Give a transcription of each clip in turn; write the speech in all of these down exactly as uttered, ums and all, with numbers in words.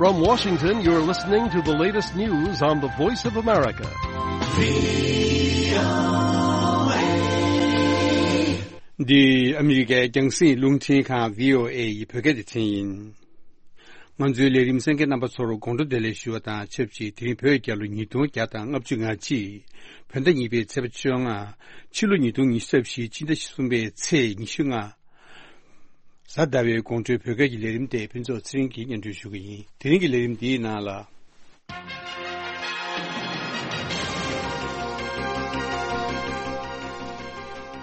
From Washington, you're listening to the latest news on the Voice of America. འདི་ཨ་མི་རི་ཀའི་རྒྱང་སྲིང་རླུང་འཕྲིན་ཁང་བྷི་ཨོ་ཨེ་ཡི་བོད་སྐད་སྡེ་ཚན་ཡིན། ང་ཚོའི་ལས་རིམ་གསན་མཁན་རྣམ་པ་ཚོར་དགོང་དྲོ་བདེ་ལེགས་ཞུ་བ་དང་ཆབས་ཅིག་དེ་རིང་བོད་རྒྱལ་ལོ་ཉིས་སྟོང་བརྒྱ་དང་ལྔ་བཅུ་ང་གཅིག་བོད་ཟླ་གཉིས་པའི་ཚེས་པ་བཅོ་ལྔ། ཕྱི་ལོ་ཉིས་སྟོང་ཉི་ཤུ་རྩ་བཞི་སྤྱི་ཟླ་གསུམ་པའི་ཚེས་ཉི་ཤུ་ལྔ། གཟའ་ཟླ་བའི་དགོང་དྲོའི་བོད་སྐད་ཀྱི་ལས་རིམ་དེ་ཕུན་ཚོགས་ཚེ་རིང་གིས་སྙན་སྒྲོན་ཞུ་གི་ཡིན། དེ་རིང་གི་ལས་རིམ་འདིའི་ནང་ལ།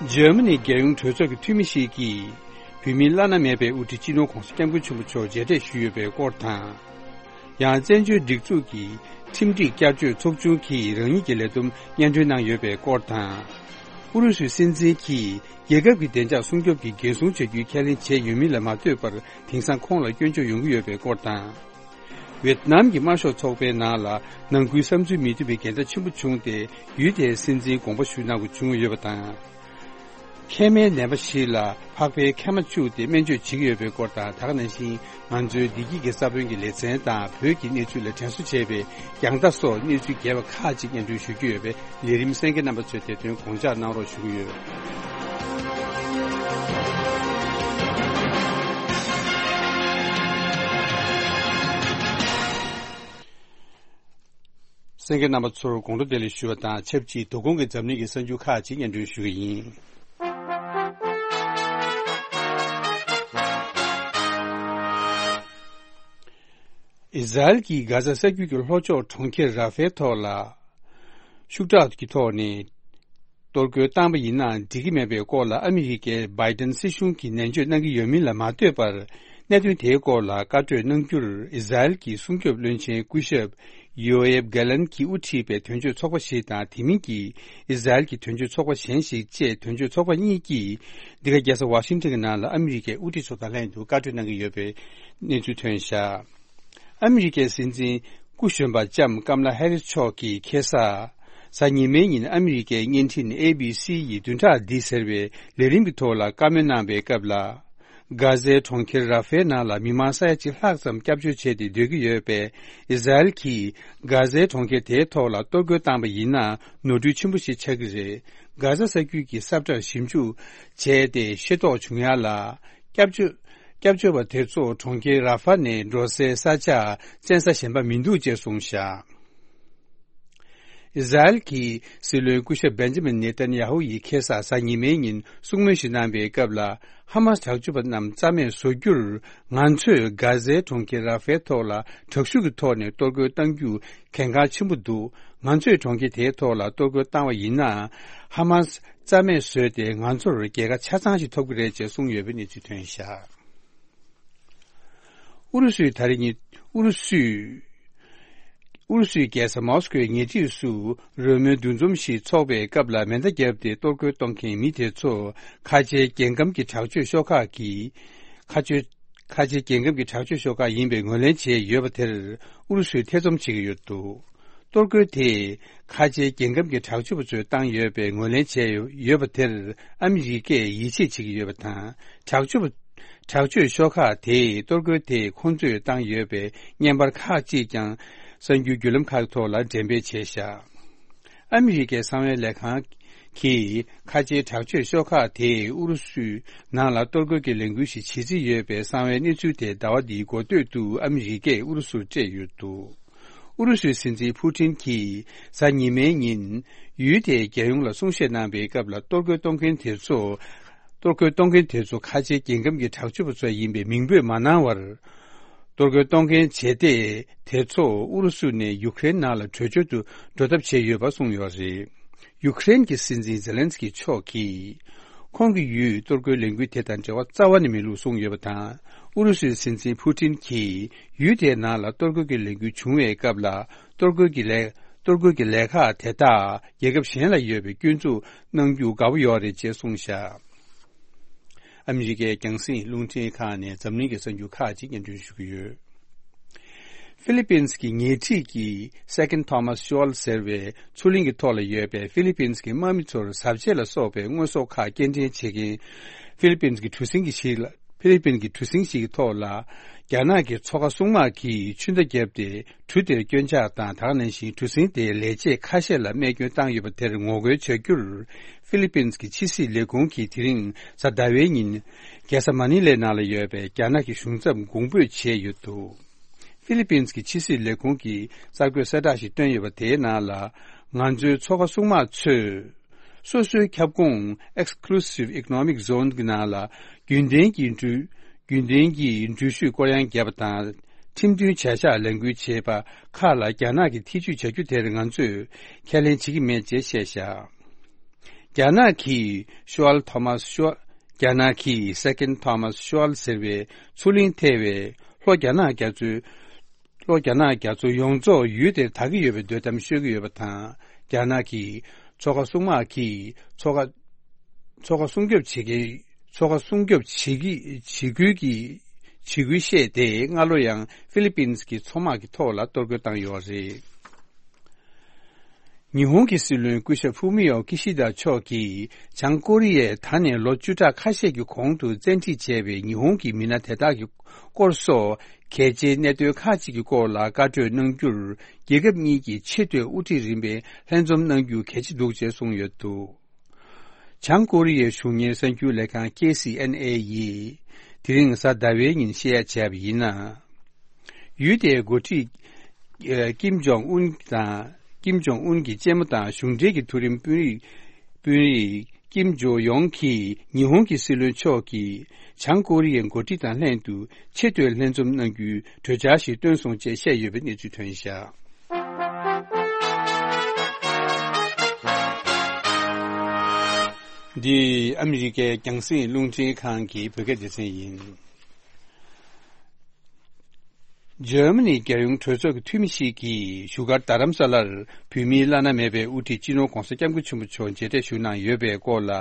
འཇར་མ་ནི་རྒྱལ་ཡོངས་གྲོས་ཚོགས་ཀྱི་འཐུས་མི་ཞིག་གིས་བོད་མིའི་བླ་ན་མེད་པའི་དབུ་ཁྲིད་སྤྱི་ནོར་༧གོང་ས་༧སྐྱབས་མགོན་ཆེན་པོ་མཆོག་མཇལ་འཕྲད་ཞུས་ཡོད་པའི་སྐོར་དང་། ཡང་བཙན་བྱོལ་སྒྲིག་འཛུགས་ཀྱི་ཁྲིམས་སྒྲིག་བསྐྱར་བཅོས་ཚོགས་ཆུང་གིས་རང་ཉིད་ཀྱི་ལས་བསྡོམས་སྙན་སྒྲོན་གནང་ཡོད་པའི་སྐོར་དང་། ཨུ་རུ་སུའི་སྲིད་འཛིན་གྱིས་རྒྱལ་ཁབ་ཀྱི་བདེ་འཇགས་སྲུང་སྐྱོབ་ཀྱི་འགན་སྲུང་བྱ་རྒྱུའི་ཁས་ལེན་བྱས་ཡོད་མིན་ལ་མ་ལྟོས་པར་དེང་སང་ཁོང་ལ་སྐྱོན་བརྗོད་ཡོང་གི་ཡོད་པའི་སྐོར་དང་། ཝེད་ནམ་གྱི་དམར་ཤོག་ཚོགས་པའི་ནང་ལ་ནང་ཁུལ་བསམ་ཚུལ་མི་མཐུན་པའི་འགལ་ཟླ་ཆེན་པོ་བྱུང་སྟེ་ཡུལ་དེའི་སྲིད་འཛིན་དགོངས་པ་ཞུ་གནང་དགོས་བྱུང་ཡོད་པ་དང་། མཁལ་མའི་ནད་པ་ཞིག་ལ་ཕག་པའི་མཁལ་མ་བཅུག་སྟེ་སྨན་བཅོས་བྱེད་ཀྱི་ཡོད་པའི་སྐོར་དང་། ད་ག་ནང་བཞིན་ང་ཚོའི་བདེ་སྐྱིད་ཀྱི་ས་བོན་གྱི་ལེ་ཚན་དང་བོད་ཀྱི་གནས་ཚུལ་ལ་དྲན་གསོ་བྱས་པའི་རྒྱང་ལྟ་སོགས་གནས་ཚུལ་རྒྱས་པ་ཁག་ཅིག་སྙན་སྒྲོན་ཞུ་རྒྱུ་ཡོད་པས། ལས་རིམ་གསན་མཁན་རྣམ་པ་ཚོས་དེ་དོན་དགོངས་འཇགས་གནང་རོགས་ཞུ་གི་ཡོད། གསན་མཁན་རྣམ་པ་ཚོར་དགོང་དྲོ་བདེ་ལེགས་ཞུ་བ་དང་ཆབས་ཅིག་དོ་དགོང་གི་འཛམ་གླིང་གི་གསར་འགྱུར་ཁག་ཅིག་སྙན་སྒྲོན་ཞུ་གི་ཡིན། ཨི་ཟ་རེལ་གྱིས་གྷ་ཟ་ས་རྒྱུད་ཀྱི་ལྷོ་ཕྱོགས་གྲོང་ཁྱེར་ར་ཧྥའི་ཐོག་ལ་ཤུགས་དྲག་གི་ཐོག་ནས་གཏོར་རྒོལ་བཏང་པ་ཡིན་ན་འགྲིག་གི་མེད་པའི་སྐོར་ལ་ཨ་མི་རི་ཀའི་བྷའི་ཏན་སྲིད་གཞུང་གིས་ནན་བརྗོད་གནང་གི་ཡོད་མིན་ལ་མ་ལྟོས་པར། གནད་དོན་དེའི་སྐོར་ལ་བཀའ་གྲོས་གནང་རྒྱུར་ཨི་ཟ་རེལ་གྱི་སྲུང་སྐྱོབ་བློན་ཆེན་སྐུ་ཞབས་ཡོ་ཨེབ་གྷ་ལན་གྱིས་དབུ་ཁྲིད་པའི་དོན་གཅོད་ཚོགས་པ་ཞིག་དང་། དེ་མིན་གྱི་ཨི་ཟ་རེལ་གྱི་དོན་གཅོད་ཚོགས་པ་གཞན་ཞིག་བཅས་དོན་གཅོད་ཚོགས་པ་གཉིས་ཀྱིས་འདི་ག་རྒྱལ་ས་ཝ་ཤིང་ཊོན་གྱི་ནང་ལ་ཨ་མི་རི་ཀའི་དབུ་ཁྲིད་ཚོ་དང་ལྷན་དུ་བཀའ་གྲོས་གནང་གི་ཡོད་པའི་གནས་ཚུལ་ཐོན་བཞག་ཨ་མི་རི་ཀའི་སྲིད་འཛིན་སྐུ་གཞོན་པ་ལྕམ་ཀམ་ལ་ཧེ་རིས་མཆོག་གིས་ཁ་སང་གཟའ་ཉི་མའི་ཉིན་ཨ་མི་རི་ཀའི་བརྙན་འཕྲིན་ཨེ་བི་སི་ཡི་བདུན་ཕྲག་འདི་ཟེར་བའི་ལས་རིམ་གྱི་ཐོག་ལ་བཀའ་མོལ་གནང་བའི་སྐབས་ལ། གྷ་ཟའི་གྲོང་ཁྱེར་ར་ཧྥའི་ནང་ལ་མི་མང་ས་ཡ་གཅིག་ལྷག་ཙམ་སྐྱབས་བཅོལ་བྱས་ཏེ་སྡོད་ཀྱི་ཡོད་པས། ཨི་ཟ་རེལ་གྱིས་གྷ་ཟའི་གྲོང་ཁྱེར་དེའི་ཐོག་ལ་གཏོར་རྒོལ་བཏང་པ་ཡིན་ན་ནོར་འཁྲུལ་ཆེན་པོ་ཞིག་ཆགས་ཀྱི་རེད། གྷ་ཟ་ས་རྒྱུད་ཀྱི་ས་བཀྲ་ཞིབ་འཇུག་བྱས་ཏེ་ཤེས་རྟོགས་བྱུང་ཡ་ལ། སྐྱབས་བཅོལ་སྐྱབས་བཅོལ་བ་དེ་ཚོ་གྲོང་ཁྱེར་ར་ཧྥ་ནས་འགྲོ་སའི་ས་ཆ་བཙན་ས་གཞན་པ་མི་འདུག་ཅེས་གསུངས་བཞག་ཨི་ཟ་རེལ་གྱི་སྲིད་བློན་སྐུ་ཞབས་བེན་ཇ་མིན་ནེ་ཐན་ཡ་ཧུ་ཡིས་ཁ་སང་གཟའ་ཉི་མའི་ཉིན་གསུང་མོལ་ཞིག་གནང་པའི་སྐབས་ལ། ཧ་མཱ་སི་དྲག་སྤྱོད་པ་རྣམས་རྩ་མེད་བཟོ་རྒྱུར་ང་ཚོས་གྷ་ཟའི་གྲོང་ཁྱེར་ར་ཧྥའི་ཐོག་ལ་དྲག་ཤུགས་ཀྱི་ཐོག་ནས་གཏོར་རྒོལ་གཏང་རྒྱུ་གལ་འགངས་ཆེན་པོ་འདུག་ང་ཚོས་གྲོང་ཁྱེར་དེའི་ཐོག་ལ་གཏོར་རྒོལ་བཏང་བ་ཡིན་ན། ཧ་མཱ་སི་རྩ་མེད་བཟོས་ཏེ་ང་ཚོར་རྒྱལ་ཁ་ཆ་ཚང་ཞིག་ཐོབ་ཀྱི་རེད་ཅེས་གསུངས་ཡོད་པའི་གནས་ཚུལ་ཐོན་བཞག་ཨུ་རུ་སུས་ད་རེས་ཉིན་ཨུ་རུ་སུས་ཨུ་རུ་སུའི་རྒྱལ་ས་མོ་སི་ཀོའི་ཉེ་འཁྲིས་སུ་རོལ་མོའི་འདུ་འཛོམས་ཤིག་འཚོགས་པའི་སྐབས་ལ་མེ་མདའ་བརྒྱབ་སྟེ་གཏོར་རྒོལ་གཏོང་མཁན་མི་དེ་ཚོ་ཁ་ཆེའི་རྒྱལ་ཁམས་ཀྱི་དྲག་སྤྱོད་ཤོག་ཁག་གི་ཁ་ཆེ་ཁ་ཆེའི་རྒྱལ་ཁམས་ཀྱི་དྲག་སྤྱོད་ཤོག་ཁག་ཡིན་པའི་ངོས་ལེན་བྱས་ཡོད་པ་དེར་ཨུ་རུ་སུས་ཐེ་ཚོམ་བྱེད་ཀྱི་ཡོད་འདུག་གཏོར་རྒོལ་དེས་ཁ་ཆེའི་རྒྱལ་ཁམས་ཀྱི་དྲག་སྤྱོད་པ་ཚོས་བཏང་ཡོད་པའི་ངོས་ལེན་བྱས་ཡོད་པ་དེར་ཨ་མི་རི་ཀས་ཡིད་ཆེས་བྱེད་ཀྱི་ཡོད་པ་དང་། དྲག་སྤྱོད་པ་དྲག་སྤྱོད་ཤོག་ཁག་དེས་གཏོར་རྒོལ་དེ་ཁོང་ཚོས་བཏང་ཡོད་པའི་བརྙན་པར་ཁག་ཅིག་ཀྱང་གསར་འགྱུར་བརྒྱུད་ལམ་ཁག་ཐོག་ལ་འགྲེམས་སྤེལ་བྱས་བཞག་ཨ་མི་རི་ཀའི་གསང་བའི་ལས་ཁང་གིས་ཁ་ཆེའི་དྲག་སྤྱོད་ཤོག་ཁག་དེས་ཨུ་རུ་སུའི་ནང་ལ་གཏོར་རྒོལ་གྱི་ལས་འགུལ་ཞིག་བྱེད་རྩིས་ཡོད་པའི་གསང་བའི་གནས་ཚུལ་དེ་ཟླ་བ་འདིའི་འགོ་སྟོད་དུ་ཨ་མི་རི་ཀས་ཨུ་རུ་སུར་སྤྲད་ཡོད་འདུག་ཨུ་རུ་སུའི་སྲིད་འཛིན་ཕུ་ཏིན་གྱིས་གཟའ་ཉི་མའི་ཉིན་ཡུལ་དེའི་རྒྱལ་ཡོངས་ལ་གསུང་བཤད་གནང་བའི་སྐབས་ལ། གཏོར་རྒོལ་གཏོང་མཁན་དེ་ཚོ་གཏོར་རྒོལ་གཏོང་མཁན་དེ་ཚོ་ཁ་ཆེའི་རྒྱལ་ཁམས་ཀྱི་དྲག་སྤྱོད་པ་ཚོ་ཡིན་པའི་མིང་འབོད་མ་གནང་བར། གཏོར་རྒོལ་གཏོང་མཁན་བྱེད་གཏེ་དེ་ཚོ་ཨུ་རུ་སུ་ནས་ཡུ་ཀེ་རེན་ནང་ལ་བྲོས་བྱོལ་དུ་འགྲོ་ཐབས་བྱས་ཡོད་པ་གསུངས་ཡོད་རེད། ཡུ་ཀེ་རེན་གྱི་སྲིད་འཛིན་ཛེ་ལན་སི་ཀི་མཆོག་གིས། ཁོང་གི་ཡུལ་གཏོར་རྒོལ་ལས་འགུལ་དེ་དང་འབྲེལ་བ་རྩ་བ་ནས་མེད་ལུགས་གསུངས་ཡོད་པ་དང་། ཨུ་རུ་སུའི་སྲིད་འཛིན་ཕུ་ཏིན་གྱིས་ཡུལ་དེའི་ནང་ལ་གཏོར་རྒོལ་གྱི་ལས་འགུལ་བྱུང་བའི་སྐབས་ལ། གཏོར་རྒོལ་གྱི་ལས་གཏོར་རྒོལ་གྱི་ལས་ཁག་དེ་དག་རྒྱལ་ཁབ་གཞན་ལ་ཡོད་པའི་སྐྱོན་འཛུགས་གནང་རྒྱུ་དགའ་པོ་ཡོད་རེད་ཅེས་གསུངས་བཞག་ཨ་མི་རི་ཀའི་རྒྱང་སྲིང་རླུང་འཕྲིན་ཁང་ནས་འཛམ་གླིང་གི་གསར་འགྱུར་ཁག་ཅིག་སྙན་སྒྲོན་ཞུ་གི་ཡོད། ཧྥི་ལི་པིན་གྱི་ཉེ་འཁྲིས་ཀྱི་Second Thomas Shoal ཟེར་བའི་མཚོ་གླིང་གི་ཐོག་ལ་ཡོད་པའི་ཧྥི་ལི་པིན་གྱི་དམག་མི་ཚོར་གཟབ་ཆས་ལ་སོགས་པའི་དངོས་ཟོག་ཁག་སྐྱེལ་འདྲེན་བྱེད་མཁན་ཧྥི་ལི་པིན་གྱི་གྲུ་གཟིངས་ཀྱི་ཞིག་ལ། ཧྥི་ལི་པིན་གྱི་གྲུ་གཟིངས་ཤིག་གི་ཐོག་ལ། རྒྱ་ནག་གི་མཚོ་ཁ་སྲུང་དམག་གིས་ཆུ་མདའ་བརྒྱབ་སྟེ། གྲུ་དེར་སྐྱོན་ཆག་དང་། ད་ག་ནང་བཞིན་གྲུ་གཟིངས་དེའི་ལས་བྱེད་ཁ་ཤས་ལ་རྨས་སྐྱོན་བཏང་ཡོད་པ་དེར་ངོ་རྒོལ་བྱ་རྒྱུར། ཧྥི་ལི་པིན་གྱི་ཕྱི་སྲིད་ལས་ཁུངས་ཀྱིས་དེ་རིང་གཟའ་ཟླ་བའི་ཉིན། རྒྱལ་ས་མ་ནི་ལའི་ནང་ལ་ཡོད་པའི་རྒྱ་ནག་གི་གཞུང་ཚབ་གོང་འབོད་བྱས་ཡོད་འདུག་ཧྥི་ལི་པིན་གྱི་ཕྱི་སྲིད་ལས་ཁུངས་ཀྱིས་གསར་འགོད་གསལ་བསྒྲགས་ཤིག་བཏོན་ཡོད་པ། དེའི་ནང་ལ། ང་ཚོའི་མཚོ་ཁ་སྲུང་དམག་ཚོས། སོ་སོའི་ཁྱབ་ཁོངས་Exclusive Economic Zone གྱི་ནང་ལ་རྒྱུན་ལྡན་གྱི་འགྲུལ། རྒྱུན་ལྡན་གྱི་འགྲུལ་བཞུད་སྐོར་གཡང་བརྒྱབ་པ་དང་། ཁྲིམས་མཐུན་བྱ་གཞག་ལས་འགུལ་བྱེད་པ་ཁག་ལ་རྒྱ་ནག་གིས་ཐེ་ཇུས་བྱ་རྒྱུ་དེར་ང་ཚོས་ཁས་ལེན་བྱེད་ཀྱི་མེད་ཅེས་བཤད་བཞག་རྒྱ་ནག་གིས་ཤོ་ཨལ་ཐོ་མཱས་ཤོ། རྒྱ་ནག་གིས་Second Thomas Schual ཟེར་བའི་མཚོ་གླིང་ཐེ་བའི་ལྷོ་རྒྱ་ནག་རྒྱ་མཚོའི། ལྷོ་རྒྱ་ནག་རྒྱ་མཚོ་ཡོངས་རྫོགས་ཡུལ་དེར་དར་གྱི་ཡོད་པའི་འདོད་གཏམ་ཤོད་ཀྱི་ཡོད་པ་དང་། རྒྱ་ནག་གིས་མཚོ་ཁ་སྲུང་དམག་གིས་མཚོ་ཁ། མཚོ་ཁ་སྲུང་སྐྱོབ་བྱེད་ཀྱི། མཚོ་ཁ་སྲུང་སྐྱོབ་བྱེད་ཀྱི་བྱེད་ཁུལ་གྱི་བྱེད་ཁུལ་བཤད་དེ། སྔ་ལོ་ཡང་ཧྥི་ལི་པིན་གྱི་མཚོ་དམག་གི་ཐོག་ལ་གཏོར་རྒོལ་བཏང་ཡོད་རེད། ཉི་ཧོང་གི་སྲིད་བློན་སྐུ་ཞབས་ཧྥུ་མི་ཡོ་ཀི་ཤི་ད་མཆོག་གིས་བྱང་ཀོ་རི་ཡས་ད་ནས་ལོ་བཅུ་ཕྲག་ཁ་ཤས་ཀྱི་གོང་དུ་བཙན་ཁྲིད་བྱས་པའི་ཉི་ཧོང་གི་མི་སྣ་དེ་དག་གི་སྐོར་སོགས་གལ་ཆེའི་གནད་དོན་ཁག་ཅིག་གི་སྐོར་ལ་བཀའ་གྲོས་གནང་རྒྱུར། རྒྱལ་ཁབ་གཉིས་ཀྱི་ཆེས་མཐོའི་དབུ་ཁྲིད་རིམ་པས་ལྷན་འཛོམས་གནང་རྒྱུ་གལ་ཆེ་འདུག་ཅེས་གསུངས་ཡོད་འདུག་བྱང་ཀོ་རི་ཡའི་གཞུང་གཉེར་གསར་འགྱུར་ལས་ཁང་ཀེ་སི་ཨེན་ཨེ་ཡིས་དེ་རིང་གཟའ་ཟླ་བའི་ཉིན་བཤད་ཡ་བྱས་པ་ཡིན་ན། ཡུལ་དེའི་འགོ་ཁྲིད་ཀིམ་ཇོང་ཨུན་དང་། ཀིམ་ཇོང་ཨུན་གྱི་གཅེན་མོ་དང་གཞུང་འབྲེལ་གྱི་མཐོ་རིམ་དཔོན་རིགས། དཔོན་རིགས་ཀིམ་ཇོ་ཡོང་གིས་ཉི་ཧོང་གི་སྲིད་བློན་མཆོག་གིས་བྱང་ཀོ་རི་ཡའི་འགོ་ཁྲིད་དང་ལྷན་དུ་ཆེས་མཐོའི་ལྷན་འཛོམས་གནང་རྒྱུའི་གྲོས་འཆར་ཞིག་བཏོན་སོང་ཅེས་བཤད་ཡོད་པའི་གནས་ཚུལ་ཐོན་བཞག་འདི་ཨ་མི་རི་ཀའི་རྒྱང་སྲིང་རླུང་འཕྲིན་ཁང་གི་བོད་སྐད་སྡེ་ཚན་ཡིན། འཇར་མ་ནི་རྒྱལ་ཡོངས་གྲོས་ཚོགས་ཀྱི་འཐུས་མི་ཞིག་གིས་བཞུགས་སྒར་རྡ་རམ་ས་ལར་བོད་མིའི་བླ་ན་མེད་པའི་དབུ་ཁྲིད་སྤྱི་ནོར་༧གོང་ས་༧སྐྱབས་མགོན་ཆེན་པོ་མཆོག་མཇལ་འཕྲད་ཞུ་གནང་ཡོད་པའི་སྐོར་ལ།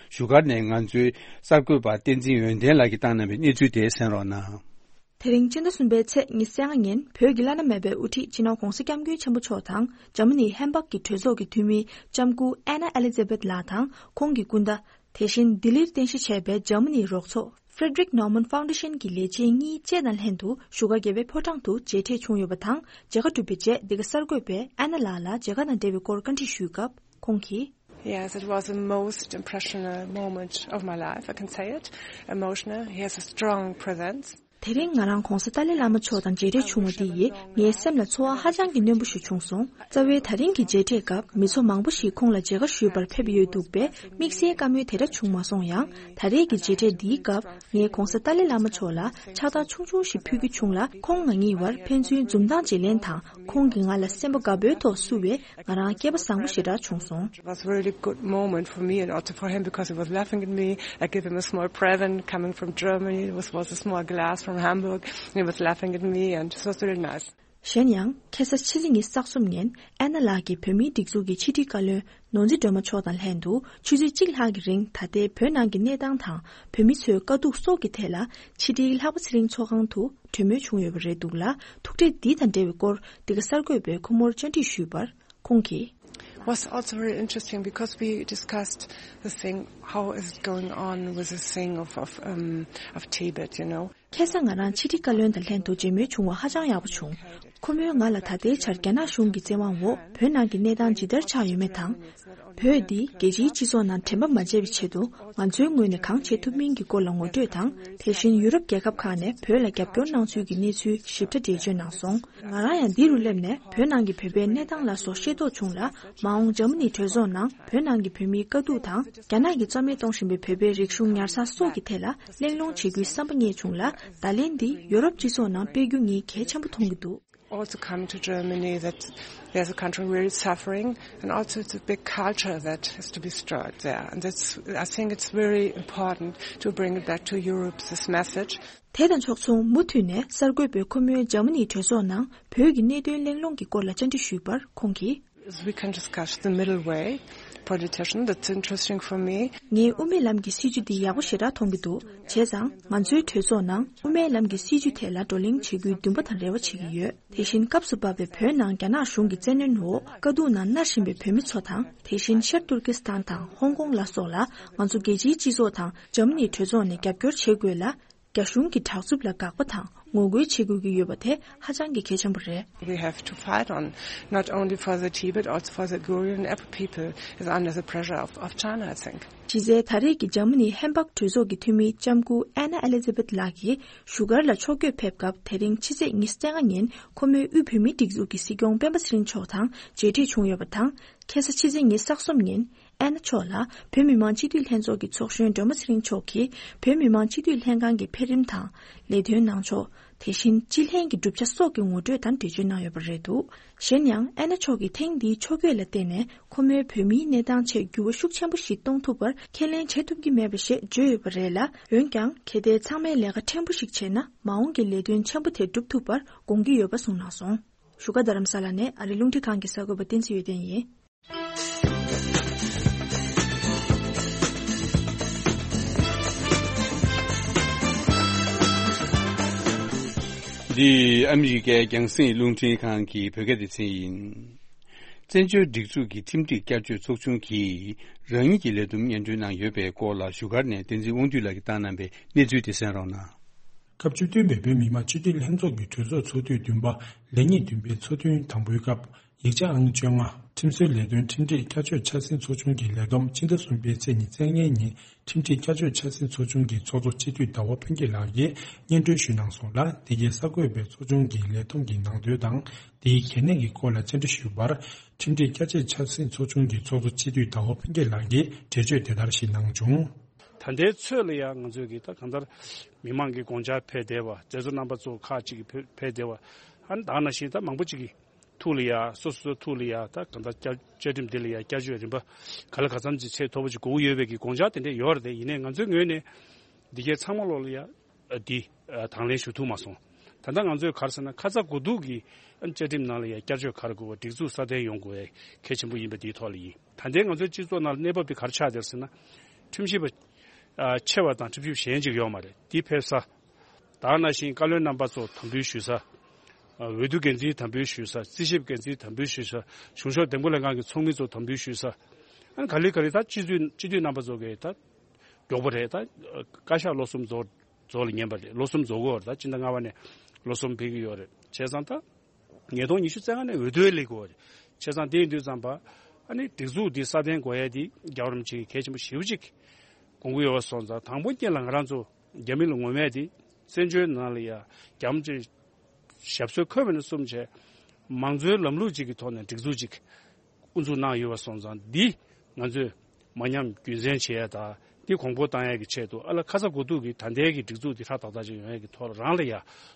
བཞུགས་སྒར་ནས་ང་ཚོའི་གསར་འགོད་པ་བསྟན་འཛིན་ཡོན་ཏན་ལགས་ཀྱིས་བཏང་གནང་བའི་གནས་ཚུལ་དེ་གསན་རོགས་གནང་། དེ་རིང་སྤྱི་ཟླ་གསུམ་པའི་ཚེས་ཉི་ཤུ་རྩ་ལྔ་ཉིན་བོད་ཀྱི་བླ་ན་མེད་པའི་དབུ་ཁྲིད་སྤྱི་ནོར་༧གོང་ས་༧སྐྱབས་མགོན་ཆེན་པོ་མཆོག་དང་འཇར་མ་ནི་ཧེམ་བྷག་གི་གྲོས་ཚོགས་ཀྱི་འཐུས་མི་ལྕམ་སྐུ་ཨེ་ན་ཨེ་ལི་ཛེ་བེད་ལགས་དང་ཁོང་གི་སྐུ་ཟླ། དེ་བཞིན་ལྡི་ལིར་རྟེན་གཞི་བྱས་པའི་འཇར་མ་ནིའི་རོགས་ཚོགས་Frederick Naumann Foundation གྱི་ལས་བྱེད་གཉིས་བཅས་དང་ལྷན་དུ་བཞུགས་སྒར་རྒྱལ་བའི་ཕོ་བྲང་དུ་མཇལ་འཕྲད་བྱུང་ཡོད་པ་དང་། མཇལ་ཁ་གྲུབ་པའི་རྗེས་འདི་ག་གསར་འགོད་པས་ཨེ་ན་ལགས་ལ་མཇལ་ཁ་དང་འབྲེལ་བའི་སྐོར་བཀའ་འདྲི་ཞུས་སྐབས་ཁོང་གིས། Yes, it was the most impressional moment of my life, I can say it. Emotional. He has a strong presence. དེ་རིང་ང་རང་༧གོང་ས་ཏཱ་ལའི་བླ་མ་མཆོག་དང་མཇལ་འཕྲད་བྱུང་བ་འདི་ཡིས་ངའི་སེམས་ལ་ཚོར་བ་ཧ་ཅང་གི་རྣོན་པོ་ཞིག་བྱུང་སོང་། རྩ་བའི་ད་རིང་གི་མཇལ་འཕྲད་སྐབས་མི་ཚོགས་མང་པོ་ཞིག་ཁོང་ལ་མཇལ་ཁ་ཞུས་པར་ཕེབས་ཡོད་འདུག་པས་དམིགས་བསལ་བཀའ་མོལ་དེ་འདྲ་བྱུང་མ་སོང་ཡང་། ད་རེས་ཀྱི་མཇལ་འཕྲད་འདིའི་སྐབས་ངས་༧གོང་ས་ཏཱ་ལའི་བླ་མ་མཆོག་ལ་ཕྱག་རྟགས་ཆུང་ཆུང་ཞིག་ཕུལ་རྒྱུ་བྱུང་ལ། ཁོང་ང་གཉིས་བར་ཕན་ཚུན་འཛུམ་མདངས་བརྗེ་ལེན་དང་། ཁོང་གིས་ང་ལ་སེམས་པ་དགའ་པོའི་ཐོག་བསུ་བས་ང་རང་སྐལ་པ་བཟང་པོ་ཞེ་དྲག་བྱུང་སོང་། It was a really good moment for me and also for him because he was laughing at me. I gave him a small present coming from Germany. It was, was a small glass from Hamburg. He was laughing at me and it was really nice. གཞན་ཡང་ཁ་སང་ཕྱི་ཚེས་ཉི་ཤུ་རྩ་གསུམ་ཉིན་ཨེ་ན་ལགས་ཀྱིས་བོད་མིའི་སྒྲིག་འཛུགས་ཀྱི་ཕྱི་དྲིལ་བཀའ་བློན་ནོར་འཛིན་སྒྲོལ་མ་མཆོག་དང་ལྷན་དུ་ཆུ་ཚོད་གཅིག་ལྷག་གི་རིང་ད་ལྟའི་བོད་ནང་གི་གནས་སྟངས་དང་བོད་མི་ཚོའི་དཀའ་སྡུག་སོགས་ཀྱི་ཐད་ལ་ཕྱི་དྲིལ་ལྷག་པ་ཚེ་རིང་ཚོགས་ཁང་དུ་གྲོས་མོལ་བྱུང་ཡོད་པ་རེད་འདུག་ལ། ཐུག་འཕྲད་འདི་དང་འབྲེལ་བའི་སྐོར་འདི་ག་གསར་འགོད་པས་ཁོ་མོར་བཅར་འདྲི་ཞུས་པར་ཁོང་གིས། Was also very interesting because we discussed the thing, how is it going on with the thing of, of, um, of Tibet, you know. ཁ་སང་ང་རང་ཕྱི་དྲིལ་བཀའ་བློན་དང་ལྷན་དུ་མཇལ་མོལ་བྱུང་བ་ཧ་ཅང་ཡག་པོ་བྱུང་། ཁོ་མོས་ང་ལ་ད་ལྟའི་ཆར་རྒྱ་ནག་གཞུང་གི་བཙན་དབང་འོག་བོད་ནང་གི་གནས་སྟངས་ཇི་ལྟར་ཆགས་ཡོད་མེད་དང་། བོད་འདི་རྒྱལ་སྤྱིའི་སྤྱི་ཚོགས་ནང་དྲན་པ་མ་བརྗེད་པའི་ཆེད་དུ་ང་ཚོའི་ངོས་ནས་གང་བྱེད་ཐུབ་མིན་གྱི་སྐོར་ལ་ངོ་སྤྲོད་དང་། དེ་བཞིན་ཡུ་རོབ་རྒྱལ་ཁབ་ཁག་ནས་བོད་ལ་རྒྱབ་སྐྱོར་གནང་ཚུལ་གྱི་གནས་ཚུལ་ཞིབ་ཕྲ་འགྲེལ་བརྗོད་གནང་སོང་། ང་རང་ཡང་འདི་རུ་སླེབས་ནས་བོད་ནང་གི་བོད་པའི་གནས་སྟངས་ལ་སོགས་ཤེས་རྟོགས་བྱུང་ལ། མ་འོངས་འཇར་མ་ནིའི་གྲོས་ཚོགས་ནང་བོད་ནང་གི་བོད་མིའི་དཀའ་སྡུག་དང་། རྒྱ་ནག་གིས་རྩ་མེད་གཏོང་བཞིན་པའི་བོད་པའི་རིག་གཞུང་ཉར་ཚགས་སོགས་ཀྱི་ཐད་ལ་གླེང་སློང་བྱེད་རྒྱུའི་བསམ་པ་རྙེད་བྱུང་ལ། བརྡ་ལན་འདི་ཡོ་རོབ་སྤྱི་ཚོགས་ནང་སྤེལ་རྒྱུ་ངས་གལ་ཆེན་པོ་མཐོང་གི་འདུག Also coming to Germany, that there's a country really suffering, and also it's a big culture that has to be stirred there. And that's, I think it's very important to bring it back to Europe, this message. དེ་དང་ཕྱོགས་མཚུངས་མུ་མཐུད་ནས་གསར་འགོད་པས་ཁོ་མོའི་འཇར་མ་ནིའི་གྲོས་ཚོགས་ནང་བོད་ཀྱི་གནད་དོན་གླེང་སློང་གི་སྐོར་ལ་བཅར་འདྲི་ཞུས་པར་ཁོང་གིས། We can discuss the middle way, politician, that's interesting for me. ངས་དབུ་མའི་ལམ་གྱི་སྲིད་བྱུས་འདི་ཡག་པོ་ཞེ་དྲག་མཐོང་གི་འདུག་བྱས་ཙང་ང་ཚོའི་གྲོས་ཚོགས་ནང་དབུ་མའི་ལམ་གྱི་སྲིད་བྱུས་ཐད་ལ་བགྲོ་གླེང་བྱེད་རྒྱུའི་འདུན་པ་དང་རེ་བ་བྱེད་ཀྱི་ཡོད། དེ་བཞིན་སྐབས་སུ་བབས་པའི་བོད་ནང་རྒྱ་ནག་གཞུང་གི་བཙན་གནོན་འོག་དཀའ་སྡུག་ནང་མནར་བཞིན་པའི་བོད་མི་ཚོ་དང་། དེ་བཞིན་ཤར་ཏུར་ཀི་སི་ཐན་དང་ཧོང་ཀོང་ལ་སོགས་ལ་ང་ཚོ་རྒྱལ་སྤྱིའི་སྤྱི་ཚོགས་དང་འཇར་མ་ནིའི་གྲོས་ཚོགས་ནས་རྒྱབ་སྐྱོར་བྱེད་དགོས་ལ། རྒྱ་གཞུང་གི་དྲག་རྩུབ་ལ་དགག་པ་དང་ངོ་རྒོལ་བྱེད་དགོས་ཀྱི་ཡོད་པ་དེ་ཧ་ཅང་གི་གལ་ཆེན་པོ་རེད། We have to fight on, not only for the Tibet, also for the Goryeo and Apu people is under the pressure of, of China, I think. གཞི་རྩའི་ད་རེས་ཀྱི་འཇར་མ་ནིའི་ཧེམ་བྷག་གྲོས་ཚོགས་ཀྱི་འཐུས་མི་ལྕམ་སྐུ་ཨེ་ན་ཨེ་ལི་ཛ་བེད་ལགས་ཀྱིས་བཞུགས་སྒར་ལ་ཕྱོགས་བསྐྱོད་ཕེབས་སྐབས། དེ་རིང་ཕྱི་ཚེས་ཉི་ཤུ་རྩ་ལྔ་ཉིན་ཁོ་མོས་དབུས་བོད་མིའི་སྒྲིག་འཛུགས་ཀྱི་སྲིད་སྐྱོང་སྤེན་པ་ཚེ་རིང་མཆོག་དང་མཇལ་འཕྲད་བྱུང་ཡོད་པ་དང་། ཁ་སང་ཕྱི་ཚེས་ཉི་ཤུ་རྩ་གསུམ་ཉིན་ཨེ་ན་མཆོག་ལ་བོད་མི་མང་སྤྱི་འཐུས་ལྷན་ཚོགས་ཀྱི་ཚོགས་གཞོན་སྒྲོལ་མ་ཚེ་རིང་མཆོག་གིས་བོད་མི་མང་སྤྱི་འཐུས་ལྷན་ཁང་གི་འཕེལ་རིམ་དང་ལས་དོན་གནང་ཕྱོགས། དེ་བཞིན་སྤྱི་ལྷན་གྱི་གྲུབ་ཆ་སོགས་ཀྱི་ངོ་སྤྲོད་དང་འགྲེལ་བརྗོད་གནང་ཡོད་པ་རེད་འདུག་གཞན་ཡང་ཨེ་ན་མཆོག་གིས་ཐེངས་འདིའི་ཕྱོགས་བསྐྱོད་ལ་བརྟེན་ནས་ཁོ་མོའི་བོད་མིའི་གནས་སྟངས་ཆེད་འགྱུར་བ་ཤུགས་ཆེན་པོ་ཞིག་གཏོང་ཐུབ་པར་ཁས་ལེན་བྱེད་ཐུབ་ཀྱི་མེད་པ་ཞེས་བརྗོད་ཡོད་པ་རེད་ལ། འོན་ཀྱང་གལ་ཏེ་ཚང་མས་ལས་ཀ་ཕྲན་བུ་ཞིག་བྱས་ན་མ་འོངས་ཀྱི་ལས་དོན་ཆེན་པོ་དེ་སྒྲུབ་ཐུབ་པར་དགོངས་ཀྱི་ཡོད་པ་གསུངས་གནང་སོང་། བཞུགས་སྒར་རྡ་རམ་ས་ལ་ནས་ཨ་རི་རླུང་འཕྲིན་ཁང་གི་གསར་འགོད་པ་བསྟན་འཛིན་ཡོན་ཏན་ཡིན། འདི་ཨ་མི་རི་ཀའི་རྒྱང་སྲིང་རླུང་འཕྲིན་ཁང་གི་བོད་སྐད་སྡེ་ཚན་ཡིན། བཙན་བྱོལ་སྒྲིག་འཛུགས་ཀྱི་ཁྲིམས་སྒྲིག་བསྐྱར་བཅོས་ཚོགས་ཆུང་གིས་རང་ཉིད་ཀྱི་ལས་བསྡོམས་སྙན་སྒྲོན་གནང་ཡོད་པའི་སྐོར་ལ་བཞུགས་སྒར་ནས་བསྟན་འཛིན་དབང་འདུས་ལགས་ཀྱིས་བཏང་གནང་པའི་གནས་ཚུལ་དེ་གསན་རོགས་གནང་། སྐབས་བཅུ་བདུན་པའི་བོད་མི་མང་སྤྱི་འཐུས་ལྷན་ཚོགས་ཀྱི་གྲོས་ཚོགས་ཚོགས་དུས་བདུན་པ་ལས་ཉིན་བདུན་པའི་ཚོགས་ཐུན་དང་པོའི་སྐབས། ཡིག་ཆ་ཨང་བཅོ་ལྔ། ཁྲིམས་སྲོལ་ལས་དོན་ཁྲིམས་སྒྲིག་བསྐྱར་བཅོས་འཆར་ཟིན་ཚོགས་ཆུང་གི་ལས་བསྡོམས། ཕྱི་ཟླ་གསུམ་པའི་ཚེས་ཉི་ཤུ་རྩ་ལྔའི་ཉིན་ཁྲིམས་སྒྲིག་བསྐྱར་བཅོས་འཆར་ཟིན་ཚོགས་ཆུང་གི་ཚོགས་གཙོ་སྤྱི་འཐུས་ཟླ་བ་ཕུན་སྐྱིད་ལགས་ཀྱིས་སྙན་སྒྲོན་ཞུས་གནང་སོང་ལ། འདི་གའི་གསར་འགོད་པས་ཚོགས་ཆུང་གི་ལས་བསྡོམས་ཀྱི་ནང་དོན་དང་། དེའི་གལ་གནད་ཀྱི་སྐོར་ལ་བཅར་འདྲི་ཞུས་པར། ཁྲིམས་སྒྲིག་བསྐྱར་བཅོས་འཆར་ཟིན་ཚོགས་ཆུང་གི་ཚོགས་གཙོ་སྤྱི་འཐུས་ཟླ་བ་ཕུན་སྐྱིད་ལགས་ཀྱིས་འགྲེལ་བརྗོད་དེ་ལྟར་ཞིག་གནང་བྱུང་། ད་ལྟའི་ཚོད་ལ་ཡང་ང་ཚོས་ཀྱི་ད་གང་ལྟར་མི་མང་གི་དགོངས་འཆར་ཕེབས་བསྡད་པ། མཛད་གཙོ་རྣམ་པ་ཚོ་ཁག་ཅིག་གིས་ཕེབས་ཕེབས་བསྡད་པ། ཨ་ནི་ད་ག་ནང་བཞིན་ད་མང་པོ་ཅིག་གིས་ཐུགས་ལ་ཡ། སོ་སོ་སོའི་ཐུགས་ལ་ཡ། ད་གང་ལྟར་བསྐྱར་བཅའ་ཁྲིམས་འདི་ལ་ཡ་བསྐྱར་བཅོས་རིམ་པ་ག་ལ་ག་ཙམ་ཅིག་ཚད་མཐོ་པོ་ཅིག་དགོས་ཀྱི་ཡོད་པའི་གི་དགོངས་འཆར་དེ་འདྲ་ཡོད་རེད་དེ། ཡིན་ནའི་ང་ཚོའི་ངོས་ནས་འདི་གའི་ཚང་མ་ལོག་ལ་ཡ་འདི་དང་ལེན་ཞུ་ཐུབ་མ་སོང་། ད་ལྟ་ང་ཚོས་ག་རེ་ཟེར་ན། ཁ་ཚ་དགོས་གཏུགས་ཀྱི་བཅའ་ཁྲིམས་ནང་ལ་ཡ་བསྐྱར་བཅོས་ག་རེ་དགོས་པ། སྒྲིག་འཛུགས་སྲ་བརྟན་ཡོང་དགོས་པའི་གལ་ཆེན་པོ་ཡིན་པ་འདིའི་ཐོག་ལ་ཡིན། ད་ལྟའི་ང་ཚོའི་སྤྱི་ཚོགས་ནང་ལ་གནས་བབ་འདི་ག་རེ་ཆགས་བསྡད་ཟེར་ན། ཁྲིམས་ཞིབ་པ་ཆེ་བ་དང་ཁྲིམས་ཞིབ་གཞན་ཅིག་ཡོད་མ་རེད། འདི་ཕེབས་ས། ད་ག་ནང་བཞིན་བཀའ་བློན་རྣམ་པ་ཚོ་དམ་འབུལ་ཞུ་ས། འོས་བསྡུ་འགན་འཛིན་དམ་འབུལ་ཞུ་ས། རྩིས་ཞིབ་འགན་འཛིན་དམ་འབུལ་ཞུ་ས། གཞུང་ཕྱོགས་འདེམས་བསྐོ་ལྷན་ཁང་གི་ཚོགས་མི་ཚོ་དམ་འབུལ་ཞུ་ས། ཨ་ནི་ག་ལེ་ག་ལེ་ད་སྤྱི་འཐུས་སྤྱི་འཐུས་རྣམ་པ་ཚོ་གི་ད་མགྱོགས་པོ་རེད། ད་བཀའ་ཤག་ལོ་གསུམ་རྫོགས་རྫོགས་ལ་ཉན་པ་རེད། ལོ་གསུམ་རྫོགས་ཀྱི་ཡོད་རེད། ད་སྤྱི་ཟླ་ལྔ་པ་ནས་ལོ་གསུམ་འཕེལ་གྱི་ཡོད་རེད། བྱས་ཙང་ད་ཉིས་སྟོང་ཉི་ཤུ་རྩ་ལྔ་ནས་འོས་བསྡུ་སླེབས་དགོས་རེད། བྱས་ཙང་དེ་ཡིན་དུས་ཙམ་པ། ཨ་ནི་སྒྲིག་འཛུགས་འདི་སྲ་བརྟན་དགོས་ཡ་འདི་རྒྱལ་བ་རིན་པོ་ཆེ་གིས་གལ་ཆེན་པོ་ཞེ་པོ་ཅིག་དགོངས་ཀྱི་ཡོད་པ་སོང་ཙང་། དང་པོ་ཉིད་ལ་ང་རང་ཚོ་རྒྱ་མི་ལ་ངོ་མས་དེ་བཙན་བྱོལ་ནང་ལ་ཡ་རྒྱ་མི་ཅིག་ཞབས་སོར་འཁོད་པ་ནས་བཟུང་བྱས། མང་གཙོའི་ལམ་ལུགས་ཅིག་གི་ཐོག་ནས་སྒྲིག་འཛུགས་ཅིག་དབུ་འཛུགས་གནང་ཡོད་པ་སོང་ཙང་། འདི་ང་ཚོས་མ་ཉམས་རྒྱུན་འཛིན་བྱེད་ཡ་དང་། འདི་གོང་འཕེལ་གཏང་ཡ་གི་ཆེད་དུ། ཨ་ལ་ཁ་ཚ་དགོས་གཏུགས་ཀྱི་ད་ལྟའི་གི་སྒྲིག་འཛུགས་འདི་ཧྲ་ཏག་ཏག་ཅིག་ཡོང་ཡ་གི་ཐོག་ལ་རང་ལ་ཡ་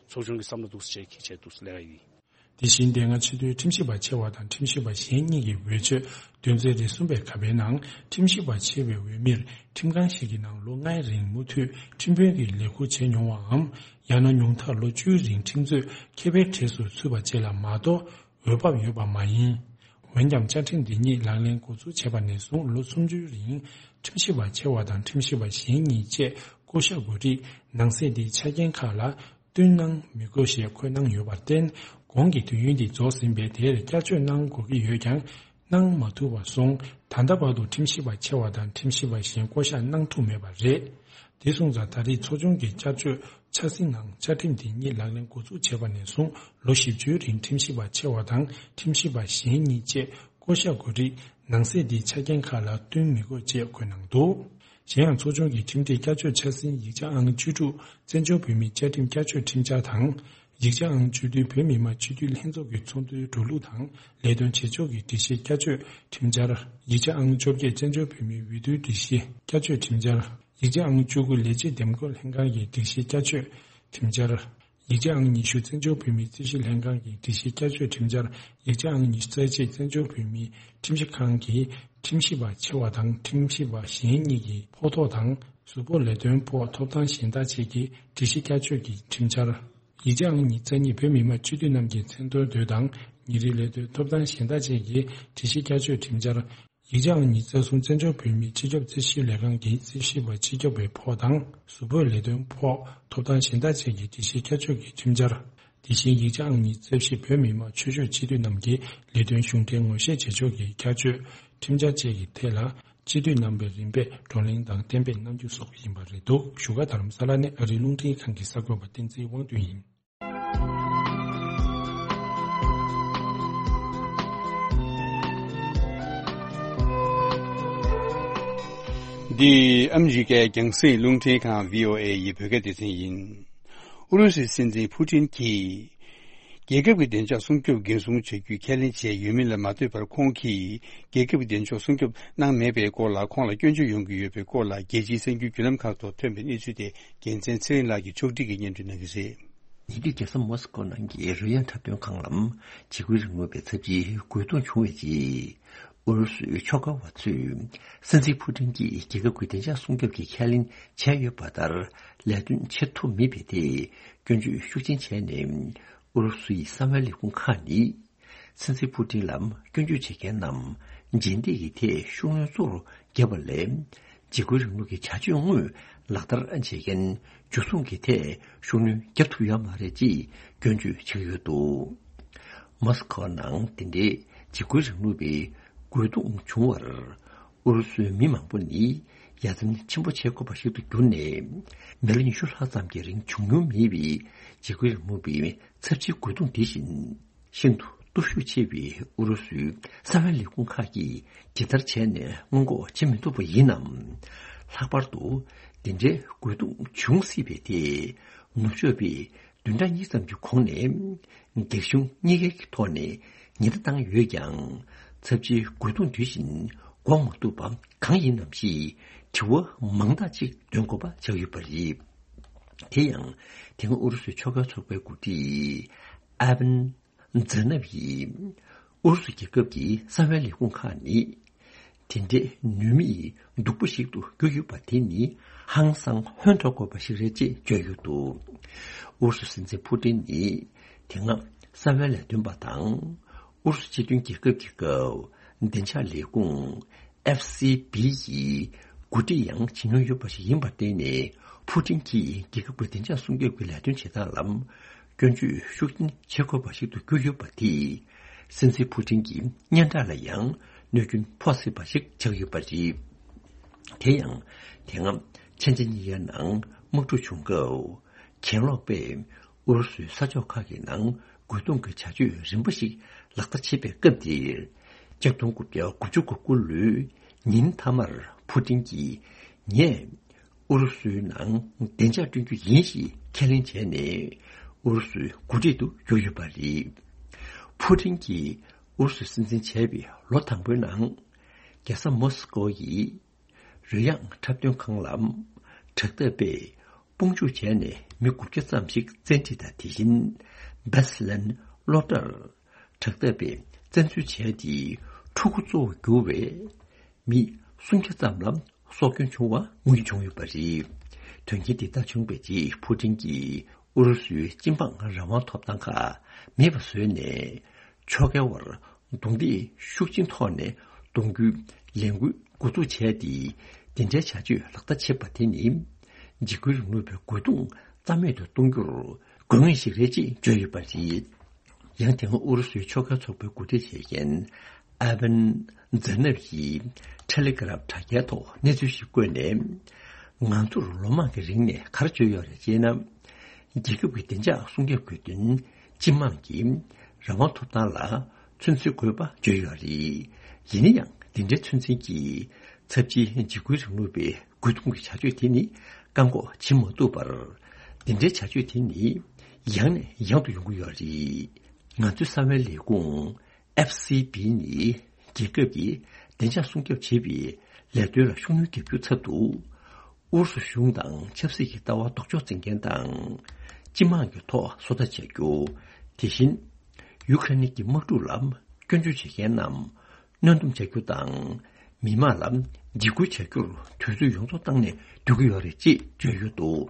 ཚོགས་ཆུང་གི་བསམ་བློ་འདུག་སེ་བྱས་ཀྱི་ཆེད་དུ་ལས་ཀ་ཡིན། དེ་བཞིན་དེ་སྔ་སྤྱི་འཐུས་ཁྲིམས་ཞིབ་པ་ཆེ་བ་དང་ཁྲིམས་ཞིབ་པ་གཞན་གཉིས་ཀྱི་འོས་ཆོས་དོན་ཚན་རེ་གསུམ་པའི་ཁ་པའི་ནང་ཁྲིམས་ཞིབ་པ་ཆེ་བའི་འོས་མིར་ཁྲིམས་ཁང་ཞིག་གི་ནང་ལོ་ལྔའི་རིང་མུ་མཐུད་ཁྲིམས་དཔོན་གྱི་ལས་ཁུར་བྱས་མྱོང་བའམ། ཡང་ན་ཉུང་མཐར་ལོ་བཅུའི་རིང་ཁྲིམས་རྩོད་མཁས་པའི་གྲས་སུ་ཚུད་པ་བཅས་ལ་མ་གཏོགས་འོས་བབ་ཡོད་པ་མ་ཡིན། འོན་ཀྱང་བཅའ་ཁྲིམས་འདི་ཉིད་ལག་ལེན་འགོ་འཛུགས་བྱས་པ་ནས་བཟུང་ལོ་སུམ་ཅུའི་རིང་ཁྲིམས་ཞིབ་པ་ཆེ་བ་དང་ཁྲིམས་ཞིབ་པ་གཞན་གཉིས་བཅས་བསྐོ་གཞག་དགོས་རིགས་ནང་གསེས་འདིའི་ཆ་རྐྱེན་ཁག་ལ་བསྟུན་གནང་མི་དགོས་ཞེས་འཁོད་གནང་ཡོད་པར་བརྟེན། གོང་གི་དུས་ཡུན་འདི་རྫོགས་ཟིན་པས་དེར་བསྐྱར་བཅོས་གནང་དགོས་ཀྱི་ཡོད་ཀྱང་གནང་མ་ཐུབ་པར་སོང་། ད་ལྟ་བར་དུ་ཁྲིམས་ཞིབ་པ་ཆེ་བ་དང་ཁྲིམས་ཞིབ་པ་གཞན་བསྐོ་གཞག་གནང་ཐུབ་མེད་པ་རེད། དེ་སོང་ཙང་ད་རེས་ཚོགས་ཆུང་གི་བསྐྱར་བཅོས་འཆར་ཟིན་ནང་བཅའ་ཁྲིམས་འདི་ཉིད་ལག་ལེན་འགོ་འཛུགས་བྱས་པ་ནས་བཟུང་ལོ་བཞི་བཅུའི་རིང་ཁྲིམས་ཞིབ་པ་ཆེ་བ་དང་ཁྲིམས་ཞིབ་པ་གཞན་གཉིས་བཅས་བསྐོ་གཞག་དགོས་རིགས་ནང་གསེས་འདིའི་ཆ་རྐྱེན་ཁག་ལ་བསྟུན་མི་དགོས་ཅེས་འཁོད་གནང་འདུག་གཞན་ཡང་ཚོགས་ཆུང་གི་ཁྲིམས་སྒྲིག་བསྐྱར་བཅོས་འཆར་ཟིན་ཡིག་ཆ་ཨང་བཅུ་དྲུག་བཙན་བྱོལ་བོད་མིའི་བཅའ་ཁྲིམས་བསྐྱར་བཅོས་ཁྲིམས་འཆར་དང་། ཡིག་ཆ་ཨང་བཅུ་བདུན་བོད་མི་མང་སྤྱི་འཐུས་ལྷན་ཚོགས་ཀྱི་ཚོགས་འདུའི་འགྲོ་ལུགས་དང་ལས་དོན་བྱེད་ཕྱོགས་ཀྱི་སྒྲིག་གཞི་བསྐྱར་བཅོས་ཁྲིམས་འཆར། ཡིག་ཆ་ཨང་བཅོ་བརྒྱད་བཙན་བྱོལ་བོད་མིའི་འོས་བསྡུའི་སྒྲིག་གཞི་བསྐྱར་བཅོས་ཁྲིམས་འཆར། ཡིག་ཆ་ཨང་བཅུ་དགུ་ལས་བྱེད་འདེམས་བསྐོ་ལྷན་ཁང་གི་སྒྲིག་གཞི་བསྐྱར་བཅོས་ཁྲིམས་འཆར། ཡིག་ཆ་ཨང་ཉི་ཤུ་བཙན་བྱོལ་བོད་མིའི་རྩིས་ཞིབ་ལྷན་ཁང་གི་སྒྲིག་གཞི་བསྐྱར་བཅོས་ཁྲིམས་འཆར། ཡིག་ཆ་ཨང་ཉི་ཤུ་རྩ་གཅིག་བཙན་བྱོལ་བོད་མིའི་ཁྲིམས་ཞིབ་ཁང་གི་ཁྲིམས་ཞིབ་པ་ཆེ་བ་དང་ཁྲིམས་ཞིབ་པ་གཞན་གཉིས་ཀྱི་ཕོགས་ཐོག་དང་གཟུགས་པོ་ལས་དོན་ཕོགས་ཐོབ་ཐང་གཞན་དག་བཅས་ཀྱི་སྒྲིག་གཞི་བསྐྱར་བཅོས་ཀྱི་ཁྲིམས་འཆར། ཡིག་ཆ་ཨང་ཉི་ཤུ་རྩ་གཉིས་བོད་མི་མང་སྤྱི་འཐུས་རྣམས་ཀྱི་མཚན་མཐོང་འདོད་དང་ཉིན་རེའི་ལས་དོན་ཐོབ་ཐང་གཞན་དག་བཅས་ཀྱི་སྒྲིག་གཞི་བསྐྱར་བཅོས་ཁྲིམས་འཆར། ཡིག་ཆ་ཨང་ཉི་ཤུ་རྩ་གསུམ་བཙན་བྱོལ་བོད་མིའི་སྤྱི་ཁྱབ་རྩིས་ཞིབ་ལས་ཁང་གི་རྩིས་ཞིབ་པ་སྤྱི་ཁྱབ་པའི་ཕོགས་དང་གཟུགས་པོའི་ལས་དོན་ཕོགས་ཐོབ་ཐང་གཞན་དག་བཅས་ཀྱི་སྒྲིག་གཞི་བསྐྱར་བཅོས་ཀྱི་ཁྲིམས་འཆར། དེ་བཞིན་ཡིག་ཆ་ཨང་ཉི་ཤུ་རྩ་བཞི་བོད་མི་མང་ཆོས་ཕྱོགས་སྤྱི་འཐུས་རྣམས་ཀྱི་ལས་དོན་གཞུང་འབྲེལ་ངོ་ཤེས་བྱེད་ཕྱོགས་ཀྱི་བསྐྱར་བཅོས་ཁྲིམས་འཆར་བཅས་ཀྱི་ཐད་ལ་ སྤྱི་འཐུས་རྣམ་པའི་རིམ་པས་བགྲོ་གླེང་དང་གཏན་འབེབས་གནང་རྒྱུ་སོགས་ཡིན་པ་རེད་འདུག་བཞུགས་སྒར་རྡ་རམ་ས་ལ་ནས་ཨ་རིའི་རླུང་འཕྲིན་ཁང་གི་གསར་འགོད་པ་བསྟན་འཛིན་དབང་འདུས་ཡིན། འདི་ཨ་མི་རི་ཀའི་རྒྱང་སྲིང་རླུང་འཕྲིན་ཁང་བྷི་ཨོ་ཨེ་ཡི་བོད་སྐད་སྡེ་ཚན་ཡིན། ཨུ་རུ་སུའི་སྲིད་འཛིན་ཕུ་ཊིན་གྱིས། རྒྱལ་ཁབ་ཀྱི་བདེ་འཇགས་སྲུང་སྐྱོབ་འགན་སྲུང་བྱ་རྒྱུའི་ཁས་ལེན་བྱས་ཡོད་མིན་ལ་མ་ལྟོས་པར། ཁོང་གིས་རྒྱལ་ཁབ་ཀྱི་བདེ་འཇགས་སྲུང་སྐྱོབ་གནང་མེད་པའི་སྐོར་ལ། ཁོང་ལ་སྐྱོན་བརྗོད་ཡོང་གི་ཡོད་པའི་སྐོར་ལ། རྒྱལ་སྤྱིའི་གསར་འགྱུར་བརྒྱུད་ལམ་ཁག་ཐོག་ཐོན་པའི་གནས་ཚུལ་དེ། རྒྱལ་མཚན་ཚེ་རིང་ལགས་ཀྱིས་ཕྱོགས་སྒྲིག་གིས་སྙན་སྒྲོན་གནང་གི་རེད། ཉེ་དུས་རྒྱལ་ས་མོ་སི་ཀོ་ནང་གི་རོལ་དབྱངས་འཁྲབ་སྟོན་ཁང་ལམ། འཇིགས་སྐུལ་རིང་ལུགས་པའི་ཚབས་ཆེའི་རྒོལ་རྡུང་བྱུང་བའི་རྗེས། ཨུ་རུ་སུའི་ཕྱོགས་འགལ་བ་ཚོས། སྲིད་འཛིན་ཕུ་ཏིན་གྱིས་རྒྱལ་ཁབ་ཀྱི་བདེ་འཇགས་སྲུང་སྐྱོབ་ཀྱི་ཁས་ལེན་བྱས་ཡོད་པ་ལྟར། ལས་དོན་བྱེད་ཐུབ་མེད་པའི་ཐད། སྐྱོན་བརྗོད་ཤུགས་ཆེན་བྱས་ནས། ཨུ་རུ་སུའི་གསང་བའི་ལས་ཁུངས་ཁག་ནི། སྲིད་འཛིན་ཕུ་ཏིན་ལ་སྐྱོན་བརྗོད་བྱེད་མཁན་རྣམས། རྗེས་འདེད་ཀྱི་ཐད་ཤུགས་སྣོན་གཙོ་བོར་བརྒྱབ་པ་ལས། འཇིགས་སྐུལ་རིང་ལུགས་ཀྱི་བྱ་སྤྱོད་དངོས་ལག་བསྟར་བྱེད་མཁན། འཇུ་བཟུང་གི་ཐད་ཤུགས་སྣོན་བརྒྱབ་ཐུབ་ཡོད་མ་རེད་ཅེས་སྐྱོན་བརྗོད་བྱེད་ཀྱི་ཡོད་འདུག་མོ་སི་ཁོ་ནང་དེ་འདྲའི་འཇིགས་སྐུལ་རིང་ལུགས་པའི་རྒོལ་རྡུང་བྱུང་བར། ཨུ་རུ་སུའི་མི་མང་པོ་ནི་ཡ་མཚན་ཆེན་པོ་བྱེད་དགོས་པ་ཞིག་ཏུ་གྱུར་ནས། མི་ལོ་ཉི་ཤུ་ལྷག་ཙམ་གྱི་རིང་བྱུང་མྱོང་མེད་པའི་འཇིགས་སྐུལ་རིང་ལུགས་པའི་ཚབས་ཆེའི་རྒོལ་རྡུང་དེ་བཞིན། ཤིན་ཏུ་སྟོབས་ཤུགས་ཆེ་བའི་ཨུ་རུ་སུའི་གསང་བའི་ལས་ཁུངས་ཁག་གིས་ཇི་ལྟར་བྱས་ནས་སྔོན་འགོག་བྱེད་མི་ཐུབ་པ་ཡིན་ནམ། ལྷག་པར་དུ་དེ་འདྲའི་རྒོལ་རྡུང་བྱུང་སྲིད་པའི་ཐད། ནུབ་ཕྱོགས་པས་བདུན་ཕྲག་གཉིས་ཙམ་གྱི་གོང་ནས་རྒྱ་གཞུང་གཉིས་ཀའི་ཐོག་ནས་ཉེན་བརྡ་བཏང་ཡོད་ཀྱང་། ཚབས་ཆེའི་རྒོལ་རྡུང་དུས་བཞིན་འགོག་མ་ཐུབ་པ་གང་ཡིན་ནམ་ཞེས་དྲི་བ་མང་དག་ཅིག་འདོན་དགོས་པ་ཆགས་ཡོད་པ་རེད། དེ་ཡང་། དེ་སྔ་ཨུ་རུ་སུའི་ཕྱོགས་འགལ་ཚོགས་པའི་འགོ་ཁྲིད་ཨ་བན་ཛ་ནབ་ཡིས། ཨུ་རུ་སུ་རྒྱལ་ཁབ་ཀྱི་གསང་བའི་ལས་ཁུངས་ཁག་ནི། དེ་འདྲའི་ནུས་མེད་སྡུག་པོ་ཞིག་ཏུ་གྱུར་ཡོད་པ་དེ་ནི་ཧང་སང་ཧོན་ཐོར་དགོས་པ་ཞིག་རེད་ཅེས་བརྗོད་ཡོད་འདུག་ཨུ་རུ་སུ་སྲིད་འཛིན་ཕུ་ཏིན་ནི། དེ་སྔ་གསང་བའི་ལས་དོན་པ་དང་། ཨུ་རུ་སུ་སྤྱི་མཐུན་རྒྱལ་ཁབ་ཀྱི་སྐབས་བདེ་འཇགས་ལས་ཁུངས། ཨེཕ་སི་བི་ཡི་འགོ་ཁྲིད་ཡང་བྱེད་མྱོང་ཡོད་པ་ཞིག་ཡིན་པར་བརྟེན་ནས། ཕུ་ཏིན་གྱིས་རྒྱལ་ཁབ་ཀྱི་བདེ་འཇགས་སྲུང་སྐྱོབ་ཀྱི་ལས་དོན་བྱེད་སྟངས་ལ་སྐྱོན་བརྗོད་ཤུགས་ཆེན་བྱེད་དགོས་པ་ཞིག་ཏུ་གྱུར་ཡོད་པ་དེས། སྲིད་འཛིན་ཕུ་ཏིན་གྱི་སྙན་གྲགས་ལ་ཡང་གནོད་སྐྱོན་ཕོག་སྲིད་པ་ཞིག་ཆགས་ཡོད་པ་རེད། དེ་ཡང་། དེ་སྔ་ཕྱི་ཟླ་གཉིས་པའི་ནང་དམག་འཁྲུག་བྱུང་སྐབས། གྱེན་ལོག་པས། ཨུ་རུ་སུའི་ས་ཕྱོགས་ཁག་གི་ནང་རྒོལ་རྡུང་གི་བྱ་སྤྱོད་རིམ་པ་ཞིག་ལག་བསྟར་བྱེད་པའི་སྐབས་དེར། ཆིག་སྟོང་དགུ་བརྒྱ་དགུ་བཅུ་གོ་དགུ་ལོའི་ཉིན་མཐའ་མར་ཕུ་ཏིན་གྱིས། ངས་ཨུ་རུ་སུའི་ནང་བདེ་འཇགས་བསྐྲུན་རྒྱུ་ཡིན་ཞེས་ཁས་ལེན་བྱས་ནས། ཨུ་རུ་སུའི་འགོ་ཁྲིད་དུ་གྱུར་ཡོད་པ་རེད། ཕུ་ཏིན་གྱིས་ཨུ་རུ་སུའི་སྲིད་འཛིན་བྱས་པའི་ལོ་དང་པོའི་ནང་། རྒྱལ་ས་མོ་སི་ཀོ་ཡི་རོལ་དབྱངས་འཁྲབ་སྟོན་ཁང་ལ། དྲག་འཐབ་པས་དཔུང་འཇུག་བྱས་ནས་མི་དགུ་བརྒྱ་ཙམ་ཞིག་བཙན་ཁྲིད་དང་། དེ་བཞིན་བེ་སི་ལན་གློག་དྲར་དྲག་འཐབ་པས་བཙན་འཛུལ་བྱས་ཏེ། ཕྲུ་གུ་གཙོ་བོར་གྱུར་བའི་མི་སུམ་བརྒྱ་ཙམ་ལ་སྲོག་སྐྱོན་བྱུང་བ་དངོས་ཀྱིས་བྱུང་ཡོད་པ་རེད། དོན་རྐྱེན་དེ་ལྟར་བྱུང་བའི་རྗེས། ཕུ་ཏིན་གྱིས་ཨུ་རུ་སུའི་སྤྱི་འབངས་རང་དབང་ཐོབ་ཐང་ཁག་མེད་པ་བཟོས་ནས། ཕྱོགས་འགལ་བར་རྡུང་རྡེག་ཤུགས་ཆེན་ཐོག་ནས་གཏོང་རྒྱུའི་ལས་འགུལ་འགོ་འཛུགས་བྱས་ཏེ། དེ་འདྲའི་བྱ་སྤྱོད་ལག་བསྟར་བྱེད་པ་དེ་ནི། འཇིགས་སྐུལ་རིང་ལུགས་པའི་རྒོལ་རྡུང་རྩ་མེད་དུ་གཏོང་རྒྱུར་དགོས་ངེས་ཤིག་རེད་ཅེས་བརྗོད་ཡོད་པ་རེད། ཡང་། དེ་སྔ་ཨུ་རུ་སུའི་ཕྱོགས་འགལ་ཚོགས་པའི་འགོ་ཁྲིད་བྱེད་མཁན་ཨ་བན་ཛ་ནབ་ཡིས་ཊེ་ལི་གྷ་རམ་དྲ་རྒྱའི་ཐོག་གནས་ཚུལ་ཞིག་བཀོད་ནས། ང་ཚོར་ལོ་མང་གི་རིང་ནས་ག་རེ་བརྗོད་ཡོད་རེད་ཅེ་ན། རྒྱལ་ཁབ་ཀྱི་བདེ་འཇགས་སྲུང་སྐྱོབ་དགོས་དོན། སྤྱི་དམངས་ཀྱི་རང་དབང་ཐོབ་ཐང་ལ་ཚོད་འཛིན་དགོས་པ་བརྗོད་ཡོད་རེད། ཡིན་ན་ཡང་། འདི་འདྲའི་ཚོད་འཛིན་གྱིས་ཚབས་ཆེའི་འཇིགས་སྐུལ་རིང་ལུགས་པའི་རྒོལ་རྡུང་གི་བྱ་སྤྱོད་དེ་ནི་བཀག་འགོག་བྱེད་མ་ཐུབ་པར། འདི་འདྲའི་བྱ་སྤྱོད་དེ་ནི་ཡང་ནས་ཡང་དུ་ཡོང་གི་ཡོད་རེད། ང་ཚོའི་གསང་བའི་ལས་ཁུངས་ཨེཕ་སི་བི་ནི་རྒྱལ་ཁབ་ཀྱི་བདེ་འཇགས་སྲུང་སྐྱོབ་བྱེད་པའི་ལས་དོན་ལ་ཤུགས་སྣོན་རྒྱག་རྒྱུའི་ཚབ་ཏུ། ཨུ་རུ་སུ་གཞུང་དང་ཆབ་སྲིད་ཀྱི་ལྟ་བ་ལྡོག་ཕྱོགས་འཛིན་མཁན་དང་། སྤྱི་དམངས་ཀྱི་ཐོག་བཟོ་ལྟ་བྱ་རྒྱུ། དེ་བཞིན། ཡུ་ཁ་རེན་གྱི་དམག་འཁྲུག་ལ་སྐྱོན་བརྗོད་བྱེད་མཁན་རྣམས་གནོན་སྡོམ་བྱ་རྒྱུ་དང་། མི་དམངས་ལ་འཇིགས་སྐུལ་བྱ་རྒྱུར་དུས་ཚོད་ཡོངས་རྫོགས་བཏང་ནས་སྡོད་ཀྱི་ཡོད་རེད་ཅེས་བརྗོད་ཡོད་འདུག་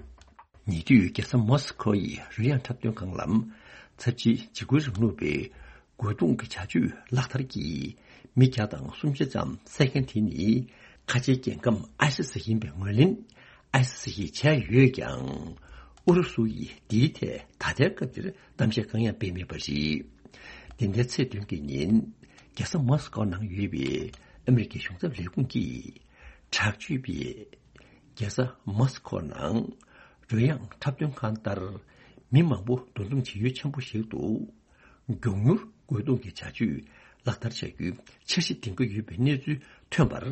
ཉེ་དུས་རྒྱལ་ས་མོ་སི་ཁོ་ཡི་རོལ་དབྱངས་འཁྲབ་སྟོན་ཁང་ལ། ཚབས་ཆེའི་འཇིགས་སྐུལ་རིང་ལུགས་པའི་རྒོལ་རྡུང་གི་བྱ་སྤྱོད་ལག་བསྟར་གྱིས་མི་བརྒྱ་དང་སུམ་བརྒྱ་ཙམ་བསད་མཁན་དེ་ནི། ཁ་ཆེའི་རྒྱལ་ཁམས་ཨའི་སི་སི་ཡིན་པའི་ངོས་ལེན་ཨའི་སི་སི་ཡིས་བྱས་ཡོད་ཀྱང་། ཨུ་རུ་སུ་ཡིས་འདིའི་ཐད་ད་ལྟའི་སྐབས་འདིར་གཏམ་བཤད་གང་ཡང་སྤེལ་མེད་པ་རེད། འདི་ཟླའི་ཚེས་བདུན་གྱི་ཉིན། རྒྱལ་ས་མོ་སི་ཀོ་ནང་ཡོད་པའི་ཨ་མི་རི་ཀའི་གཞུང་ཚབ་ལས་ཁུངས་ཀྱིས། དྲག་སྤྱོད་པས་རྒྱལ་ས་མོ་སི་ཁོ་ནང་རོལ་དབྱངས་འཁྲབ་སྟོན་ཁང་ལྟར་མི་མང་པོ་འདུ་འཛོམས་བྱེད་ཡུལ་ཆེན་པོ་ཞིག་ཏུ། མགྱོགས་མྱུར་རྒོལ་རྡུང་གི་བྱ་སྤྱོད་ལག་བསྟར་བྱ་རྒྱུའི་འཆར་གཞི་འདིང་གི་ཡོད་པའི་གནས་ཚུལ་ཐོན་པར།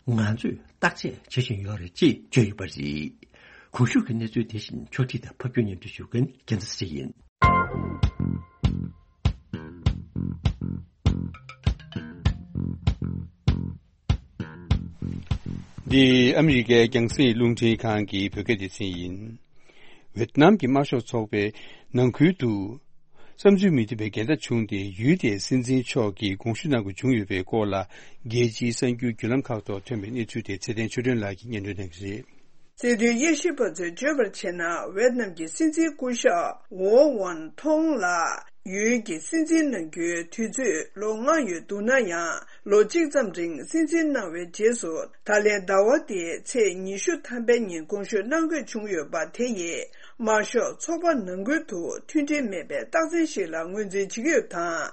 ང་ཚོས་བརྟག་དཔྱད་བྱེད་བཞིན་ཡོད་རེད་ཅེས་བརྗོད་ཡོད་པ་རེད། གོང་ཞུས་ཀྱི་གནས་ཚུལ་དེ་བཞིན་ཕྱོགས་སྒྲིག་དང་ཕབ་སྒྱུར་སྙན་སྒྲོན་ཞུ་མཁན་རྒྱལ་མཚན་ཚེ་རིང་ཡིན། འདི་ཨ་མི་རི་ཀའི་རྒྱང་སྲིང་རླུང་འཕྲིན་ཁང་གི་བོད་སྐད་སྡེ་ཚན་ཡིན། ཝེད་ནམ་གྱི་དམར་ཤོག་ཚོགས་པའི་ནང་ཁུལ་དུ་བསམ་ཚུལ་མི་མཐུན་པའི་འགལ་ཟླ་བྱུང་སྟེ། ཡུལ་དེའི་སྲིད་འཛིན་མཆོག་གིས་དགོངས་ཞུ་གནང་དགོས་བྱུང་ཡོད་པའི་སྐོར་ལ། རྒྱལ་སྤྱིའི་གསར་འགྱུར་བརྒྱུད་ལམ་ཁག་ཐོག་ཐོན་པའི་གནས་ཚུལ་དེ་ཚེ་བརྟན་ཆོས་སྒྲོན་ལགས་ཀྱིས་སྙན་སྒྲོན་གནང་གི་རེད། སྲིད་དོན་དབྱེ་ཞིབ་པ་ཚོས་བརྗོད་པར་བྱས་ན། ཝེད་ནམ་གྱི་སྲིད་འཛིན་སྐུ་ཞབས་ཝོ་ཝོན་ཐོང་ལགས་ཡུལ་གྱི་སྲིད་འཛིན་གནང་རྒྱུའི་དུས་ཚོད་ལོ་ལྔ་ཡོད་འདུག་ན་ཡང་། ལོ་གཅིག་ཙམ་རིང་སྲིད་འཛིན་གནང་བའི་རྗེས་སུ། ད་ལན་ཟླ་བ་འདིའི་ཚེས་ཉི་ཤུ་ཐམ་པའི་ཉིན་དགོངས་ཞུ་གནང་དགོས་བྱུང་ཡོད་པ་དེ་ཡིས། དམར་ཤོག་ཚོགས་པ་ནང་ཁུལ་དུ་མཐུན་སྒྲིལ་མེད་པའི་རྟགས་མཚན་ཞིག་ལ་ངོས་འཛིན་བྱེད་ཀྱི་ཡོད་པ་དང་།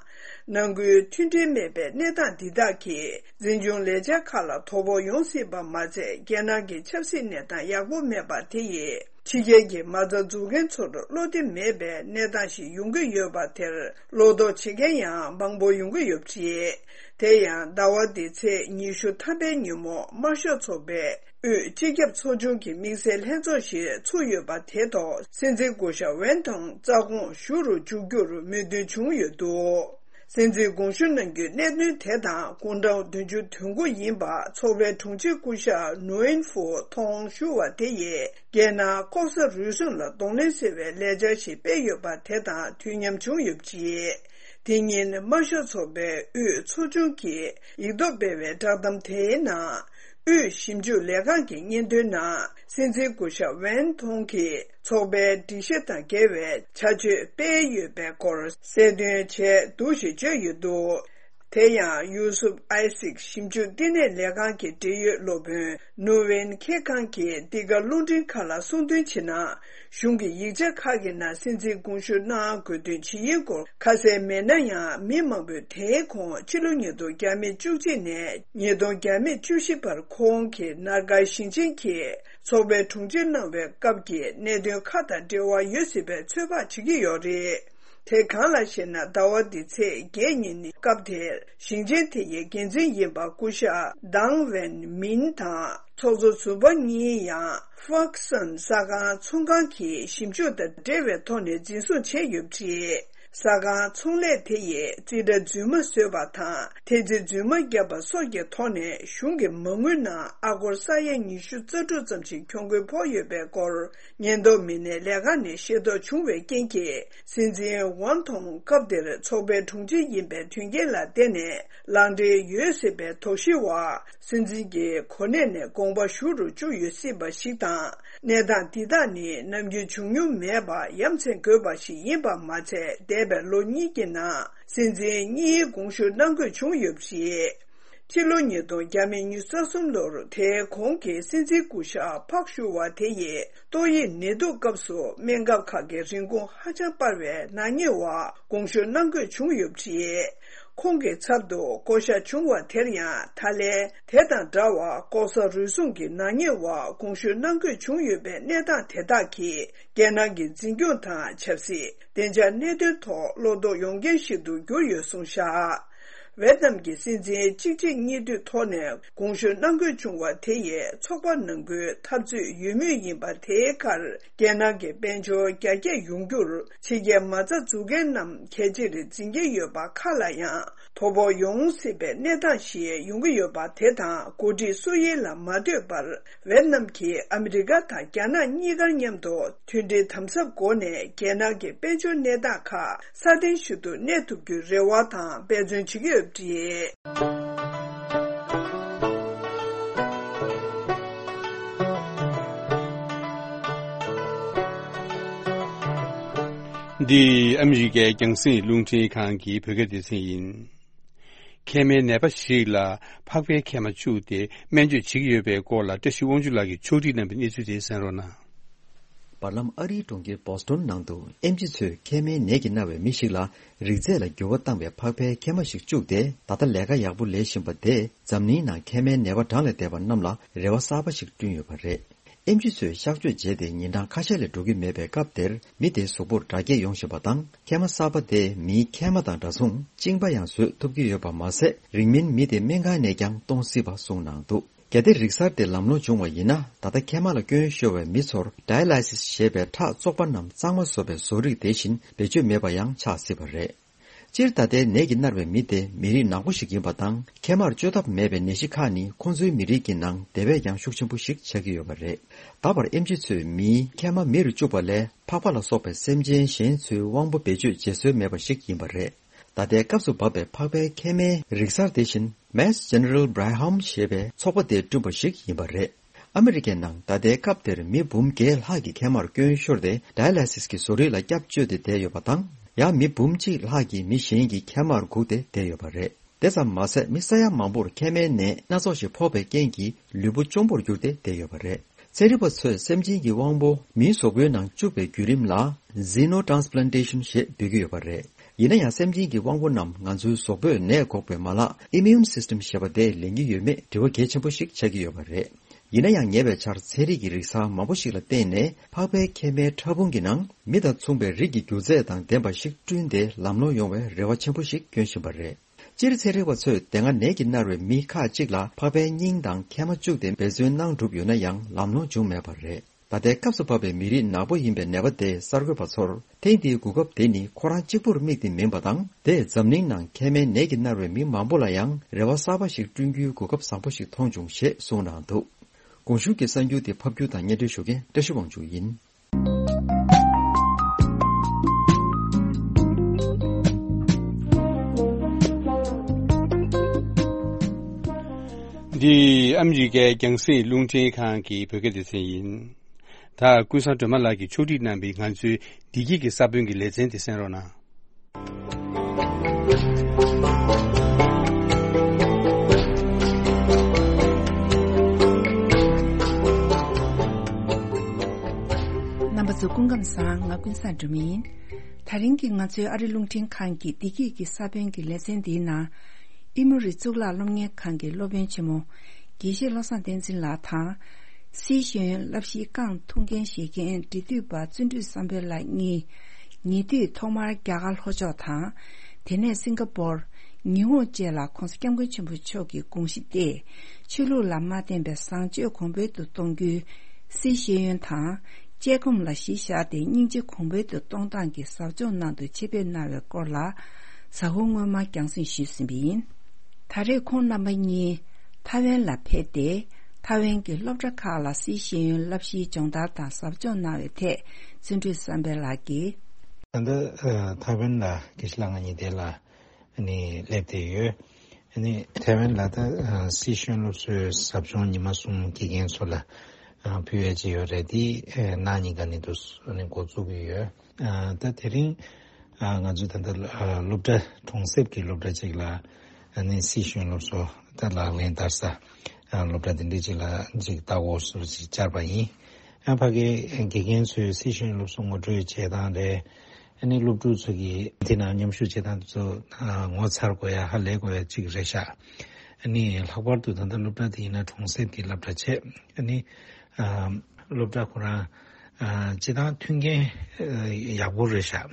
ནང་ཁུལ་མཐུན་སྒྲིལ་མེད་པའི་གནས་སྟངས་འདི་དག་གིས། འཛིན་སྐྱོང་ལས་འཆར་ཁག་ལ་དོ་ཕོག་ཡོང་སྲིད་པ་མ་ཚད། རྒྱལ་ནང་གི་ཆབ་སྲིད་གནས་སྟངས་ཡག་པོ་མེད་པ་དེ་ཡིས། ཕྱི་རྒྱལ་གྱི་མ་རྩ་འཛུགས་མཁན་ཚོར་བློ་བདེ་མེད་པའི་གནས་སྟངས་ཤིག་ཡོང་གི་ཡོད་པ་དེར། བློ་དོགས་བྱེད་མཁན་ཡང་མང་པོ་ཡོང་གི་ཡོད་པ་རེད། དེ་ཡང་ཟླ་བ་འདིའི་ཚེས་ཉི་ཤུ་ཐམ་པའི་ཉིན་མོ། དམར་ཤོག་ཚོགས་པའི་དབུས་སྤྱི་ཁྱབ་ཚོགས་ཆུང་གི་དམིགས་བསལ་ལྷན་ཚོགས་ཤིག་ཚུགས་ཡོད་པ་དེ་ཐོག་སྲིད་འཛིན་སྐུ་ཞབས་ཝེན་ཐོང་རྩ་དགོངས་ཞུ་རུ་འཇུག་རྒྱུར་མོས་མཐུན་བྱུང་ཡོད་འདུག་སྲིད་འཛིན་དགོངས་ཞུ་གནང་རྒྱུའི་གནད་དོན་དེ་དང་། དགུང་གྲངས་བདུན་ཅུ་དོན་དགུ་ཡིན་པ་ཚོགས་པའི་དྲུང་ཆེ་སྐུ་ཞབས་ནུའེན་ཧྥུའུ་ཐོང་ཞུ་བ་དེ་ཡིས། རྒྱལ་ནང་ལྐོག་ཟ་རུལ་སུངས་ལ་གདོང་ལེན་ཟེར་བའི་ལས་འཆར་ཞིག་སྤེལ་ཡོད་པ་དེ་དང་དུས་མཉམ་བྱུང་ཡོད་པ་རེད། དེ་ཉིན་དམར་ཤོག་ཚོགས་པའི་དབུས་ཚོགས་ཆུང་གིས་ཡིག་ཐོག་སྤེལ་བའི་བསྒྲགས་གཏམ་དེའི་ནང་། དབུས་ཞིབ་འཇུག་ལས་ཁང་གི་སྙན་ཐོའི་ནང་། སྲིད་འཛིན་སྐུ་ཞབས་ཝེན་ཐོང་གིས་ཚོགས་པའི་སྒྲིག་གཞི་དང་འགལ་བའི་བྱ་སྤྱོད་སྤེལ་ཡོད་པའི་སྐོར་གསལ་སྟོན་བྱས་འདུག་ཞེས་བརྗོད་ཡོད་འདུག་དེ་ཡང་ཡུ་སུབ་ཨའི་སིག་ཞིབ་འཇུག་བསྟི་གནས་ལས་ཁང་གི་འབྲེལ་ཡོད་སློབ་དཔོན་ནུ་ཝེན་ཁེ་ཁང་གིས་འདི་ག་རླུང་འཕྲིན་ཁང་ལ་གསུངས་དོན་བྱས་ན། གཞུང་གི་ཡིག་ཆ་ཁག་གི་ནང་སྲིད་འཛིན་དགོངས་ཞུ་གནང་དགོས་དོན་ཇི་ཡིན་སྐོར་ཁ་གསལ་མེད་ན་ཡང་། མི་མང་པོས་དེའི་གོང་ཕྱི་ལོ་ཉིས་སྟོང་བརྒྱ་མེད་བཅུ་གཅིག་ནས་ཉིས་སྟོང་བརྒྱ་མེད་བཅུ་བཞི་བར་ཁོང་གིས་ནར་ཀ་ཞིང་ཆེན་གྱི་ཚོགས་པའི་དྲུང་ཆེ་གནང་བའི་སྐབས་ཀྱི་གནད་དོན་ཁག་དང་འབྲེལ་བ་ཡོད་སྲིད་པའི་ཚོད་དཔག་བྱེད་ཀྱི་ཡོད་རེད། དེ་གང་ལགས་ཤེ་ན། ཟླ་བ་འདིའི་ཚེས་བརྒྱད་ཉིན་ནི་སྐབས་དེར་ཞིང་ཆེན་དེ་ཡི་འགན་འཛིན་ཡིན་པ་སྐུ་ཞབས་ཏང་ཝེན་མིན་དང་། ཚོགས་གཙོ་ཟུར་པ་གཉིས་ཡང་ཧྥག་སན་ས་ཁང་ཚོང་ཁང་གི་ཞིབ་འཇུག་དང་འབྲེལ་བའི་ཐོག་ནས་འཛིན་བཟུང་བྱས་ཡོད་པ་རེད། ས་ཁང་ཚོང་ལས་དེ་ཡིས་རྩིས་ཁྲ་རྫུན་མ་བཟོས་པ་དང་། འཐེན་རྩིས་རྫུན་མ་བརྒྱབ་པ་སོགས་ཀྱི་ཐོག་ནས་གཞུང་གི་མ་དངུལ་ནང་ཨ་སྒོར་ས་ཡ་ཉི་ཤུ་རྩ་དྲུག་ཙམ་ཞིག་གྱོང་གུན་ཕོག་ཡོད་པའི་སྐོར། ཉེན་རྟོག་མི་སྣའི་ལས་ཁང་ནས་ཤེས་རྟོགས་བྱུང་བའི་རྐྱེན་གྱིས། སྲིད་འཛིན་ཝང་ཐོང་སྐབས་དེར་ཚོགས་པའི་དྲུང་ཆེ་ཡིན་པའི་དོན་རྐྱེན་ལ་བརྟེན་ནས་ལག་འབྲེལ་ཡོད་སྲིད་པའི་དོགས་གཞི་འོག་སྲིད་འཛིན་གྱི་གོ་གནས་ནས་དགོངས་པ་ཞུ་རུ་བཅུག་ཡོད་སྲིད་པ་ཞིག་དང་། གནས་སྟངས་འདི་དག་ནི་ནམ་རྒྱུན་བྱུང་མྱོང་མེད་པ་ཡ་མཚན་དགོས་པ་ཞིག་ཡིན་པ་མ་ཚད། འདས་པའི་ལོ་གཉིས་ཀྱི་ནང་སྲིད་འཛིན་གཉིས་དགོངས་ཞུ་གནང་དགོས་བྱུང་ཡོད་པ་རེད། ཕྱི་ལོ་ཉིས་སྟོང་བརྒྱ་མེད་ཉི་ཤུ་རྩ་གསུམ་ལོར་དེའི་གོང་གི་སྲིད་འཛིན་སྐུ་ཞབས་ཕག་ཞུ་བ་དེ་ཡིས་ཏོག་དབྱིབས་ནད་དུག་སྐབས་སུ་སྨན་ཁབ་ཁག་གི་རིན་གོང་ཧ་ཅང་སྤར་བའི་ནག་ཉེས་འོག་དགོངས་ཞུ་གནང་དགོས་བྱུང་ཡོད་པ་རེད། ཁོང་གི་ཚབ་ཏུ་བསྐོ་གཞག་བྱུང་བ་དེར་ཡང་། ད་ལན་དེ་དང་འདྲ་བར་ལྐོག་ཟ་རུལ་སུངས་ཀྱི་ནག་ཉེས་འོག་དགོངས་ཞུ་གནང་དགོས་བྱུང་ཡོད་པའི་གནས་སྟངས་དེ་དག་གིས། རྒྱལ་ནང་གི་འཛིན་སྐྱོང་དང་ཆབ་སྲིད། བདེ་འཇགས་གནད་དོན་ཐོག་བློ་དོགས་ཡོང་རྐྱེན་ཞིག་ཏུ་གྱུར་ཡོད་གསུངས་བཞག་ཝེ་ཏི་ནམ་གྱི་སྲིད་འཛིན་གཅིག་རྗེས་གཉིས་མཐུད་ཐོག་ནས་དགོངས་ཞུ་གནང་དགོས་བྱུང་བ་དེ་ཡིས་ཚོགས་པ་ནང་ཁུལ་འཐབ་རྩོད་ཡོད་མུས་ཡིན་པ་དེའི་ཁར། རྒྱལ་ནང་གི་དཔལ་འབྱོར་རྒྱ་སྐྱེད་ཡོང་རྒྱུར་ཕྱི་རྒྱལ་མ་རྩ་འཛུགས་མཁན་རྣམས་གལ་ཆེར་འཛིན་གྱི་ཡོད་པ་ཁག་ལ་ཡང་དོ་ཕོག་ཡོང་སྲིད་པའི་གནས་སྟངས་ཤིག་ཡོང་གི་ཡོད་པ་དེ་དང་། འགོ་ཁྲིད་སུ་ཡིན་ལ་མ་ལྟོས་པར། ཝེ་ཏི་ནམ་གྱིས་ཨ་མི་རི་ཀ་དང་རྒྱ་ནག་གཉིས་ཀར་མཉམ་དུ་མཐུན་སྒྲིལ་དམ་ཟབ་སྒོ་ནས་རྒྱལ་ནང་གི་དཔལ་འབྱོར་གནས་སྟངས་ཁག་སྲ་བརྟན་ཞིག་ཏུ་གནས་ཐུབ་རྒྱུའི་རེ་བ་དང་འབད་བརྩོན་བྱེད་ཀྱི་ཡོད་པ་རེད། འདི་ཨ་མི་རི་ཀའི་རྒྱང་སྲིང་རླུང་འཕྲིན་ཁང་གི་བོད་སྐད་སྡེ་ཚན་ཡིན། མཁལ་མའི་ནད་པ་ཞིག་ལ་ཕག་པའི་མཁལ་མ་བཅུག་སྟེ་སྨན་བཅོས་བྱེད་ཀྱི་ཡོད་པའི་སྐོར་ལ། བཀྲ་ཤིས་དབང་ཕྱུག་ལགས་ཀྱིས་ཕྱོགས་སྒྲིག་གནང་བའི་གནས་ཚུལ་དེ་གསན་རོགས་གནང་། བར་ལམ་ཨ་རིའི་གྲོང་ཁྱེར་བོ་སི་ཊོན་ནང་དུ་ཨེམ་ཆི་ཚོས་མཁལ་མའི་ནད་ཀྱིས་མནར་བའི་མི་ཞིག་ལ་རིགས་རྫས་ལ་འགྱུར་བ་བཏང་བའི་ཕག་པའི་མཁལ་མ་ཞིག་བཅུག་སྟེ། ད་ལྟ་ལས་ཀ་ཡག་པོ་ལས་བཞིན་པ་དེས་འཛམ་གླིང་ནང་མཁལ་མའི་ནད་པ་གྲངས་ལས་འདས་པ་རྣམས་ལ་རེ་བ་གསར་པ་ཞིག་བསྐྲུན་ཡོད་པ་རེད། ཨེམ་ཆི་ཚོས་གཤག་བཅོས་བྱས་ཏེ་ཉིན་གྲངས་ཁ་ཤས་ལས་འགྲོ་གི་མེད་པའི་སྐབས་དེར། མི་དེའི་གཟུགས་པོར་འདྲ་སྐྱེད་ཡོང་བཞིན་པ་དང་། མཁལ་མ་གསར་པ་དེས་མིའི་མཁལ་མ་དང་འདྲ་མཚུངས་གཅིན་པ་ཡང་བཟོས་ཐུབ་ཀྱི་ཡོད་པ་མ་ཟད། རིང་མིན་མི་དེ་སྨན་ཁང་ནས་ཀྱང་གཏོང་སྲིད་པ་གསུངས་གནང་འདུག་གལ་ཏེ་རིག་གསར་དེ་ལམ་ལྷོང་བྱུང་བ་ཡིན་ན། ད་ལྟ་མཁལ་མ་ལ་སྐྱོན་ཤོར་བའི་མི་ཚོར་ཌའི་ལའི་སིས་ཞེས་པའི་ཁྲག་བཙོག་པ་རྣམས་གཙང་མ་བཟོ་བའི་བཟོ་རིག་དེ་བཞིན་བེད་སྤྱོད་མེད་པ་ཡང་ཆགས་སྲིད་པ་རེད། སྤྱིར་ད་ལྟའི་ནད་ཀྱིས་མནར་བའི་མི་དེ་མི་རིགས་ནག་པོ་ཞིག་ཡིན་པ་དང་། མཁལ་མར་བཅོས་ཐབས་མེད་པའི་ནད་གཞི་ཁག་ནི་ཁོང་ཚོའི་མི་རིགས་ཀྱི་ནང་དེ་བས་ཀྱང་ཤུགས་ཆེན་པོ་ཞིག་ཆགས་ཀྱི་ཡོད་པ་རེད། ད་བར་ཨེམ་ཆི་ཚོས་མིའི་མཁལ་མ་མེ་རུ་བཅུག་པ་ལས། ཕག་པ་ལ་སོགས་པའི་སེམས་ཅན་གཞན་ཚོའི་དབང་པོ་བེད་སྤྱོད་བྱེད་སྲོལ་མེད་པ་ཞིག་ཡིན་པ་རེད། ད་ལྟའི་སྐབས་སུ་བབས་པའི་ཕག་པའི་མཁལ་མའི་རིག་གསར་དེ་བཞིན། Mass General Brigham ཞེས་པའི་ཚོགས་པ་དེས་བསྐྲུན་པ་ཞིག་ཡིན་པ་རེད། ཨ་མི་རི་ཀའི་ནང་ད་ལྟའི་སྐབས་དེར་མི་འབུམ་བརྒྱད་ལྷག་གིས་མཁལ་མར་སྐྱོན་ཤོར་ཏེ། ཌའི་ལའི་སིས་ཀྱི་བཟོ་རིག་ལ་སྐྱབས་བཅོལ་ཏེ་བསྡད་ཡོད་པ་དང་། ཡང་མི་འབུམ་གཅིག་ལྷག་གིས་མི་གཞན་གྱི་མཁལ་མར་སྒུག་སྟེ་བསྡད་ཡོད་པ་རེད། དེ་ཙམ་མ་ཟད། མི་ས་ཡ་མང་པོར་མཁལ་མའི་ནད་སྣ་ཚོགས་ཤིག་ཕོག་པའི་རྐྱེན་གྱིས་ལུས་པོ་གཅོང་པོར་གྱུར་ཏེ་བསྡད་ཡོད་པ་རེད། ཚན་རིག་པ་ཚོས་སེམས་ཅན་གྱི་དབང་པོ་མིའི་གཟུགས་པོའི་ནང་བཅུག་པའི་བརྒྱུད་རིམ་ལ་Xenotransplantation ཞེས་འབོད་ཀྱི་ཡོད་པ་རེད། ཡིན་ན་ཡང་། སེམས་ཅན་གྱི་དབང་པོ་རྣམས་ང་ཚོའི་གཟུགས་པོས་ནད་འགོག་པའི་མ་ལག་Immune System ཞེས་པ་དེས་ལེན་གྱི་ཡོད་མེད་དྲི་བ་གལ་ཆེན་པོ་ཞིག་ཆགས་ཀྱི་ཡོད་པ་རེད། ཡིན་ན་ཡང་། ཉེ་བའི་ཆར་ཚན་རིག་གི་རིག་གསར་མང་པོ་ཞིག་ལ་བརྟེན་ནས། ཕག་པའི་མཁལ་མའི་ཕྲ་ཕུང་གི་ནང་མི་དང་མཚུངས་པའི་རིགས་ཀྱི་རྒྱུ་རྫས་དང་ལྡན་པ་ཞིག་བསྐྲུན་ཏེ། ལམ་ལྷོང་ཡོང་བའི་རེ་བ་ཆེན་པོ་ཞིག་བསྐྱོན་བཞིན་པ་རེད། སྤྱིར་ཚན་རིག་པ་ཚོས་དེ་སྔ་ནད་ཀྱིས་མནར་བའི་མི་ཁག་ཅིག་ལ་ཕག་པའི་སྙིང་དང་མཁལ་མ་བཅུག་སྟེ་འབད་བརྩོན་གནང་གྲུབ་ཡོད་ན་ཡང་། ལམ་ལྷོང་བྱུང་མེད་པ་རེད། ད་ལྟའི་སྐབས་སུ་བབས་པའི་མི་རིགས་ནག་པོ་ཡིན་པའི་ནད་པ་དེས་གསར་འགོད་པ་ཚོར། ཐེངས་འདིའི་གོ་སྐབས་དེ་ནི་ཁོ་རང་གཅིག་པུར་དམིགས་ཏེ་མིན་པ་དང་། དེས་འཛམ་གླིང་ནང་མཁལ་མའི་ནད་ཀྱིས་མནར་བའི་མི་མང་པོ་ལ་ཡང་རེ་བ་གསར་པ་ཞིག་བསྐྲུན་རྒྱུའི་གོ་སྐབས་བཟང་པོ་ཞིག་མཐོང་བྱུང་ཞེས་གསུངས་གནང་འདུག་གོང་ཞུས་ཀྱི་གསར་འགྱུར་དེ་ཕབ་སྒྱུར་དང་སྙན་སྒྲོན་ཞུ་མཁན་བཀྲ་ཤིས་དབང་ཕྱུག་ཡིན། འདི་ཨ་མི་རི་ཀའི་རྒྱང་སྲིང་རླུང་འཕྲིན་ཁང་གི་བོད་སྐད་སྡེ་ཚན་ཡིན། ད་ཀུན་བཟང་སྒྲོལ་མ་ལགས་ཀྱིས་ཕྱོགས་སྒྲིག་གནང་བའི་ང་ཚོའི་བདེ་སྐྱིད་ཀྱི་ས་བོན་གྱི་ལེ་ཚན་དེ་གསན་རོགས་གནང་། རྣམ་པ་ཚོ་སྐུ་ཁམས་བཟང་། ང་ཀུན་བཟང་སྒྲོལ་མ་ཡིན། ད་རིང་གི་ང་ཚོའི་ཨ་རི་རླུང་འཕྲིན་ཁང་གི་བདེ་སྐྱིད་ཀྱི་ས་བོན་གྱི་ལེ་ཚན་འདིའི་ནང་། ཨི་མོ་རི་གཙུག་ལག་སློབ་གཉེར་ཁང་གི་སློབ་དཔོན་ཆེན་མོ། དགེ་བཤེས་བློ་བཟང་བསྟན་འཛིན་ལགས་དང་། སྲིད་ཤེས་ཡོན་བསླབ་གཞིའི་རྐང་འཐུང་མཁན་བཞེས་མཁན་འབྲི་དུས་པ་བརྩོན་འགྲུས་བསམ་འཕེལ་ལགས་གཉིས། ཉེ་དུས་ཐོག་མར་རྒྱ་གར་ལྷོ་ཕྱོགས་དང་། དེ་ནས་སིང་ག་པོར། ཉི་ཧོང་བཅས་ལ་༧གོང་ས་༧སྐྱབས་མགོན་ཆེན་པོ་མཆོག་གི་དགོངས་གཞི་སྟེ། ཆོས་ལུགས་ལ་མ་བརྟེན་པའི་བཟང་སྤྱོད་གོང་འཕེལ་དུ་གཏོང་རྒྱུའི་སྲིད་ཤེས་ཡོན་དང་། དཔྱད་སྒོམ་ལ་གཞི་བཞག་སྟེ་སྙིང་རྗེ་གོང་འཕེལ་དུ་གཏོང་སྟངས་ཀྱི་ཟབ་སྦྱོང་གནང་དུ་ཆེད་ཕེབས་གནང་བའི་སྐོར་ལ། གཟའ་འཁོར་སྔོན་མ་རྒྱང་སྲིང་ཞུས་ཟིན་པ་ཡིན། ད་རེས་ཁོང་རྣམ་པ་གཉིས་ཐའེ་ཝན་ལ་ཕེབས་ཏེ། ཐའེ་ཝན་གྱི་སློབ་གྲྭ་ཁག་ལ་སྲིད་ཤེས་ཡོན་བསླབ་གཞིའི་སྦྱོང་བརྡར་དང་ཟབ་སྦྱོང་གནང་བའི་ཐད། བརྩོན་འགྲུས་བསམ་འཕེལ་ལགས་ཀྱིས། ད་ལྟ་ཐའེ་ཝན་ལ་དགེ་བཤེས་ལགས་ང་གཉིས་དེ་ལ་ནི་སླེབས་བསྡད་ཡོད། ནི་ཐའེ་ཝན་ལ་ད་སྲིད་ཤེས་ཡོན་སློབ་གསོའི་ཟབ་སྦྱོང་ཉི་མ་གསུམ་དགེ་རྒན་ཚོ་ལ་ཕུལ་ཡས་ཅིག་ཡོད་རེད། དེ་གནངས་ཉིན་ཀ་ནས་དུ་ནི་འགོ་བཙུགས་ཀྱི་ཡོད། ད་དེ་རིང་ང་ཚོས་ད་ལྟ་སློབ་གྲྭ་གྲོང་གསེབ་ཀྱི་སློབ་གྲྭ་ཅིག་ལ་ནི་སྲིད་ཤེས་ཡོན་སློབ་གསོ་ད་ལག་ལེན་བསྟར་ས་སློབ་གྲྭ་དེ་འདྲ་ཅིག་ལ་ཅིག་ལྟ་སྐོར་སོགས་ཅིག་བཅར་བ་ཡིན། ཕ་གིའི་དགེ་རྒན་ཚོས་སྲིད་ཤེས་ཡོན་སློབ་གསོ་ངོ་སྤྲོད་བྱེད་སྟངས་རེད། ཨ་ནི་སློབ་ཕྲུག་ཚོ་གིས་དེ་ནང་མཉམ་ཞུགས་བྱེད་སྟངས་དེ་ཚོ་ངོ་མཚར་དགོས་ཡ་ཧ་ལས་དགོས་ཡ་གཅིག་རེད་ཤག་ཨ་ནི་ལྷག་པར་དུ་ད་ལྟ་སློབ་གྲྭ་དེ་ཡིན་ན་གྲོང་གསེབ་ཀྱི་སློབ་གྲྭ་བྱས། ཨ་ནི་སློབ་གྲྭ་ཁོ་རང་སྤྱི་བཏང་མཐུན་རྐྱེན་ཡག་པོ་རེད་ཤག་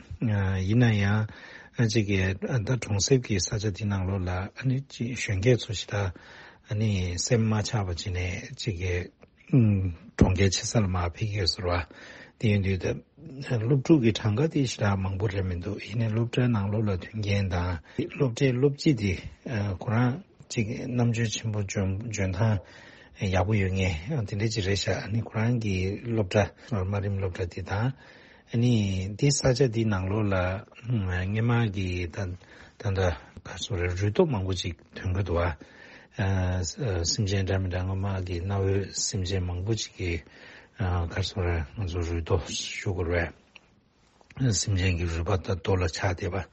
ཡིན་ན་ཡང་ཅིག་གི་ད་གྲོང་གསེབ་ཀྱི་ས་ཆ་དེ་ནང་ལོགས་ལ་ཨ་ནི་ཅིག་གཞོན་སྐྱེས་ཚོ་ཞེ་དྲག་ཨ་ནི་སེམས་མ་ཆགས་པ་བྱས་ནས་ཅིག་གི་གྲོང་ཁྱེར་ཆེ་ས་ལ་མར་ཕེབས་ཀྱི་ཡོད་ཟེར་བ། དེ་ཡིན་དུས་ད་སློབ་ཕྲུག་གི་གྲངས་ཀ་དེ་ཞེ་དྲག་མང་པོ་རེད་མི་འདུག་ཡིན་ནའི་སློབ་གྲྭའི་ནང་ལོགས་ལ་མཐུན་རྐྱེན་དང་སློབ་གྲྭའི་སློབ་སྤྱི་དེ་ཁོ་རང་ཅིག་རྣམ་དཔྱོད་ཆེན་པོ་འཇོན་འཇོན་ཐང་ཡག་པོ་ཡོད་མཁན་དེ་འདྲ་ཅིག་རེད་ཤག་ཨ་ནི་ཁོ་རང་གི་སློབ་གྲྭ་དམའ་རིམ་སློབ་གྲྭ་དེ་དང་། ཨ་ནི་འདི་ས་ཆ་འདི་ནང་ལོགས་ལ་སྔོན་མ་གི་ད་ད་ལྟ་ག་རེ་ཟེར་རུས་སྟོབས་མང་པོ་ཅིག་ཐོན་གྱི་འདུག་བ། སེམས་ཅན་འདྲ་མི་འདྲ་སྔོན་མ་གི་གནའ་བོའི་སེམས་ཅན་མང་པོ་ཅིག་གི་ག་རེ་ཟེར་ང་ཚོ་རུས་སྟོབས་ཞུ་དགོས་རེད། སེམས་ཅན་གྱི་རུས་པ་དང་རྡོ་ལ་ཆགས་བསྡད་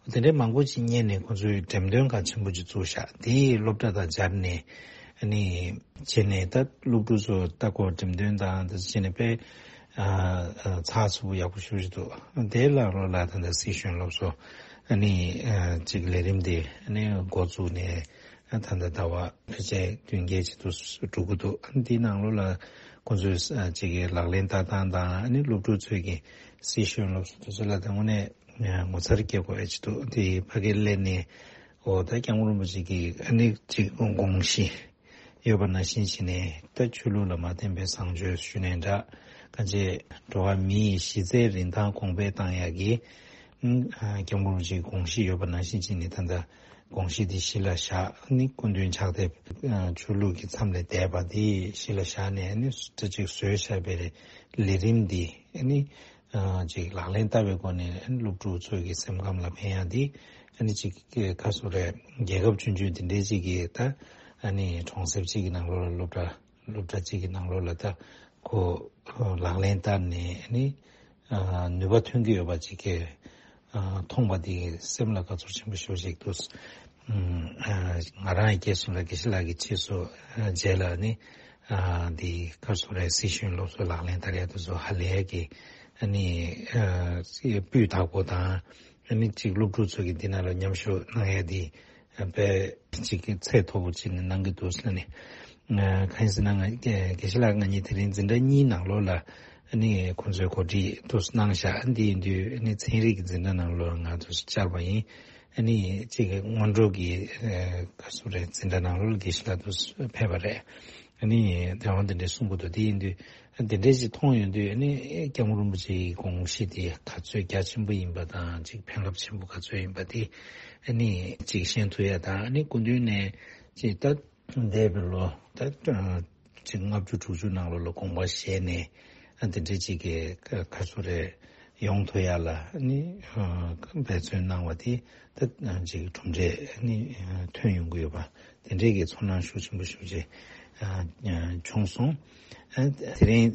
པ། དེ་འདྲའི་མང་པོ་ཅིག་རྙེད་ནས་ཁོང་ཚོས་འགྲེམས་སྟོན་ཁང་ཆེན་པོ་ཅིག་བཙུགས་ཤག་དེའི་སློབ་གྲྭ་དང་སྦྱར་ནས་ཨ་ནི་བྱས་ནས་ད་སློབ་ཕྲུག་ཚོ་ལྟ་སྐོར་འགྲེམས་སྟོན་དང་དེ་བྱས་ནས་དཔེ་ ཨ་ཨ་ཚགས་ཚུད་པོ་ཡག་པོ་ཞེ་པོ་ཅིག་འདུག་དེ་ལ་རོ་ལ་ད་ལྟ་སྲིད་གཞུང་སློབ་གསོ་ཨ་ནི་ཨ་ཅིག་ལས་རིམ་དེ་ཨ་ནི་འགོ་བཙུགས་ནས་ཨ་ད་ལྟ་ཟླ་བ་ཕལ་ཆེར་བདུན་བརྒྱད་ཅིག་ཏུ་འགྲོ་གི་འདུག་འདིའི་ནང་ལོགས་ལ་ཁོང་ཚོས་ཨ་ཅིག་གི་ལག་ལེན་བསྟར་སྟངས་དང་ཨ་ནི་སློབ་ཕྲུག་ཚོས་ཀྱི་སྲིད་གཞུང་སློབ་གསོ་དེ་ཚོ་ལ་དང་པོ་ནས་ངོ་མཚར་སྐྱེ་དགོས་ཡ་ཅིག་འདུག་དེ་ཕ་གིར་སླེབས་ནས་འོ་ད་སྐྱབས་མགོན་རིན་པོ་ཆེ་གི་ཨ་ནི་ཅིག་དགོངས་གཞི་ཡོད་པ་ནང་བཞིན་བྱས་ནས་ད་ཆོས་ལུགས་ལ་མ་བརྟེན་པའི་བཟང་སྤྱོད་ཞུ་ནས་འདྲ། ཁ་ཆེ་འགྲོ་བ་མི་ཡི་གཞི་རྩའི་རིན་ཐང་གོང་འཕེལ་བཏང་ཡག་གི་ཨ་སྐྱབས་མགོན་རིན་པོ་ཆེའི་དགོངས་གཞི་ཡོད་པ་ནང་བཞིན་བྱས་ནས་ད་ལྟ་དགོངས་གཞི་འདི་གཞི་ལ་བཞག་ནི་སྐུ་མདུན་ཕྱག་དེབ་ཆོས་ལུགས་ཀྱི་མཚམས་ལས་འདས་པ་འདི་གཞི་ལ་བཞག་ནས་ནི་ད་ཅིག་བཟོས་བཞག་པའི་ལས་རིམ་འདི་ནི། ཨ་ཅིག་ལག་ལེན་བསྟར་བའི་སྒོ་ནས་སློབ་ཕྲུག་ཚོའི་གི་སེམས་ཁམས་ལ་ཕན་ཡག་འདི་ཨ་ནི་ཅིག་ག་སུ་རེད། རྒྱལ་ཁབ་ཆུང་ཆུང་འདི་འདྲའི་ཅིག་གི་ད་ཨ་ནི་གྲོང་གསེབ་ཅིག་གི་ནང་ལོགས་ལ་སློབ་གྲྭ་སློབ་གྲྭ་ཅིག་གི་ནང་ལོགས་ལ་ད་ཁོ་ལག་ལེན་བསྟར་ནས་ཨ་ནི་ཨ་ནུས་པ་ཐོན་གྱི་ཡོད་པ་ཅིག་གི་ཨ་མཐོང་པ་འདི་སེམས་ལ་དགའ་ཚོར་ཆེན་པོ་ཞེ་པོ་ཅིག་འདུག་ཨ་ང་རང་ཡི་སྐྱེས་སོང་ལ་དགེ་བཤེས་ལགས་ཀྱི་རྗེས་སུ་ཨ་མཇལ་ལ་ནི། ཨ་འདི་ག་སོ་རེ་སྲིད་གཞུང་སློབ་གསོ་ལག་ལེན་བསྟར་ཡ་དེ་ཚོ་ཧ་ལས་ཀྱི་ཨ་ནི་ཨ་སྤུས་དག་པོ་དང་ཨ་ནི་གཅིག་སློབ་ཕྲུག་ཚོ་གི་འདི་ནང་ལ་མཉམ་ཞུགས་གནང་ཡ་འདི་དཔེ་གཅིག་གི་ཚད་མཐོ་པོ་ཅིག་ནས་གནང་གི་འདུག་ཟེར་ནས། ཨ་གང་ཡིན་ཟེར་ན་ང་དགེ་བཤེས་ལགས་ང་གཉིས་དེ་རིང་འཛིན་གྲྭ་གཉིས་ནང་ལོགས་ལ་ཨ་ནི་ཁོང་ཚོའི་གོ་སྒྲིག་དུ་གནང་བཞག་འདི་ཡིན་དུས་ཨ་ནི་ཚན་རིག་གི་འཛིན་གྲྭ་ནང་ལོགས་ང་ཚོ་བཅར་བ་ཡིན། ཨ་ནི་གཅིག་གི་སྔོན་འགྲོ་གི་ཨ་ག་སོ་རེ་འཛིན་གྲྭ་ནང་ལོགས་ལ་དགེ་བཤེས་ལགས་དུ་ཕེབས་པ་རེད། ཨ་ནི་དེ་འོང་དེ་འདྲའི་གསུང་གི་འདུག་དེ་ཡིན་དུས་དེ་འདྲའི་ཞིག་མཐོང་ཡོང་དུས་ཨ་ནི་སྐྱབས་མགོན་རིན་པོ་ཆེའི་དགོངས་གཞི་དེ་ག་ཚོད་རྒྱ་ཆེན་པོ་ཡིན་པ་དང་གཅིག་ཕན་རླབས་ཆེན་པོ་ག་ཚོད་ཡིན་པ་དེ་ཨ་ནི་གཅིག་ཤེས་ཐུབ་ཡ་དང་ཨ་ནི་སྐུ་མདུན་ནས་གཅིག་ད་འདས་པའི་ལོ་ད་གཅིག་ལྔ་བཅུ་དྲུག་ཅུ་ནང་ལོགས་ལ་དགོངས་པ་བཞེས་ནས་ཨ་དེ་འདྲའི་གཅིག་གི་ག་སོ་རེ་ཡོང་ཐུབ་ཡ་ལ་ནི་འབད་བརྩོན་གནང་བ་དེ་ད་ཅིག་གྲུབ་འབྲས་ནི་ཐོན་ཡོང་གི་ཡོད་པ་དེ་འདྲའི་གི་ཚོར་སྣང་ཤུགས་ཆེན་པོ་ཞེ་པོ་ཅིག་བྱུང་སོང་། དེ་རིང་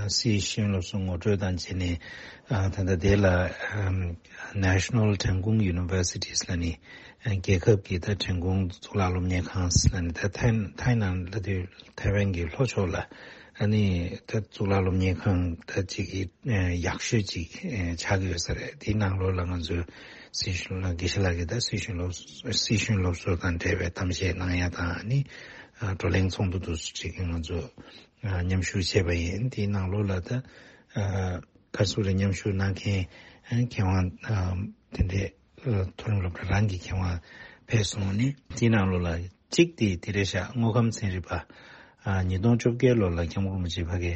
སྲིད་གཞུང་སློབ་གསོ་ངོ་སྤྲོད་དང་བཅས་ནས་ད་ལྟ་དེ་ལ་National Trengkung Universities ལ་ནི་རྒྱལ་ཁབ་ཀྱི་ད་ཁྲེང་ཀོང་གཙུག་ལག་སློབ་གཉེར་ཁང་ལ་ནི་ད་ཐའེ་ནང་ལ་དུས་ཐའེ་ཝན་གྱི་ལྷོ་ཕྱོགས་ལ། ཨ་ནི་ད་གཙུག་ལག་སློབ་གཉེར་ཁང་ད་ཅིག་གི་ཡག་ཤོས་ཅིག་ཆགས་ཀྱི་ཡོད་ས་རེད། དེའི་ནང་ལོགས་ལ་ང་ཚོའི་སྲིད་གཞུང་ལ་དགེ་བཤེས་ལགས་ཀྱིས་ད་སྲིད་གཞུང་སློབ་སྲིད་གཞུང་སློབ་གསོ་དང་འབྲེལ་བའི་གཏམ་བཤད་གནང་ཡ་དང་ཨ་ནི་བགྲོ་གླེང་ཚོགས་འདུ་དུ་ཅིག་ང་ཚོ་མཉམ་ཞུགས་བྱས་པ་ཡིན། དེའི་ནང་ལོགས་ལ་ད་ག་ཚོད་རེ་མཉམ་ཞུགས་གནང་མཁན་མཁས་དབང་དེ་འདྲས། མཐོ་རིམ་སློབ་གྲྭ་རང་གི་མཁས་དབང་ཕེབས་སོང་ནས་དེའི་ནང་ལོགས་ལ་གཅིག་དེ་དེ་རེད་ཤག་དངོས་ཁམས་ཚན་རིག་པ། ཉིས་སྟོང་བཅོ་བརྒྱད་ལོ་ལ་སྐྱབས་མགོན་རིན་པོ་ཆེ་ཕ་གི་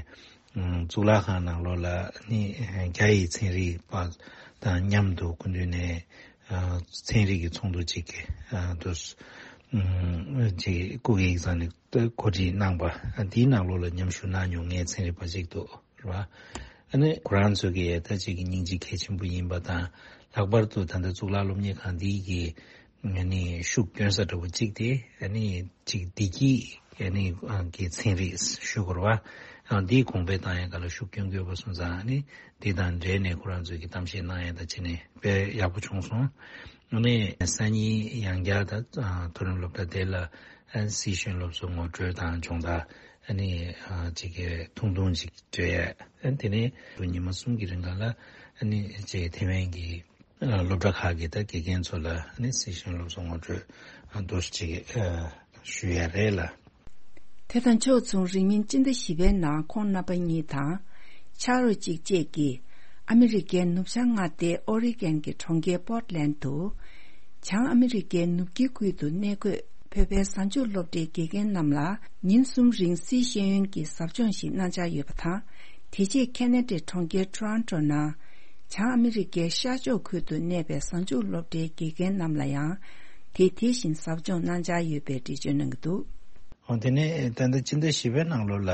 གཙུག་ལག་ཁང་ནང་ལོགས་ལ་ནི་རྒྱ་ཡི་ཚན་རིག་པ་དང་མཉམ་དུ་སྐུ་མདུན་ནས་ཚན་རིག་གི་ཚོགས་འདུ་གཅིག་གི་དུ་ཅིག་སྐུ་སྒེར་གྱི་ས་ནས་གོ་སྒྲིག་གནང་པ་དེའི་ནང་ལོགས་ལ་མཉམ་ཞུགས་གནང་མྱོང་མཁན་ཚན་རིག་པ་གཅིག་འདུག་རེད་བ། ཨ་ནི་ཁོ་རང་ཚོ་གི་ད་ཅིག་གི་སྙིང་རྗེ་གལ་ཆེན་པོ་ཡིན་པ་དང་། ལྷག་པར་དུ་ད་ལྟ་གཙུག་ལག་སློབ་གཉེར་ཁང་འདི་གི་ཨ་ནི་ཤུགས་སྐྱོན་ས་འདྲ་བོ་གཅིག་དེ་ཨ་ནི་ཅིག་བདེ་སྐྱིད་ཨ་ནི་གི་ཚན་རིག་ཞུ་དགོས་རེད་བ། འདིའི་གོང་འཕེལ་བཏང་ཡ་ག་ལ་ཤུགས་སྐྱོན་དགོས་པ་སོང་ཙང་ཨ་ནི་འདི་དང་འབྲེལ་ནས་ཁོ་རང་ཚོ་གི་གཏམ་བཤད་གནང་ཡ་ད་བྱས་ནས་དཔེ་ཡག་པོ་བྱུང་སོང་། ཨ་ནི་སང་ཉིན་ཡང་བསྐྱར་ད་མཐོ་རིམ་སློབ་གྲྭ་དེ་ལ་སྲིད་གཞུང་སློབ་གསོ་ངོ་སྤྲོད་དང་སྦྱོང་བརྡར་ཨ་ནི་ཅིག་གི་ཐུང་ཐུང་ཅིག་སྤྲད་ཡ། དེ་ནས་ཉི་མ་གསུམ་གྱི་རིང་ལ་ཨ་ནི་ཅིག་ཐེ་ཝན་གྱི་སློབ་གྲྭ་ཁག་གི་ད་དགེ་རྒན་ཚོ་ལ་ཨ་ནི་སྲིད་གཞུང་སློབ་གསོ་ངོ་སྤྲོད་འདུག་ཅིག་ཞུ་ཡ་རེད་ལ། དེ་དང་ཕྱོགས་མཚུངས་རིང་མིན་སྤྱི་ཟླ་བཞི་པའི་ནང་ཁོང་རྣམ་པ་གཉིས་དང་། ཕྱག་རོགས་གཅིག་བཅས་ཀྱིས་ཨ་མི་རི་ཀའི་ནུབ་བྱང་མངའ་སྡེ་ཨོ་རི་གན་གྱི་གྲོང་ཁྱེར་པོར་ཏ་ལན་དུ། བྱང་ཨ་མི་རི་ཀའི་ནུབ་དཀྱིལ་ཁུལ་དུ་གནས་འཁོད་བོད་པའི་གཟའ་མཇུག་སློབ་གྲྭའི་དགེ་རྒན་རྣམས་ལ་ཉིན་གསུམ་རིང་སྲིད་ཤེས་ཡོན་གྱི་ཟབ་སྦྱོང་ཞིག་གནང་འཆར་ཡོད་པ་དང་། དེ་རྗེས་ཁེ་ན་ཌའི་གྲོང་ཁྱེར་ཊོ་རོན་ཊོ་ནང་། བྱང་ཨ་མི་རི་ཀའི་ཤར་ཕྱོགས་ཁུལ་དུ་གནས་པའི་གཟའ་མཇུག་སློབ་གྲྭའི་དགེ་རྒན་རྣམས་ལ་ཡང་དེ་དེ་བཞིན་ཟབ་སྦྱོང་གནང་འཆར་ཡོད་པའི་འགྲེལ་བརྗོད་གནང་གི་འདུག་འོ་དེ་ནས་ད་ལྟ་སྤྱི་ཟླ་བཞི་པའི་ནང་ལོགས་ལ།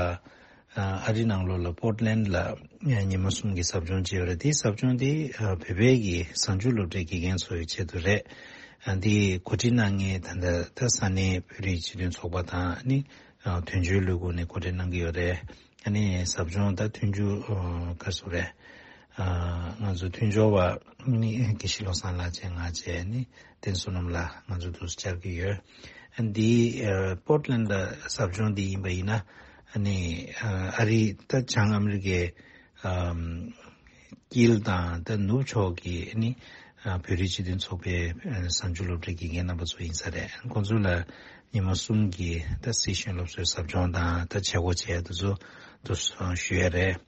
ཨ་རི་ནང་ལོགས་ལ་པོར་ཏ་ལན་ལ་ཉི་མ་གསུམ་གྱི་ཟབ་སྦྱོང་བྱས་ཡོད་རེད། དེའི་ཟབ་སྦྱོང་དེ་བོད་པའི་གི་གཟའ་མཇུག་སློབ་གྲྭའི་དགེ་རྒན་ཚོའི་ཆེད་དུ་རེད། འདི་གོ་སྒྲིག་གནང་མཁན་ད་ལྟ་ད་ས་གནས་བོད་རིགས་སྤྱི་མཐུན་ཚོགས་པ་དང་ནི་དོན་གཅོད་ལས་ཁུངས་ནས་གོ་སྒྲིག་གནང་གི་ཡོད་རེད། ཨ་ནི་ཟབ་སྦྱོང་ད་མཐུན་འགྱུར་ག་ཟེར་རེད། ང་ཚོ་མཐུན་སྦྱོར་བ་ནི་དགེ་བཤེས་བློ་བཟང་ལགས་བཅས་ང་བཅས་ནི་བསྟན་བསོད་ནམས་ལགས་ང་ཚོ་འདུག་སེ་བཅར་གྱི་ཡོད། ཨ་འདི་པོར་ཏ་ལན་ཌ་ཟབ་སྦྱོང་འདི་ཡིན་པ་ཡིན་ན་ཨ་ནི་ཨ་རི་ད་བྱང་ཨ་མི་རི་ཀའི་ ཨམ། དཀྱིལ་དང་ད་ནུབ་ཕྱོགས་ཀྱི་ནི་ཨ་བོད་རིགས་སྤྱི་མཐུན་ཚོགས་པའི་ཨ་གསར་འགྱུར་སློབ་གྲྭའི་དགེ་རྒན་རྣམ་པ་ཚོ་ཡིན་ས་རེད། ཁོང་ཚོ་ལ་ཉི་མ་གསུམ་གྱི་ད་སྲི་ཞུ་སློབ་གསོའི་ཟབ་སྦྱོང་དང་ད་བྱེད་སྒོ་བྱས་དེ་ཚོ་དུ་ཞུ་ཡ་རེད།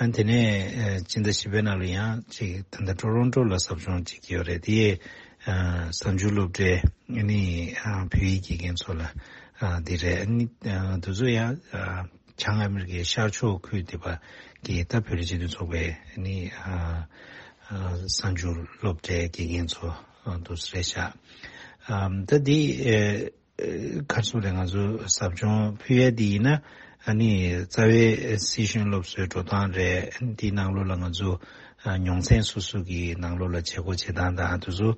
ཨ་དེ་ནས་ཨ་སྤྱི་ཟླ་བཞི་པའི་ནང་ལ་ཡང་ཅིག་ད་ལྟ་ཀྲོ་རོན་ཀྲོ་ལ་ཟབ་སྦྱོང་ཅིག་ཡོད་རེད། དེ་ཡས་ཨ་གསར་འགྱུར་སློབ་གྲྭའི་ནི་ཨ་བོད་ཡིག་དགེ་རྒན་ཚོ་ལ་ཨ་དེ་རེད། ཨ་ནི་ཨ་དེ་ཚོ་ཡང་ཨ་བྱང་ཨ་མི་རི་ཀའི་ཤར་ཕྱོགས་ཁུལ་དེ་པ་གི་ད་བོད་རིགས་སྤྱི་མཐུན་ཚོགས་པའི་ནི་ཨ་ཨ་གསར་འགྱུར་སློབ་གྲྭའི་དགེ་རྒན་ཚོ་ཨ་དུ་རེད་ཤག་ཨ་ད་དེ་ཨ་གར་སོང་རེད། ང་ཚོ་ཟབ་སྦྱོང་ཕུལ་ཡས་དེ་ཡིན་ན་ཨ་ནི་རྩ་བའི་སྲི་ཞུ་སློབ་གསོའི་འགྲོ་སྟངས་རེད། དེའི་ནང་ལོགས་ལ་ང་ཚོ་ཨ་མྱོང་ཚན་སོ་སོ་གི་ནང་ལོགས་ལ་བྱེད་སྒོ་བྱེད་སྟངས་དང་དེ་ཚོ་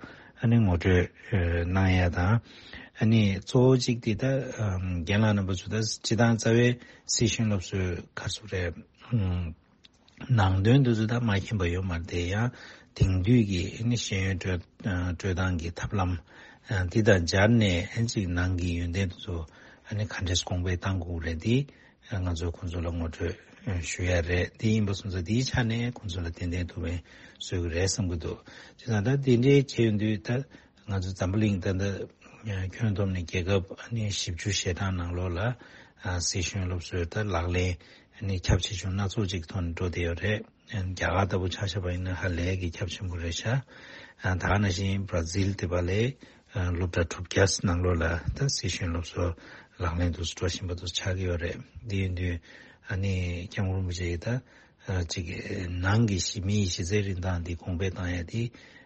ཨ་ནི་ངོ་སྤྲོད་ཨ་གནང་ཡ་དང་། ཨ་ནི་གཙོ་བོ་གཅིག་དེ་ད་ཨམ་རྒན་ལགས་རྣམ་པ་ཚོ་ད་སྤྱི་བཏང་རྩ་བའི་སྲི་ཞུ་སློབ་གསོའི་གར་སོང་རེད། ཨམ་ནང་དོན་དེ་ཚོ་ད་མ་མཁྱེན་པ་ཡོད་མ་རེད་དེ། ཡང་དེང་དུས་ཀྱི་ཨ་ནི་ཤེས་ཡོན་སྤྲོད་ཨ་སྤྲོད་སྟངས་ཀྱི་ཐབས་ལམ་ཨ་འདི་དང་སྦྱར་ནས་ཨ་ཅིག་ནང་གི་ཡོན་ཏན་དེ་ཚོ་ཨ་ནི་ག་འདྲས་གོང་འཕེལ་གཏང་དགོས་རེད། འདི་ང་ཚོས་ཁོང་ཚོ་ལ་ངོ་སྤྲོད་ཞུ་ཡ་རེད། དེ་ཡིན་པ་སོང་ཙང་དེའི་ཆ་ནས་ཁོང་ཚོ་ལ་ཏན་ཏན་ཐུགས་ཕན་གསོས་ཀྱི་རེད་བསམ་གྱི་འདུག་བྱས་ཙང་ད་དེ་འདྲའི་བྱས་ཡོང་དུས་ད་ང་ཚོ་འཛམ་བུ་གླིང་ད་ལྟ་ཁྱོན་བསྡོམས་ནས་རྒྱལ་ཁབ་ཨ་ནི་བཞི་བཅུ་ཞེ་གྲངས་ནང་ལོགས་ལ་ཨ་སྲི་ཞུ་སློབ་གསོའི་ད་ལག་ལེན་ཨ་ནི་ཁྱབ་ཆེ་ཆུང་སྣ་ཚོགས་ཅིག་ཐོག་ནས་འགྲོ་བསྡད་ཡོད་རེད། རྒྱ་གར་ལྟ་བུ་ཆ་བཞག་པ་ཡིན་ན་ཧ་ལས་ཀྱི་ཁྱབ་ཆེན་པོ་རེད་ཤག་ཨ་ད་ག་ནང་བཞིན་བྷ་ར་ཛིལ་དེ་པ་ལས་ཨ་སློབ་གྲྭ་དྲུག་བརྒྱ་ནང་ལོགས་ལ་ད་སྲི་ཞུ་སློབ་གསོ་ལག་ལེན་དུ་འགྲོ་བཞིན་པ་དུ་ཆགས་ཀྱི་ཡོད་རེད། འདི་ཡིན་དུས་ཨ་ནི་སྐྱབས་མགོན་རིན་པོ་ཆེ་ཡིས་ད་ཨ་ཅིག་ནང་གི་གཞི་མིའི་གཞི་རྩའི་རིན་ཐང་འདི་གོང་འཕེལ་བཏང་ཡ་དེ་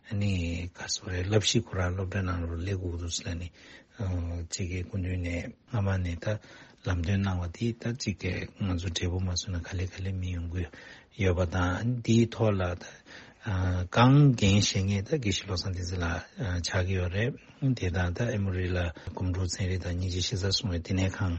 ཨ་ནི་ག་རེ་ཟེར་དགོས་རེད། བསླབ་གཞི་ཁོ་རང་སློབ་གྲྭའི་ནང་ལོགས་སླེབས་དགོས་འདུག་ཟེར་ནས་ཨ་ཅིག་གི་སྐུ་མདུན་ནས་སྔ་མ་ནས་ད་ལམ་སྟོན་གནང་བ་དེ་ད་ཅིག་གི་ང་ཚོ་འབྲས་བུ་མ་སོན་ན་ག་ལེ་ག་ལེ་མི་ཡོང་གི་ཡོད་པ་དང་། འདིའི་ཐོག་ལ་ད་ཨ་རྐང་འགན་བཞེས་མཁན་ད་དགེ་བཤེས་བློ་བཟང་བསྟན་འཛིན་ལགས་ཨ་ཆགས་ཀྱི་ཡོད་རེད། དེ་དང་ད་ཨེ་མོ་རི་ལ་སྒོམ་སྒྲུབ་ཚན་རིག་དང་སྙིང་རྗེ་གཤེགས་གསལ་སྲུང་བའི་བསྟི་གནས་ཁང་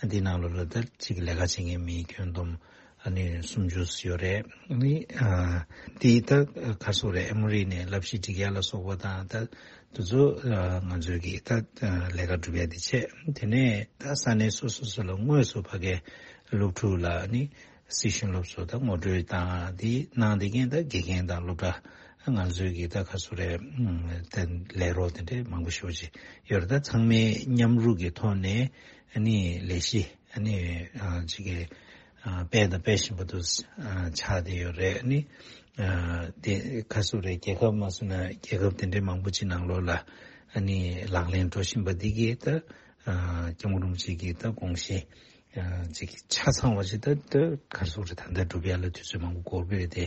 འདི་ནང་ལོགས་ལ་ད་ཅིག་ལས་ཀ་བྱེད་མཁན་མི་ཁྱོན་བསྡོམས་ཨ་ནི་སུམ་ཅུ་ཡོད་རེད། ཨ་ནི་ཨ་འདི་ད་ག་རེ་ཟེར་དགོས་རེད། ཨེ་མོ་རི་ནས་བསླབ་གཞི་སྒྲིག་ཡ་ལ་སོགས་པ་དང་ད་དེ་ཚོ་ཨ་ང་ཚོས་ཀྱི་ད་ཨ་ལས་ཀ་སྒྲུབ་ཡ་དེ་བྱས། དེ་ནས་ད་ས་གནས་སོ་སོ་སོ་ལ་དངོས་སུ་ཕ་གིའི་སློབ་ཕྲུག་ལ་ཨ་ནི་སྲི་ཞུ་སློབ་གསོ་དང་ངོ་སྤྲོད་དང་དེ་གནང་བསྡད་མཁན་ད་དགེ་རྒན་དང་སློབ་གྲྭ་ང་ཚོའི་གི་ད་ག་རེ་ཟེར་དགོས་རེད། ཨ་དེ་ལས་རོགས་དེ་འདྲས་མང་པོ་ཞེ་པོ་ཅིག་ཡོད་རེད། ད་ཚང་མས་མཉམ་རུབ་ཀྱི་ཐོག་ནས་ཨ་ནི་ལས་གཞི་ཨ་ནི་ཨ་ཅིག་གི་ཨ་སྤེལ་དང་སྤེལ་བཞིན་པ་དུ་ཨ་ཆགས་བསྡད་ཡོད་རེད། ཨ་ནི་ཨ་དེ་ག་རེ་ཟེར་དགོས་རེད། རྒྱལ་ཁབ་མ་སོང་ན་རྒྱལ་ཁབ་དེ་འདྲའི་མང་པོ་ཅིག་ནང་ལོགས་ལ་ཨ་ནི་ལག་ལེན་འགྲོ་བཞིན་པ་འདི་གིས་ད་ཨ་སྐྱབས་མགོན་རིན་པོ་ཆེ་གི་ད་དགོངས་གཞི་ཨ་ཅིག་ཆ་ཚང་བ་ཞིག་ད་ད་ག་རེ་ཟེར་དགོས་རེད། ད་ལྟ་སྒྲུབ་ཡ་ལ་དུས་ཚོད་མང་པོ་འགོར་གྱི་རེད་དེ།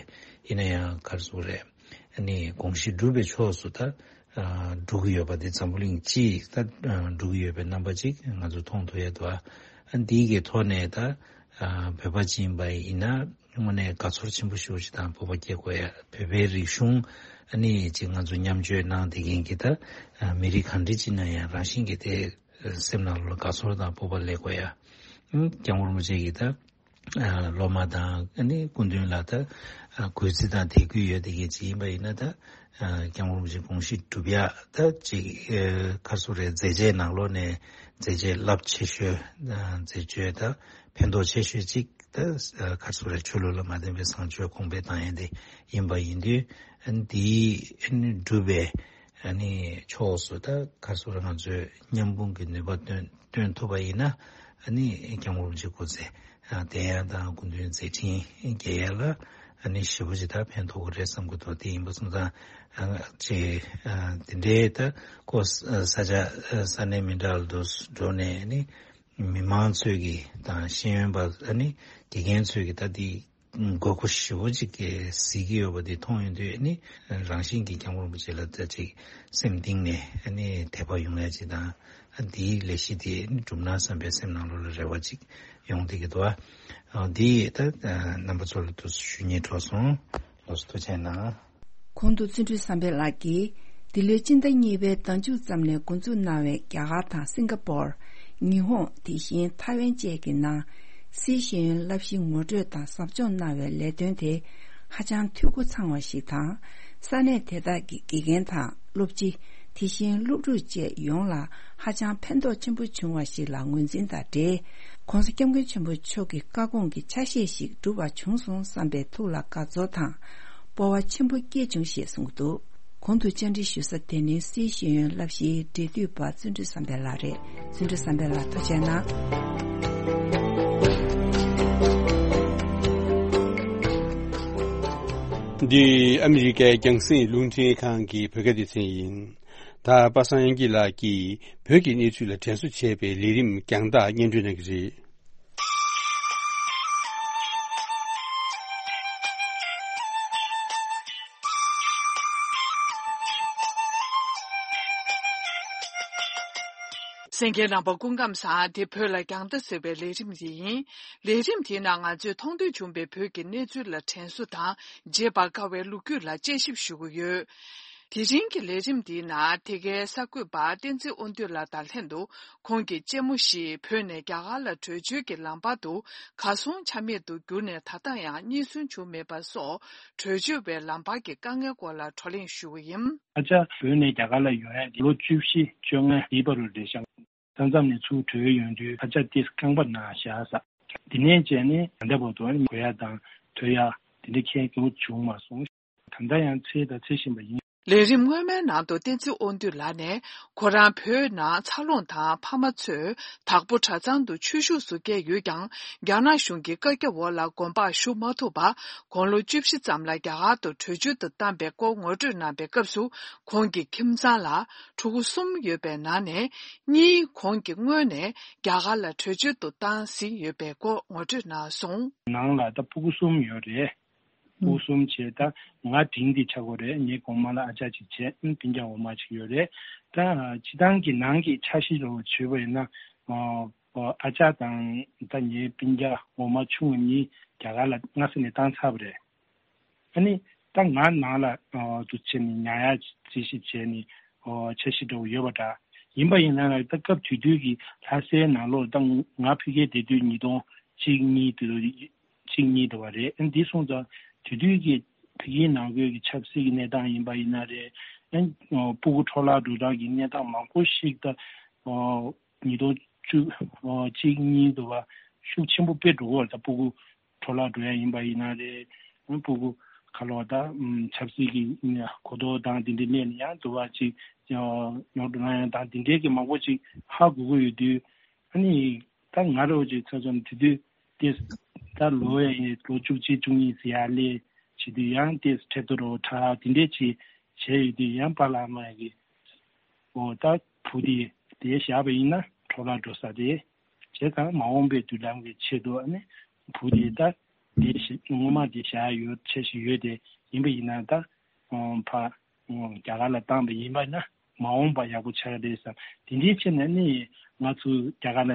ཡིན་ན་ཡང་ག་རེ་ཟེར་དགོས་རེད། ཨ་ནི་དགོངས་གཞི་སྒྲུབ་པའི་ཕྱོགས་སུ་ད་ཨ་འགྲོ་གི་ཡོད་པ་དེ་འཛམ་བུ་གླིང་སྤྱིས་ད་ཨ་འགྲོ་གི་ཡོད་པའི་རྣམ་པ་ཅིག་ང་ཚོ་མཐོང་ཐུབ་ཡ་འདུག་ཨ་འདིའི་གི་ཐོག་ནས་ད་ཨ་བོད་པ་ཅིག་ཡིན་པ་ཡིན་ན་དངོས་གནས་དགའ་ཚོར་ཆེན་པོ་ཞེ་པོ་ཅིག་དང་སྤོབས་པ་སྐྱེ་དགོས་ཡ། བོད་པའི་རིག་གཞུང་ཨ་ནི་ཅིག་ང་ཚོ་མཉམ་སྤྱོད་གནང་བསྡད་མཁན་གྱི་ད་ཨ་མི་རིགས་གང་འདྲ་ཅིག་ན་ཡང་རང་བཞིན་གྱིས་དེ་སེམས་ནང་ལ་དགའ་ཚོར་དང་སྤོབས་པ་སླེབས་དགོས་ཡ། ཨ་སྐྱབས་མགོན་རིན་པོ་ཆེ་གིས་ད་ཨ་སློབ་མ་དང་ཨ་ནི་སྐུ་མདུན་ལ་ད་ཨ་གུས་བརྩི་དང་དད་གུས་ཡོད་བསྡད་མཁན་ཅིག་ཡིན་པ་ཡིན་ན་ད་ཨ་སྐྱབས་མགོན་རིན་པོ་ཆེ་དགོངས་གཞི་སྒྲུབ་ཡ་ད་ཅིག་ཨ་ག་རེ་ཟེར་དགོས་རེད། མཛད་རྗེས་ནང་ལོགས་ནས་མཛད་རྗེས་རླབས་ཆེ་ཤོས་ཨ་མཛད་སྤྱོད་ད་ཕན་ཐོགས་ཆེ་ཤོས་ཅིག་ད་ཨ་ག་རེ་ཟེར་དགོས་རེད། ཆོས་ལུགས་ལ་མ་བརྟེན་པའི་བཟང་སྤྱོད་གོང་འཕེལ་བཏང་ཡ་དེ་ཡིན་པ་ཡིན་དུས། ཨ་ནི་འདིའི་ཨ་ནི་སྒྲུབ་པའི་ཨ་ནི་ཕྱོགས་སུ་ད་ག་རེ་ཟེར་དགོས་རེད། ང་ཚོས་མཉམ་སྤུངས་ཀྱི་ནུས་པ་བཏོན་བཏོན་ཐུབ་པ་ཡིན་ན་ཨ་ནི་སྐྱབས་མགོན་རིན་པོ་ཆེ་སྐུ་ཚེ་ཨ་བརྟན་ཡ་དང་སྐུ་མདུན་མཛད་འཕྲིན་རྒྱས་ཡ་ལ་ཨ་ནི་ཞེ་པོ་ཅིག་ད་ཕན་ཐོགས་ཀྱི་རེད་བསམ་གྱི་འདུག་དེ་ཡིན་པ་སོང་ཙང་ཨ་ཅིག་ཨ་དེ་འདྲའི་ད་ཁོ་ས་ས་ཆ་ས་གནས་མི་འདྲ་བ་དུ་འགྲོ་ནས་ཨ་ནི་མི་མང་ཚོས་ཀྱི་དང་ཤེས་ཡོན་པ་ཨ་ནི་དགེ་རྒན་ཚོས་ཀྱི་ད་དེ་དགོས་མཁོ་ཞེ་པོ་ཅིག་གི་གཟིགས་ཀྱི་ཡོད་པ་དེ་མཐོང་ཡོང་དུས་ཨ་ནི་རང་བཞིན་གྱིས་སྐྱབས་མགོན་རིན་པོ་ཆེ་ལ་ད་ཅིག་སེམས་གཏིང་ནས་ཨ་ནི་དད་པ་ཡོང་ཡ་ཅིག་དང་། ཨ་འདིའི་ལས་གཞི་དེ་ཨ་ནི་འགྲུབ་ན་བསམ་པའི་སེམས་ནང་ལོགས་ལ་རེ་བ་ཅིག་ཡོང་བསྡད་ཀྱི་འདུག་ཨ་འདི་ད་རྣམ་པ་ཚོ་ལ་དུ་ཞུ་སྙིང་བྲོ་སོང་། ལགས་སོ། ཐུགས་རྗེ་གནང་། གོང་དུ་བརྩོན་འགྲུས་བསམ་འཕེལ་ལགས་ཀྱིས་འདི་ལོའི་སྤྱི་ཟླ་གཉིས་པའི་ཟླ་མཇུག་ཙམ་ནས་འགོ་འཛུགས་གནང་བའི་རྒྱ་གར་དང་སིང་ག་པོར། ཉི་ཧོང་། དེ་བཞིན་ཐའེ་ཝན་བཅས་ཀྱི་ནང་སྲིད་ཤེས་ཡོན་བསླབ་གཞི་ངོ་སྤྲོད་དང་ཟབ་སྦྱོང་གནང་བའི་ལས་དོན་དེ་ཧ་ཅང་འཐུས་སྒོ་ཚང་བ་ཞིག་དང་། ས་གནས་དེ་དག་གི་དགེ་རྒན་དང་སློབ་སྤྱི། དེ་བཞིན་སློབ་ཕྲུག་བཅས་ཡོངས་ལ་ཧ་ཅང་ཕན་ཐོགས་ཆེན་པོ་བྱུང་བ་ཞིག་ལ་ངོས་འཛིན་དང་འབྲེལ། ༸གོང་ས་༸སྐྱབས་མགོན་ཆེན་པོ་མཆོག་གི་བཀའ་དགོངས་ཀྱི་ཆ་ཤས་ཤིག་འགྲུབ་པ་བྱུང་སོང་བསམ་པའི་ཐུགས་ལ་དགའ་ཚོར་དང་། སྤོབས་པ་ཆེན་པོ་སྐྱེས་བྱུང་ཞེས་གསུངས་འདུག། གོང་དུ་བཅར་འདྲི་ཞུ་ས་དེ་ནི་སིའི་ཤེས་ཡོན་བསླབ་གཞིའི་འབྲེལ་མཐུད་པ་བརྩོན་འགྲུས་བསམ་འཕེལ་ལགས་རེད། བརྩོན་འགྲུས་བསམ་འཕེལ་ལགས་ཐུགས་རྗེ་གནང་། འདི་ཨ་མི་རི་ཀའི་རྒྱང་སྲིང་རླུང་འཕྲིན་ཁང་གི་བོད་སྐད་སྡེ་ཚན་ཡིན། ད་པ་སངས་དབྱངས་སྐྱིད་ལགས་ཀྱིས་བོད་ཀྱི་གནས་ཚུལ་ལ་དྲན་གསོ་བྱས་པའི་ལས་རིམ་རྒྱང་ཐག་སྙན་སྒྲོན་གནང་གི་རེད། གསན་མཁན་རྣམ་པ་སྐུ་ཁམས་བཟང་། འདི་བོད་ལ་རྒྱང་ལྟ་ཟེར་བའི་ལས་རིམ་དེ་ཡིན། ལས་རིམ་དེའི་ནང་ང་ཚོས་མཐོང་ཐོས་བྱུང་བའི་བོད་ཀྱི་གནས་ཚུལ་ལ་དྲན་གསོ་དང་། བརྗེད་པར་དཀའ་བའི་ལོ་རྒྱུས་ལ་དཔྱད་ཞིབ་ཞུ་གི་ཡོད། དེ་རིང་གི་ལས་རིམ་འདིའི་ནང་དེ་གའི་གསར་འགོད་པ་བསྟན་འཛིན་དབང་འདུས་ལགས་དང་ལྷན་དུ། ཁོང་གིས་གཅེན་མོ་ཞིག་བོད་ནས་རྒྱ་གར་ལ་བྲོས་བྱོལ་གྱི་ལམ་བར་དུ་གར་སོང་ཆ་མེད་དུ་གྱུར་ནས་ད་ལྟ་ཡང་རྙེད་སོན་བྱུང་མེད་པ་སོགས། བྲོས་བྱོལ་བའི་ལམ་བར་གྱི་དཀའ་ངལ་སྐོར་ལ་བགྲོ་གླེང་ཞུ་གི་ཡིན། ཨ་ཅག་བོད་ནས་རྒྱ་གར་ལ་ཡོང་ཡ་དེ་ལོ་བཅུ་བཞི་བཅོ་ལྔ་འདིའི་བར་དུ་རེད་ཤག། ས་མཚམས་ནས་ཚུར་བྲོས་ཡོང་དུས་ཨ་ཅག་ཏོག་ཙམ་རྐང་པ་ན་བཞག་ས། དེ་ནས་བྱས་ནས་ད་ལྟ་བར་དུ་གོན་ཡ་དང་ཐོན་ཡ་དེ་འདྲ་ཁྱད་མགྱོགས་བྱུང་མ་སོང་། ད་ལྟ་ཡང་འཚོལ་དང་འཚོལ་བཞིན་པ་ཡིན། ལས་རིམ་སྔོན་མའི་ནང་དུ་བསྟན་འཛིན་དབང་འདུས་ལགས་ནས། ཁོ་རང་བོད་ནང་འཚར་ལོངས་དང་ཕ་མ་ཚོས་དྭགས་པོ་གྲྭ་ཚང་དུ་ཆོས་ཞུགས་སུ་བསྐྱལ་ཡོད་ཀྱང་། རྒྱ་ནག་གཞུང་གི་བཀའ་རྒྱ་འོག་ལ་དགོན་པར་ཞུགས་མ་ཐུབ་པར། དགུང་ལོ་བཅུ་བཞི་ཙམ་ལ་རྒྱ་གར་དུ་བྲོས་བྱོལ་དུ་བཏང་པའི་སྐོར་ངོ་སྤྲོད་གནང་པའི་སྐབས་སུ། ཁོང་གི་ཁྱིམ་ཚང་ལ་ཕྲུ་གུ་གསུམ་ཡོད་པའི་ནང་ནས། གཉིས་ཁོང་གིས་སྔོན་ནས་རྒྱ་གར་ལ་བྲོས་བྱོལ་དུ་བཏང་ཟིན་ཡོད་པའི་སྐོར་ངོ་སྤྲོད་གནང་སོང་། ནང་ལ་ད་ཕྲུ་གུ་གསུམ་ཡོད་རེད། ཕྲུ་གུ་གསུམ་བྱས། ད་ང་འབྲིང་དེ་ཆགས་ཀྱི་ཡོད་རེད། ངའི་གོང་མ་ལ་ཨ་ཅག་ཅིག་བྱས། ཨ་ནི་སྤུན་ཀྱག་འོག་མ་ཅིག་ཡོད་རེད། ད་སྤྱིར་བཏང་གི་ནང་གི་འཆར་གཞི་འདྲ་བོ་བྱས་པ་ཡིན་ན། ཨ་ཅག་དང་ད་ངའི་སྤུན་ཀྱག་འོག་མ་ཆུང་བ་གཉིས་རྒྱ་གར་ལ་སྔ་ས་ནས་བཏང་ཚར་བ་རེད། ཨ་ནི་ད་ང་ནང་ལ་ཨ་འདུག་བྱས་ནས་ཉར་ཡག་རྩིས་ཞིབ་བྱས་ནས་ཨ་འཆར་གཞི་འདྲ་བོ་ཡོད་པ་འདྲ། ཡིན་པ་ཡིན་ན་ད་སྐབས་དེ་དུས་ཀྱི་ལྷ་སའི་ནང་ལོགས་ད་ང་ཕ་གིར་བསྡད་དུས་ཉིས་སྟོང་གཅིག་གཉིས་དུས་གཅིག་གཉིས་དུ་བ་རེད། ཨ་འདི་སོང་ཙང་དེ་དུས་ཀྱི་ཕ་གིའི་ནང་ཁུལ་གྱི་ཆབ་སྲིད་ཀྱི་གནས་སྟངས་ཡིན་པ་ཡིན་ན་རེད། ཨ་ཕྲུ་གུ་འཕྲོ་བརླག་འགྲོ་སྟངས་ཀྱི་གནས་སྟངས་མང་པོ་ཞིག་ད་ཉིས་སྟོང་བཅུ་གཅིག་གཉིས་དུ་བ་ཤུགས་ཆེན་པོ་དཔེ་འགྲོ་གི་ཡོད་རེད། ད་ཕྲུ་གུ་འཕྲོ་བརླག་འགྲོ་ཡ་ཡིན་པ་ཡིན་ན་རེད། ཕྲུ་གུ་ག་ལོ་ད་ཆབ་སྲིད་ཀྱི་གོ་རྟོགས་དང་དེ་འདྲའི་སླེབས་ནས་ཡང་དུ་བ་ཅིག་ཉོ་འགྲོ་ན་ཡང་དང་དེ་འདྲའི་གི་མང་པོ་ཅིག་ཧ་གོ་གི་ཡོད་དུས། ཨ་ནི་ད་ང་རང་ཅིག་ཚ་ཚོམ་དེ་དུས་དེ་ད་ལོ་ཡ་ཡིན། ལོ་བཅུ་གཅིག་བཅུ་གཉིས་ཟེར་ཡ་སླེབས་བྱེད་དུས་ཡང་དེ་ཁྲལ་དུ་རོ་ཁྲ་དེ་འདྲའི་ཅིག་བྱས་ཡོད་དུས་ཡང་པཱ་ལགས་མ་གི་འོ་ད་བུ་དེ་དེ་བཞག་པ་ཡིན་ན་འཕྲོ་བརླག་འགྲོ་ས་རེད། བྱས་ཙང་མ་འོངས་པའི་མདུན་ལམ་གྱི་ཆེད་དུ་ཨ་ནི་བུ་དེ་ད་དེ་ཞིག་སྔོན་མ་དེ་བཞག་ཡོད་ཆ་ཞིག་ཡོད་དེ་ཡིན་པ་ཡིན་ན་ད་ཕ་རྒྱ་གར་ལ་བཏང་པ་ཡིན་པ་ན་མ་འོངས་པ་ཡག་པོ་ཆགས་རེད་བསམ། དེ་འདྲའི་ཆེད་ནས་ནི་ང་ཚོ་རྒྱ་གར་ལ་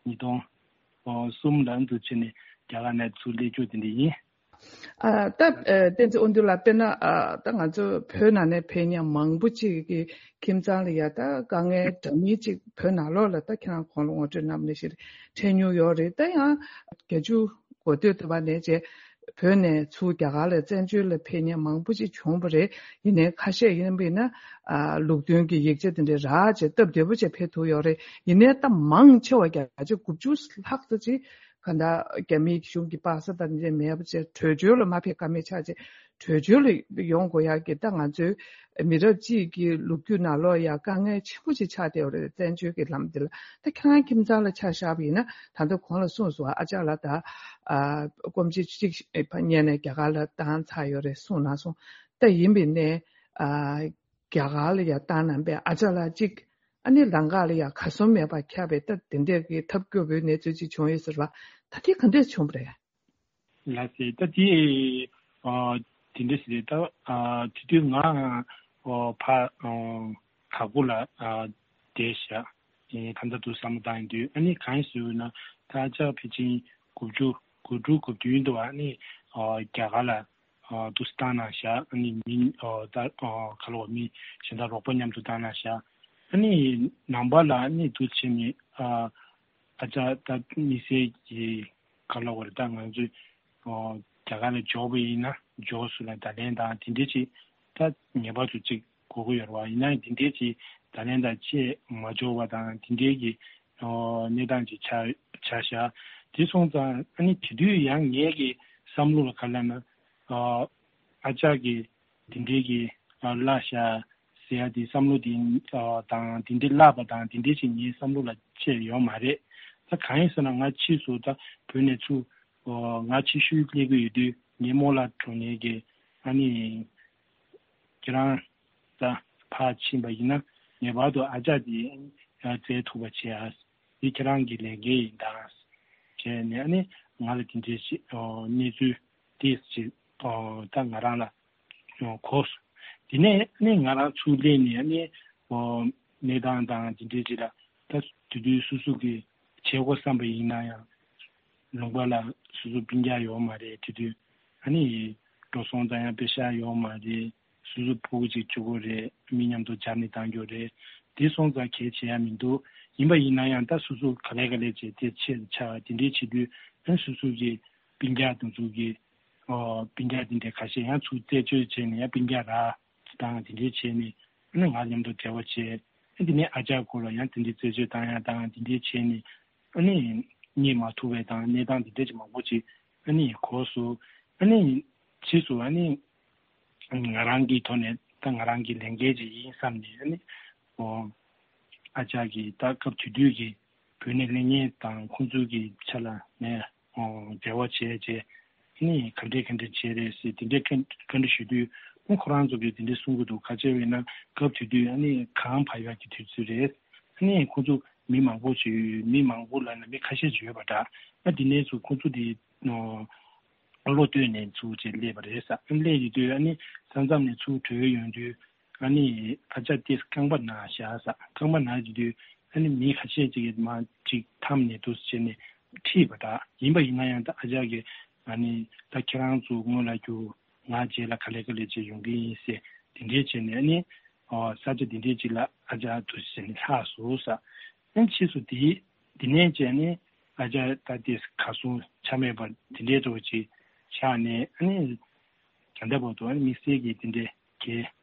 ཉིས་སྟོང་གསུམ་ལ་འདུག་བྱས་ནས་རྒྱ་གར་ནས་ཚུར་སླེབས་རྒྱུ་དེ་འདྲ་ཡིན། ཨ་ད་ཨ་བསྟན་འཛིན་དབང་འདུས་ལགས། དཔེར་ན་ཨ་ད་ང་ཚོ་བོད་ནང་ནས་ཕེབས་མཁན་མང་པོ་ཅིག་གི་ཁྱིམ་ཚང་ལ་ཡ་ད་དཀའ་ངལ་འདྲ་མིན་ཅིག་བོད་ནང་ལོགས་ལ་ད་ཁྱེད་རང་གོང་ལ་ངོ་སྤྲོད་གནང་བ་ནང་བཞིན་འཕྲད་མྱོང་ཡོད་རེད། ད་ཡང་བརྒྱད་ཅུ་འགོ་སྟོད་དུ་བ་ནས་བྱས་བོད་ནས་ཚུར་རྒྱ་གར་ལ་བཙན་བྱོལ་ལ་ཕེབས་མཁན་མང་པོ་ཅིག་བྱུང་བ་རེད། ཡིན་ནའི་ཁ་ཤས་ཡིན་པ་ཡིན་ན་ཨ་ལུགས་མཐུན་གྱི་ཡིག་ཆ་དེ་འདྲ་རག་བྱས་སྟབས་བདེ་པོ་བྱས་ཕེབས་ཐུབ་ཡོད་རེད། ཡིན་ནའི་ད་མང་ཆེ་བ་བརྒྱ་ཆ་དགུ་བཅུ་ལྷག་ཙམ་ཅིག་ག་ད་རྒྱ་མིའི་གཞུང་གི་པ་སེ་དང་འདི་མེད་པ་བྱས་བྲོས་བྱོལ་ལ་མ་ཕེབས་ཀ་མེད་ཆགས་བྱས་བྲོས་བྱོལ་ལ་ཡོང་དགོས་ཡག་གི་ད་ང་ཚོའི་མི་རབས་གཅིག་གི་ལོ་རྒྱུས་ནང་ལོགས་ཡ་དཀའ་ངལ་ཆེན་པོ་ཅིག་ཆགས་བསྡད་ཡོད་རེད། བཙན་བྱོལ་གྱི་ལམ་འདི་ལ་ད་ཁྱེད་རང་ཁྱིམ་ཚང་ལ་ཆ་བཞག་པ་ཡིན་ན་ད་ལྟ་གོང་ལ་གསུངས་སོང་། ཨ་ཅག་ལ་ད་ཨ་སྐོམ་ཆུ་གཅིག་ཕ་གཉལ་ནས་རྒྱ་གར་ལ་བཏང་ཚར་ཡོད་རེད་གསུངས་གནང་སོང་། ད་ཡིན་པའི་ནས་ཨ་རྒྱ་གར་ལ་ཡ་བཏང་གནང་པས་ཨ་ཅག་ལ་གཅིག་ཨ་ནི་ལམ་ཁ་ལ་ཡང་གར་སོང་མེད་པར་ཁྱབ་པའི་ད་དེ་འདྲས་ཀྱི་ཐབས་སྐྱོ་པོའི་གནས་ཚུལ་ཅིག་བྱུང་ཡོད་ཟེར་བ། ད་དེ་ག་འདྲས་བྱུང་བ་རེད། ལགས་སེ། ད་དེ་ཨ་དེ་འདྲས་ཟེར་ད་ཨ་དེ་དུས་ང་ཨ་ཕ་ཨ་དྭགས་པོ་ལ་ཨ་བསྡད་བཞག་ཨེ་ད་ལྟ་དུ་བསམ་བློ་བཏང་ཡོང་དུས་ཨ་ནི་གང་ཡིན་ཟེར་ན་ད་ཨ་ཅག་ཕལ་ཆེར་དགུ་བཅུ་དགུ་དྲུག་དགུ་བདུན་དུ་ཨ་ནི་ཨ་རྒྱ་གར་ལ་ཨ་འདུག་སེ་བཏང་གནང་བཞག་ཨ་ནི་མི་ཨ་ད་ཨ་ག་ལ་བ་མི་གཞན་དག་རོགས་པ་མཉམ་དུ་བཏང་གནང་བཞག་ཨ་ནི་ནང་པ་ལ་ཨ་ནི་འདུག་བྱས་ནས་ཨ་ཨ་ཅག་ད་དམིགས་བསལ་གྱི་ག་ལ་བ་རེད། ད་ང་ཚོས་ཨ་རྒྱ་གར་ལ་འབྱོར་བ་ཡིན་ན་འབྱོར་སོང་ལ་བརྡ་ལན་དང་དེ་འདྲས་ཅིག་ད་ངེས་པར་དུ་ཅིག་དགོས་ཀྱི་ཡོད་རེད་བ། ཡིན་ན་དེ་འདྲས་ཅིག་བརྡ་ལན་དང་བཅས་མ་འབྱོར་བ་དང་དེ་འདྲས་ཀྱི་ གནས་སྟངས་ཅིག་ཆགས་ཆགས་ཤག་དེ་སོང་ཙང་ཨ་ནི་དེ་དུས་ཡང་ངའི་གི་བསམ་བློ་ལ་ག་ལབ་ན་ཨ་ཅག་གི་དེ་འདྲའི་གི་གླ་ཤག་ཟེར་ཡ་དེ་བསམ་བློ་དེ་དང་དེ་འདྲའི་གླ་པ་དང་དེ་འདྲའི་ཅིག་ངའི་བསམ་བློ་ལ་སྐྱེས་ཡོད་མ་རེད། ད་གང་ཡིན་ཟེར་ན་ང་ཕྱིས་སུ་ད་བོད་ནས་ཚུར་ང་ཕྱི་ཤུལ་སླེབས་ཀྱི་ཡོད་དུས་ངའི་རྨོ་ལགས་གྲོངས་ནས་གི་ཨ་ནི་ཁྱེད་རང་ད་ཕར་ཕྱིན་པ་ཡིན་ན་ངེས་པར་དུ་ཨ་ཅག་དེ་བཙལ་ཐུབ་པ་བྱེད་ཨ། འདི་ཁྱེད་རང་གི་ལས་འགན་ཡིན་ད། བྱས་ནས་ཨ་ནི་ང་ལ་དེ་འདྲའི་ཞིག་གནས་ཚུལ་ཏོག་ཙམ་ད་ང་རང་ལ་གོ་སོང་། དེ་ནས་ཨ་ནི་ང་རང་ཚུར་སླེབས་ནས་ཨ་ནི་གནས་སྟངས་དང་དེ་འདྲའི་ཅིག་ལ་ད་དེ་དུས་སོ་སོ་གི་བྱེད་སྒོ་བསམ་པ་ཡིན་ན་ཡང་ལུང་པ་ལ་སོ་སོ་སྤུན་ཀྱག་ཡོད་མ་རེད། དེ་དུས་ཨ་ནི་འགྲོ་སོང་ཙམ་ཡང་པེ་ཤག་ཡོད་མ་རེད། སོ་སོ་ཕྲུ་གུ་གཅིག་གཅིག་པོ་རེད། མི་མཉམ་དུ་སྦྱར་ནས་བཏང་རྒྱུ་རེད། དེ་སོང་ཙང་གལ་ཆེ་ཡ་མི་འདུག་ཡིན་པ་ཡིན་ན་ཡང་ད་སོ་སོ་ག་ལེ་ག་ལེ་བྱས་དེ་ཆེ་རུ་ཆགས་དེ་འདྲའི་བྱེད་དུས་ཨ་སོ་སོ་གི་སྤུན་ཀྱག་དེ་ཚོ་གི་ཨོ་སྤུན་ཀྱག་དེ་འདྲའི་ཁ་ཤས་ཡང་ཚུར་རྩད་གཅོད་བྱས་ནས་ཡང་སྤུན་ཀྱག་ར་དང་དེ་འདྲའི་བྱས་ནས་ཨ་ནི་ང་མཉམ་དུ་འབྲེལ་བ་བྱས། ཨ་དེ་ནས་ཨ་ཅག་སྐོར་ལ་ཡང་དེ་འདྲའི་རྩད་གཅོད་བཏང་ཡ་དང་དེ་འདྲའི་བྱས་ནས་ཨ་ནི་རྙེད་མ་ཐུབ་པའི་དང་གནས་སྟངས་དེ་འདྲའི་ཅིག་མང་པོ་ཅིག་ཨ་ནི་གོ་སོང་། ཨ་ནི་ཕྱིས་སུ་ཨ་ནི་ང་རང་གི་ཐོག་ནས་ད་ང་རང་གི་ལས་འགན་ཅིག་ཡིན་བསམ་ནས་ཨ་ནི་ཨོ་ཨ་ཅག་གིས་ད་སྐབས་དེ་དུས་ཀྱི་བོད་ནས་སླེབས་མཁན་དང་ཁོང་ཚོའི་གི་ཆ་ལ་ནས་ཨོ་འབྲེལ་བ་བྱས་རྗེས་ཨ་ནི་ག་འདྲས་ག་འདྲས་བྱས་རེད་ཟེར་དེ་འདྲས་བཀའ་བཀའ་འདྲི་ཞུ་དུས་ཨ་ཁོ་རང་ཚོ་གིས་དེ་འདྲས་གསུང་གི་འདུག་ག་ཅི་ཡིན་ན་སྐབས་དེ་དུས་ཨ་ནི་གངས་བབས་ཡག་གི་དུས་ཚོད་རེད། ཨ་ནི་ཁོང་ཚོ་མི་མང་པོ་ཅིག་མི་མང་པོ་ལབ་ན་མི་ཁ་ཤས་ཅིག་ཡོད་པ་འདྲ། ཨ་དེ་ནས་ཚུར་ཁོང་ཚོ་དེ་ཨོ། བློ་གཏད་ནས་ཚུར་བྱས་སླེབས་པ་རེད་ཟེར། སླེབས་ཡོང་དུས་ཨ་ནི་ས་མཚམས་ནས་ཚུར་བྲོས་ཡོང་དུས་ཨ་ནི་ཨ་ཅག་དེ་རྐང་པ་ན་བཞག་ཟེར། རྐང་པ་ན་ཡོང་དུས་ཨ་ནི་མི་ཁ་ཤས་ཅིག་གིས་མར་ཅིག་འཐམས་ནས་འདུག་སེ་བྱས་ནས་ཁྲིད་པ་འདྲ། ཡིན་པ་ཡིན་ན་ཡང་ད་ཨ་ཅག་གིས་ཨ་ནི་ད་ཁྱེད་རང་ཚོ་སྔོན་ལ་རྒྱུགས། ང་རྗེས་ལ་ག་ལེ་ག་ལེ་བྱས་ཡོང་གི་ཡིན་ཟེར་དེ་འདྲས་བྱས་ནས་ཨ་ནི་ཨོ་ས་ཆ་དེ་འདྲས་ཅིག་ལ་ཨ་ཅག་འདུག་སེ་བྱས་ནས་ལྷག་སོང་ཟེར། ཨ་ནི་ཕྱིས་སུ་དེ་དེ་ནས་བྱས་ནས་ཨ་ཅག་ད་དེ་གར་སོང་ཆ་མེད་པ་དེ་འདྲའི་འགྲོ་ཅིག་ཆགས་ནས་ཨ་ནི་ད་ལྟ་བར་དུ་ཨ་ནི་དམིགས་བསལ་གྱི་དེ་འདྲའི་གི་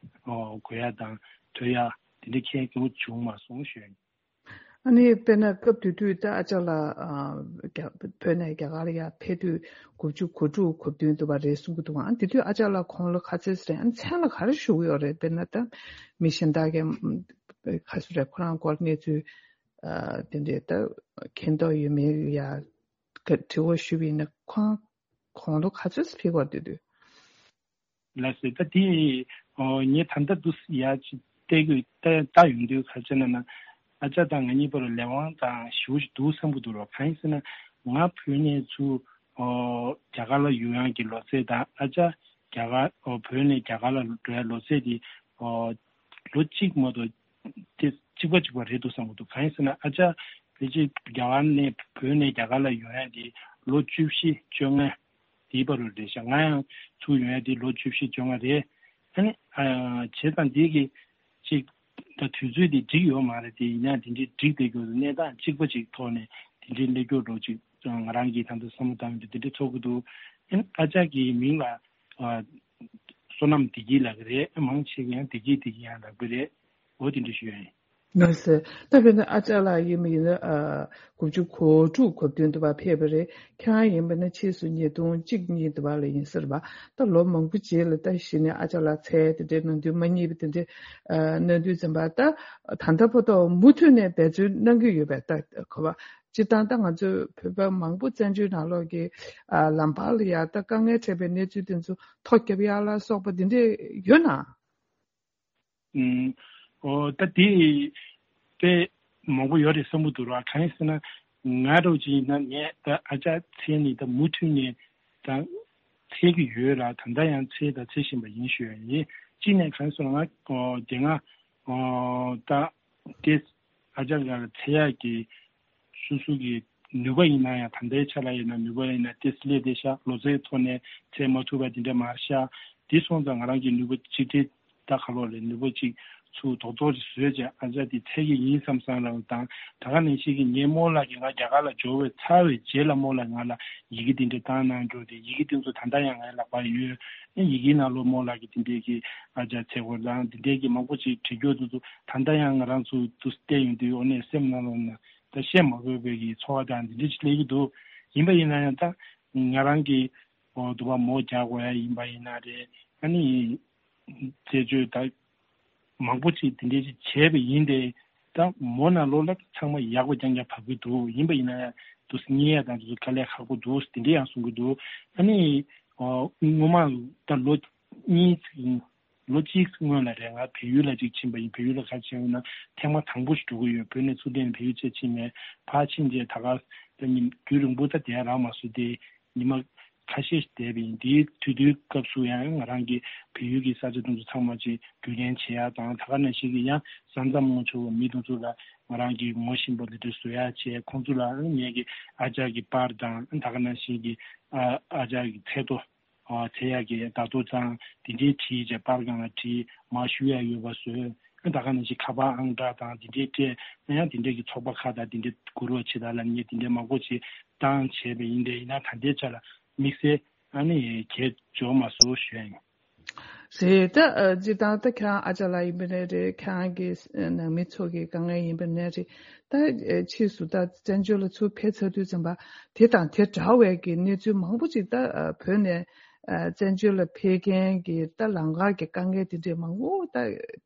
ཨོ་དགོས་ཡ་དང་ཐོས་ཡ་དེ་འདྲའི་གལ་གང་བྱུང་མ་སོང་ཞུ་ཡ་ཡིན། ཨ་ནི་དཔེར་ན་སྐབས་དེ་དུས་ད་ཨ་ཅག་ལགས་ཨ་རྒྱ་བོད་ནས་རྒྱ་གར་ལ་ཡར་ཕེབས་དུས་དགུ་བཅུ་གོ་དྲུག་གོ་བདུན་འདུག་པ་རེད་གསུང་གི་འདུག་ཨ་དེ་དུས་ཨ་ཅག་ལགས་དགུང་ལོ་ག་ཚོད་རེད། ཨ་ནི་མཚན་ལ་ག་རེ་ཞུ་གི་ཡོད་རེད། དཔེར་ན་ད་མི་གཞན་དག་གིས་ག་ཚོད་རེད་ཁོ་རང་སྐོར་གནས་ཚུལ་ཨ་དེ་འདྲའི་ད་མཁྱེན་རྟོགས་ཡོད་མེད་ཡ་དྲི་བ་ཞུས་པ་ཡིན་ན་ཁོང་དགུང་ལོ་ག་ཚོད་ཕེབས་པ་དེ་དུས། ལགས་སོ། ད་དེ་ངས་ད་ལྟ་འདུག་ཡ་ཅིག་བལྟས་དགོས་ད་ལྟ་ཡོང་དུས་ག་ཅི་ན་ན་ཨ་ཅག་དང་ང་གཉིས་བར་ལས་དབང་དང་ཞེ་པོ་ཅིག་འདུག་བསམ་གྱི་འདུག་རོགས། གང་ཡིན་ཟེར་ན་ང་བོད་ནས་ཚུར་རྒྱ་གར་ལ་ཡོང་ཡག་གི་ལོ་ཚད་དང་ཨ་ཅག་རྒྱ་གར་བོད་ནས་རྒྱ་གར་ལ་འགྲོ་ཡག་ལོ་ཚད་དེ་ལོ་གཅིག་མ་གཏོགས་དེ་གཅིག་པ་གཅིག་པ་རེད་འདུག་བསམ་གྱི་འདུག་གང་ཡིན་ཟེར་ན་ཨ་ཅག་ཕལ་ཆེར་རྒྱ་གར་ནས་བོད་ནས་རྒྱ་གར་ལ་ཡོང་ཡག་དེ་ལོ་བཅུ་བཞི་བཅོ་ལྔ། དེའི་བར་རུ་རེད་ཤག་ང་ཡང་ཚུར་ཡོང་ཡ་དེ་ལོ་བཅུ་བཞི་བཅོ་ལྔ་རེད། ཨ་ནི་ཨ་བྱས་ཙང་འདི་གི་ཅིག་ད་དུས་ཚོད་དེ་འགྲིག་ཡོད་མ་རེད། དེ་ཡིན་ཡང་དེ་འདྲའི་འགྲིག་བསྡད་རྒྱུ་གནས་སྟངས་གཅིག་པ་ཅིག་ཐོག་ནས་དེ་འདྲའི་སླེབས་རྒྱུ་འགྲོ་ཅིག་ང་རང་གིས་ད་ལྟ་བསམ་བློ་བཏང་ཡོད་དེ་འདྲ་ཚོར་གི་འདུག་ཨ་ནི་ཨ་ཅག་གི་མིང་ལ་ཨ་བསོད་ནམས་བདེ་སྐྱིད་ལབ་ཀྱི་རེད། མང་ཆེ་གིས་ཡང་བདེ་སྐྱིད་བདེ་སྐྱིད་ཡང་ལབ་ཀྱི་རེད། འོ་དེ་འདྲ་ཞུ་ཡ་ཡིན། ལགས་སོ། ད་དཔེར་ན་ཨ་ཅག་ལགས་ཡིན་པ་ཡིན་ན་ཨ་དགུ་བཅུ་གོ་དྲུག་གོ་བདུན་དུ་བ་ཕེབས་པ་རེད། ཁྱེད་རང་ཡིན་པ་ན་ཕྱིས་སུ་ཉིས་སྟོང་གཅིག་གཉིས་དུ་བ་ལ་ཡིན་ཟེར་བ། ད་ལོ་མང་པོ་རྗེས་ལ་ད་གཞི་ནས་ཨ་ཅག་ལགས་འཚོལ་དེ་འདྲའི་གནང་དུས་མ་རྙེད་པ་དེ་འདྲའི་ཨ་གནང་དུས་ཙམ་པ་ད་ད་ལྟ་བར་དུ་མུ་མཐུད་ནས་འབད་བརྩོན་གནང་གི་ཡོད་པས། ད་གོ་བ་སྤྱིར་བཏང་ད་ང་ཚོའི་བོད་པ་མང་པོ་བཙན་བྱོལ་ནང་ལོགས་ཀྱི་ཨ་ལམ་བར་ལ་ཡ་ད་དཀའ་ངལ་འཕྲད་པའི་གནས་ཚུལ་དེ་ཚོ་ཐོ་བརྒྱབ་ཡག་ལ་སོགས་པ་དེ་འདྲས་ཡོད་ན། ཨུམ། ཨོ་ད་དེ་དཔེ་མང་པོ་ཡོད་རེད་བསམ་གྱི་འདུག་ར། གང་ཡིན་ཟེར་ན་ང་འདྲ་བོ་ཅིག་ཡིན་ན་ངས་ད་ཨ་ཅག་འཚོལ་ནས་ད་མུ་མཐུད་ནས་ད་འཚོལ་གྱི་ཡོད་ར། ད་ལྟ་ཡང་འཚོལ་ད་འཚོལ་བཞིན་པ་ཡིན་ཞུ་ཡ་ཡིན། གཅིག་ནས་གང་ཡིན་ཟེར་ན་ང་ཨོ་དེ་སྔ་ཨོ་ད་དེ་ཨ་ཅག་ལ་འཚོལ་ཡག་གི་སོ་སོ་གི་ནུས་པ་ཡིན་ན་ཡང་ད་ལྟའི་ཆ་ལ་ཡིན་ན་ནུས་པ་ཡིན་ན་ཏོག་ཙམ་སླེབས་བསྡད་ཤག་ལོ་ཙཱའི་ཐོག་ནས་འཚོལ་མ་ཐུབ་པ་དེ་འདྲ་མ་རེད་ཤག་དེ་སོང་ཙང་ང་རང་གི་ནུས་པ་གཅིག་སྒྲིལ་ད་ག་ལོ་རེད། ནུས་པ་གཅིག་ཚུར་རྡོག་རྡོག་ཅིག་བཟོས་བྱས་ཨ་ཅག་དེ་འཚོལ་གྱི་ཡིན་བསམ་བསམ་རང་དང་། ད་ག་ནང་བཞིན་གྱི་ངའི་རྨོ་ལགས་ཀྱིས་ང་རྒྱ་གར་ལ་འབྱོར་བའི་ཚར་བའི་རྗེས་ལ་རྨོ་ལགས་ང་ལ་ཡི་གེ་དེ་འདྲ་བཏང་གནང་འགྲོ་དེ་ཡི་གེ་དེ་ཚོ་ད་ལྟ་ཡང་ངའི་ལག་པར་ཡོད། ཡི་གེའི་ནང་ལོགས་རྨོ་ལགས་ཀྱིས་དེ་འདྲའི་གི་ཨ་ཅག་འཚོལ་དགོས་དང་དེ་འདྲའི་གི་མང་པོ་ཅིག་བྲིས་རྒྱུ་དེ་ཚོ་ད་ལྟ་ཡང་ང་རང་ཚོ་དུ་བལྟས་ཡོང་དུས་འོ་ནས་སེམས་ནང་ལོགས་ན། ད་བཤད་མ་དགོས་པའི་གི་ཚོར་བ་དང་འདི་འདྲ་ཅིག་སླེབས་ཀྱི་འདུག་ཡིན་པ་ཡིན་ན་ཡང་ད་ང་རང་གི་འོ་འདུག་པ་མོ་རྒྱག་དགོས་ཡ་ཡིན་པ་ཡིན་ན་རེད། ཨ་ནི་རྩད་གཅོད་ད་མང་པོ་ཅིག་དེ་འདྲས་ཅིག་བྱས་པ་ཡིན་ཏེ། ད་མོ་ནང་ལོགས་ལ་ཚང་མ་ཡག་པོ་རྐྱང་རྐྱང་བབས་ཀྱི་འདུག་ཡིན་པ་ཡིན་ན་ཡང་དུ་རྙེད་ཡ་དང་དུ་དཀའ་ལས་ཁག་པོ་འདུག་དེ་འདྲས་ཡང་གསུང་གི་འདུག་ཨ་ནི་ཨོ་སྔོན་མ་ད་ལོ་གཉིས་ལོ་གཅིག་སྔོན་ལ་རེད། ང་བལ་ཡུལ་ལ་ཅིག་ཕྱིན་པ་ཡིན། བལ་ཡུལ་ལ་ག་ཕྱིན་ཡོད་ན་ཐེངས་མ་དང་པོ་ཞིག་འགྲོ་གི་ཡོད། བོད་ནས་ཚུར་ལན་བལ་ཡུལ་ཅིག་ཕྱིན་མེད། ཕར་ཕྱིན་རྗེས་ད་ག་ད་ཉིན་རྒྱུན་རིང་པོ་ད་བསྡད་རག་མ་སོང་སྟེ། ཉི་མ་ཁ་ཤས་ཤིག་བསྡད་པ་ཡིན། དེའི་དུས་དུས་སྐབས་སུ་ཡང་ང་རང་གིས་བལ་ཡུལ་གྱི་ས་ཆ་དེ་ཚོ་ཚང་མ་ཅིག་རྒྱུས་ལེན་བྱེད་ཡ་དང་། ད་ག་ནང་བཞིན་གྱི་ཡང་ས་མཚམས་ངོ་ཆོད་པའི་མི་དེ་ཚོ་ལ་ང་རང་གིས་ངོ་ཤེས་པ་དེ་འདྲ་བཟོ་ཡ་བྱས། ཁོང་ཚོ་ལ་ངེད་ཀྱི་ཨ་ཅག་གི་པར་དང་། ད་ག་ནང་བཞིན་གྱི་ཨ་ཨ་ཅག་གི་ཚེ་ཐོ། ཨ་ཚེ་ཡག་གི་བརྡ་ཐོ་དང་དེ་འདྲའི་བྲིས་བྱས་པར་སྒང་ལ་བྲིས་མར་ཞུ་ཡ་ཡོད་པ་བཟོས། ད་ག་ནང་བཞིན་ཁ་པར་ཨང་གྲངས་དང་དེ་འདྲའི་སྤྲད་ན་ཡང་དེ་འདྲའི་གི་ཚོགས་པ་ཁག་དང་དེ་འདྲའི་བསྐུར་རོགས་བྱེད་དང་ལབ་མཁན་དེ་འདྲའི་མང་པོ་ཅིག་བཏང་བྱས་པ་ཡིན། དེ་ཡིན་ན་ད་ལྟའི་ཆ་ལ་དམིགས་བསལ་ཨ་ནི་གལ་འཇོག་མ་སོང་ཞུ་ཡ་ཡིན། རེད། ད་ཨ་སྤྱིར་བཏང་ད་ཁྱེད་རང་ཨ་ཅག་ལགས་ཡིན་པ་ནས་རེད། ཁྱེད་རང་གི་ནང་མི་ཚོ་གི་དཀའ་ངལ་ཡིན་པ་ནས་རེད། ད་ཕྱིས་སུ་ད་བཙན་བྱོལ་ལ་ཚུར་ཕེབས་ཚར་དུས་ཙམ་པ་དེ་དང་དེ་འདྲ་བའི་གི་གནས་ཚུལ་མང་པོ་ཅིག་ད་བོད་ནས་བཙན་བྱོལ་ལ་ཕེབས་མཁན་གྱི་ད་ལམ་ཁ་གི་དཀའ་ངལ་དེ་འདྲའི་མང་པོ་ད་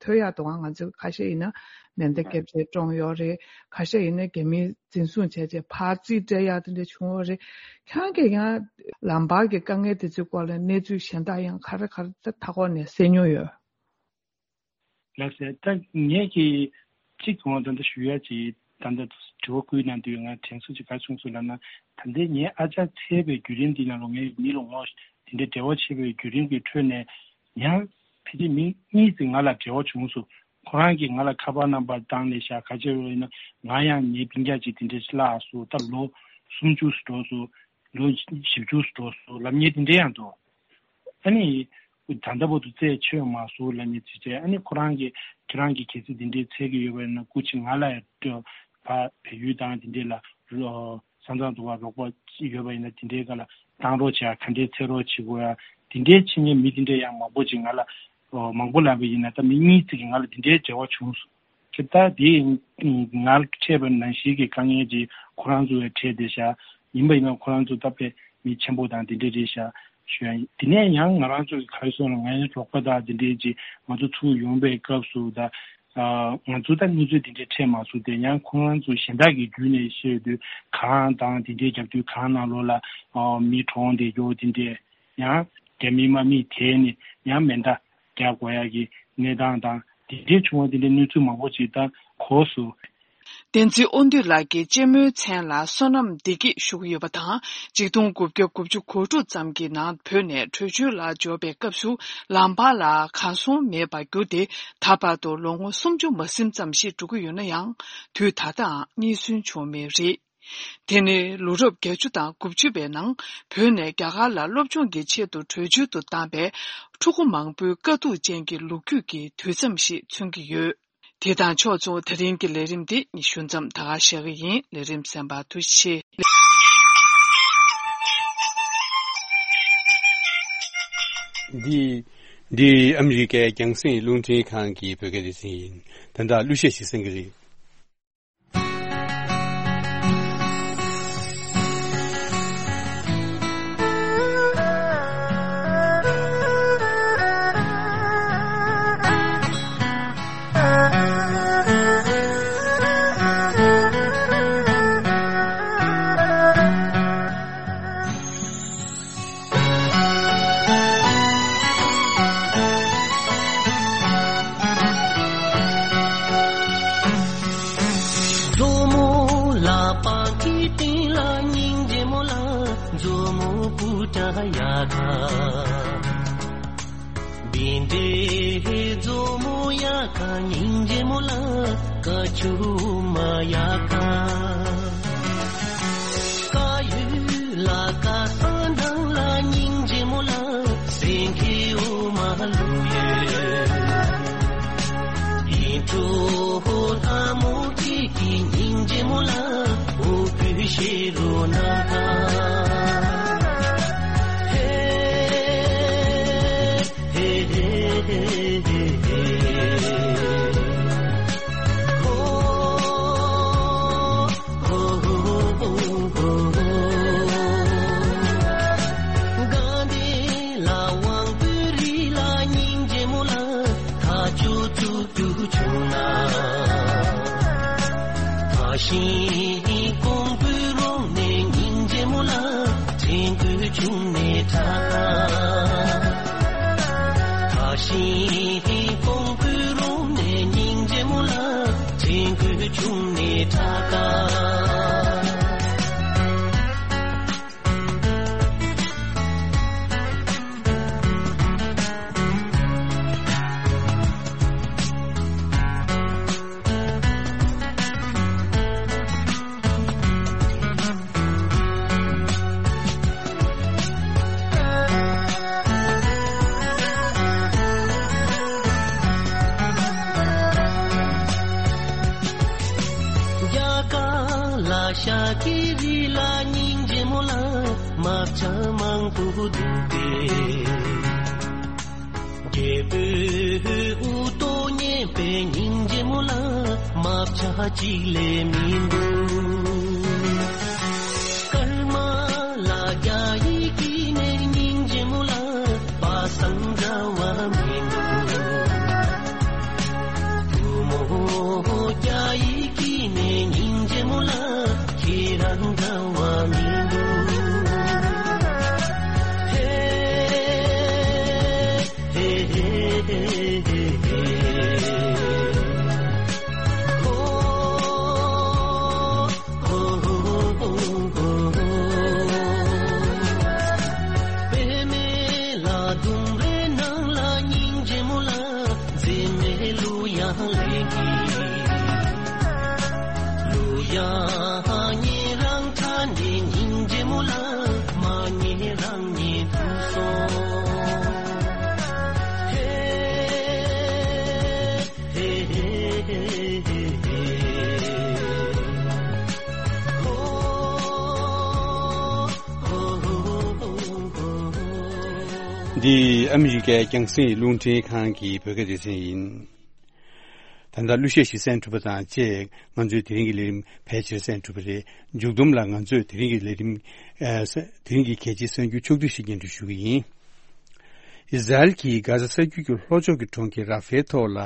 ཐོས་ཡག་འདུག་ང་ཚོ་ཁ་ཤས་ཡིན་ན་མེ་མདའ་བརྒྱབ་བྱས་བཀྲོངས་ཡོད་རེད། ཁ་ཤས་ཡིན་ན་རྒྱ་མིས་འཛིན་བཟུང་བྱས་བྱས་ཕར་རྩིས་སྤྲད་ཡག་དེ་འདྲ་བྱུང་ཡོད་རེད། ཁྱེད་རང་གིས་ཡང་ལམ་བར་གྱི་དཀའ་ངལ་དེ་ཚོའི་སྐོར་ལ་གནས་ཚུལ་གཞན་དག་ཡང་ག་རེ་ག་རེ་ད་མཐའ་འཁོར་ནས་གསན་མྱོང་ཡོད། ལགས་སེ། ད་ངས་ཀྱིས་གཅིག་ངོ་ད་ལྟ་ཞུ་ཡ་ཅིག་ད་ལྟ་དྲི་བ་བསྐུལ་གནང་དུས་ང་དྲན་གསོ་ཅིག་ག་བྱུང་སོང་ལབ་ན། ད་ལྟའི་ངའི་ཨ་ཅག་ཚེ་བའི་བརྒྱུད་རིམ་འདི་ནང་ལོ་ངའི་མི་ལ་ངོ་དེ་འདྲའི་འབྲེལ་བ་བྱེད་པའི་བརྒྱུད་རིམ་གྱི་ཁྲོད་ནས་ཡང་ཕལ་ཆེར་མི་གཉིས་ཙམ་ང་ལ་འབྲེལ་བ་བྱུང་སོང་། ཁོ་རང་གིས་ང་ལ་ཁ་པར་རྣམ་པ་བཏང་ནས་བཞག་ག་བྱས་པ་ཡིན་ན་ང་ཡང་ངའི་སྤུན་ཀྱག་ཅིག་དེ་འདྲ་ཞིག་བརླགས་སོང་། ད་ལོ་སུམ་ཅུ་འགྲོ་སོང་། ལོ་བཞི་བཅུ་འགྲོ་སོང་ལབ་མཁན་དེ་འདྲ་ཡང་འདུག་ཨ་ནི། ད་ལྟ་བར་དུ་རྩད་ཆོད་མ་སོང་ལབ་ནས་ཅི་བྱས། ཨ་ནི་ཁོ་རང་གིས་ཁྱེད་རང་གིས་གལ་སྲིད་དེ་འདྲའི་འཚོལ་གྱི་ཡོད་པ་ཡིན་ན་སྐུ་མཁྱེན་ང་ལ་ཡང་སྤྲོད། ཕ་བལ་ཡུལ་དང་དེ་འདྲའི་ལ་ས་མཚམས་དུ་བ་རོགས་པ་ཡོད་པ་ཡིན་ན་དེ་འདྲའི་སྒང་ལ་བཏང་རོགས་བྱས། ག་འདྲའི་འཚོལ་རོགས་བྱེད་དགོས་ཡ་དེ་འདྲའི་བྱེད་མཁན་མི་དེ་འདྲའི་ཡང་མང་པོ་ཅིག་ང་ལ་མང་པོ་ལབ་པ་ཡིན་ན་ད་མི་གཉིས་ཙམ་གྱིས་ང་ལ་དེ་འདྲའི་འབྲེལ་བ་བྱུང་སོང་། ཁྱེད་ད་དེ་ང་ལ་འཕྲད་པ་ནང་བཞིན་གྱི་དཀའ་ངལ་ཅིག་ཁོ་རང་ཚོ་ཡང་འཕྲད་བསྡད་ཤག་ཡིན་པ་ཡིན་ན་ཁོ་རང་ཚོ་ད་དཔེ་མི་ཆེན་པོ་དང་དེ་འདྲ་རེད་ཤག་ཞུ་ཡ་ཡིན། དེ་ནས་ཡང་ང་རང་ཚོ་གི་ག་རེ་སོང་ལ་ངའི་རོགས་པ་དང་དེ་འདྲའི་ཅིག་ང་ཚོ་ཚུར་ཡོང་པའི་སྐབས་སུ་ད་ང་ཚོ་ད་གནས་ཚུལ་དེ་འདྲའི་འཕྲད་མ་སོང་སྟེ། ཡང་ཁོ་རང་ཚོ་གཞན་དག་གི་བརྒྱུད་ནས་བཤད་དུས་གངས་དང་དེ་འདྲའི་རྒྱབ་དུས་གངས་ནང་ལོགས་ལ་མི་གྲོངས་བསྡད་རྒྱུ་དེ་འདྲའི། ཡང་རྒྱ་མི་དམག་མིས་དེད་ནས་ཡང་མེ་མདའ་རྒྱག་དགོས་ཡག་གི་གནས་སྟངས་དང་དེ་འདྲའི་བྱུང་བ་དེ་འདྲའི་གནས་ཚུལ་མང་པོ་ཅིག་ད་གོ་སོང་། བསྟན་འཛིན་དབང་འདུས་ལགས་ཀྱིས་གཅེན་མོའི་མཚན་ལ་བསོད་ནམས་བདེ་སྐྱིད་ཞུ་གི་ཡོད་པ་དང་། ཆིག་སྟོང་དགུ་བརྒྱ་དགུ་བཅུ་གོ་དྲུག་ཙམ་གྱི་ནང་བོད་ནས་བྲོས་བྱོལ་ལ་འབྱོར་བའི་སྐབས་སུ་ལམ་བར་ལ་གར་སོང་མེད་པར་གྱུར་ཏེ། ད་བར་དུ་ལོ་ངོ་སུམ་ཅུ་མ་ཟིན་ཙམ་ཞིག་འགྲོ་གི་ཡོད་ན་ཡང་དུས་ད་ལྟའང་རྙེད་སོན་བྱུང་མེད་རེད། དེ་ནི་ལོ་རབས་བརྒྱད་ཅུ་དང་དགུ་བཅུ་པའི་ནང་བོད་ནས་རྒྱ་གར་ལ་སློབ་སྦྱོང་གི་ཆེད་དུ་བྲོས་བྱོལ་དུ་བཏང་པའི་ཕྲུ་གུ་མང་པོའི་དཀའ་སྡུག་ཅན་གྱི་ལོ་རྒྱུས་ཀྱི་དུས་མཚམས་ཤིག་མཚོན་གྱི་ཡོད། དེ་དང་ཕྱོགས་མཚུངས་ད་རིང་གི་ལས་རིམ་འདི་ཞུ་མཚམས་ད་ག་བཞག་གི་ཡིན། ལས་རིམ་གསན་པར་ཐུགས་རྗེ་ཆེ། འདི་འདི་ཨ་མི་རི་ཀའི་རྒྱང་སྲིང་རླུང་འཕྲིན་ཁང་གི་བོད་སྐད་སྡེ་ཚན་ཡིན། ད་ལྟ་གླུ་གཞས་ཤིག་གསན་གྱི་རེད། མཛོ་མོ་ལག་པ་གི་སྟེང་ལ་སྙིང་རྗེ་མོ་ལ། མཛོ་མོ་སྤུ་གྲ་ཡ་ག་བིན་དེ་མཛོ་མོ་ཡ་ག་སྙིང་རྗེ་མོ་ལ། ཀ་ཆུ་མ་ཡ་ག་ཀ་ཡུ་ལ་ཀ་ས་འདང་ལ་སྙིང་རྗེ་མོ་ལ། སེང་གེ་འོ་མ་ལུ་ཡོད། ཡིན་གྲོ་ལྷ་མོ་ཁྱེད་ཀྱི་སྙིང་རྗེ་མོ་ལ། འོ་བུ་ཤེ་རོ་ན་ད། ཧེ་ཧེ་ཧེ་ཧེ་ཧེ། ཧོ། རྒྱུ་བྱུང་ན། ད་ཤིང་ཀོང་པོའི་རོང་ནས་སྙིང་རྗེ་མོ་ལ་དྲན་རྒྱུ་བྱུང་ནས་ཁྲག་ཁ། ད་ཤིང་ཀོང་པོའི་རོང་ནས་སྙིང་རྗེ་མོ་ལ་དྲན་རྒྱུ་བྱུང་ནས་ཁྲག་ཁ། རྒྱ་གར་ལ་ཤ་ཀི་རི་ལ་སྙིང་རྗེ་མོ་ལ་དམར་ཆ་མང་པོ་འདུག་སྟེ། རྒྱལ་པོའི་དབུ་ཏོ་ཉན་པའི་སྙིང་རྗེ་མོ་ལ་དམར་ཆ་གཅིག་ལས་མི་འདུག། ཀརྨ་ལ་རྒྱ་ཡིག་གི་ནས་སྙིང་རྗེ་མོ་ལ་པ་སངས་འདྲ་བ་མི་འདུག། བུ་མོ་རྒྱ་ཡིག་གི་ནས་སྙིང་རྗེ་མོ་ལ་ཁྱེད་རང་འདྲ་བ་མི་འདུག། ཧེ། འདི་ཨ་མི་རི་ཀའི་རྒྱང་སྲིང་རླུང་འཕྲིན་ཁང་གི་བོད་སྐད་སྡེ་ཚན་ཡིན། ད་ལྟ་གླུ་གཞས་ཤིག་གསན་གྲུབ་པ་དང་བཅས། ང་ཚོའི་དེ་རིང་གི་ལས་རིམ་ཕལ་ཆེར་གསན་གྲུབ་པ་རེད། མཇུག་བསྡོམས་ལ་ང་ཚོས་དེ་རིང་གི་ལས་རིམ། ཨ། ས། དེ་རིང་གི་གལ་ཆེའི་གསར་འགྱུར་ཕྱོགས་བསྡུས་ཤིག་སྙན་སྒྲོན་ཞུ་གི་ཡིན། ཨི་ཟ་རེལ་གྱིས་གྷ་ཟ་ས་རྒྱུད་ཀྱི་ལྷོ་ཕྱོགས་ཀྱི་གྲོང་ཁྱེར་ར་ཧྥའི་ཐོག་ལ་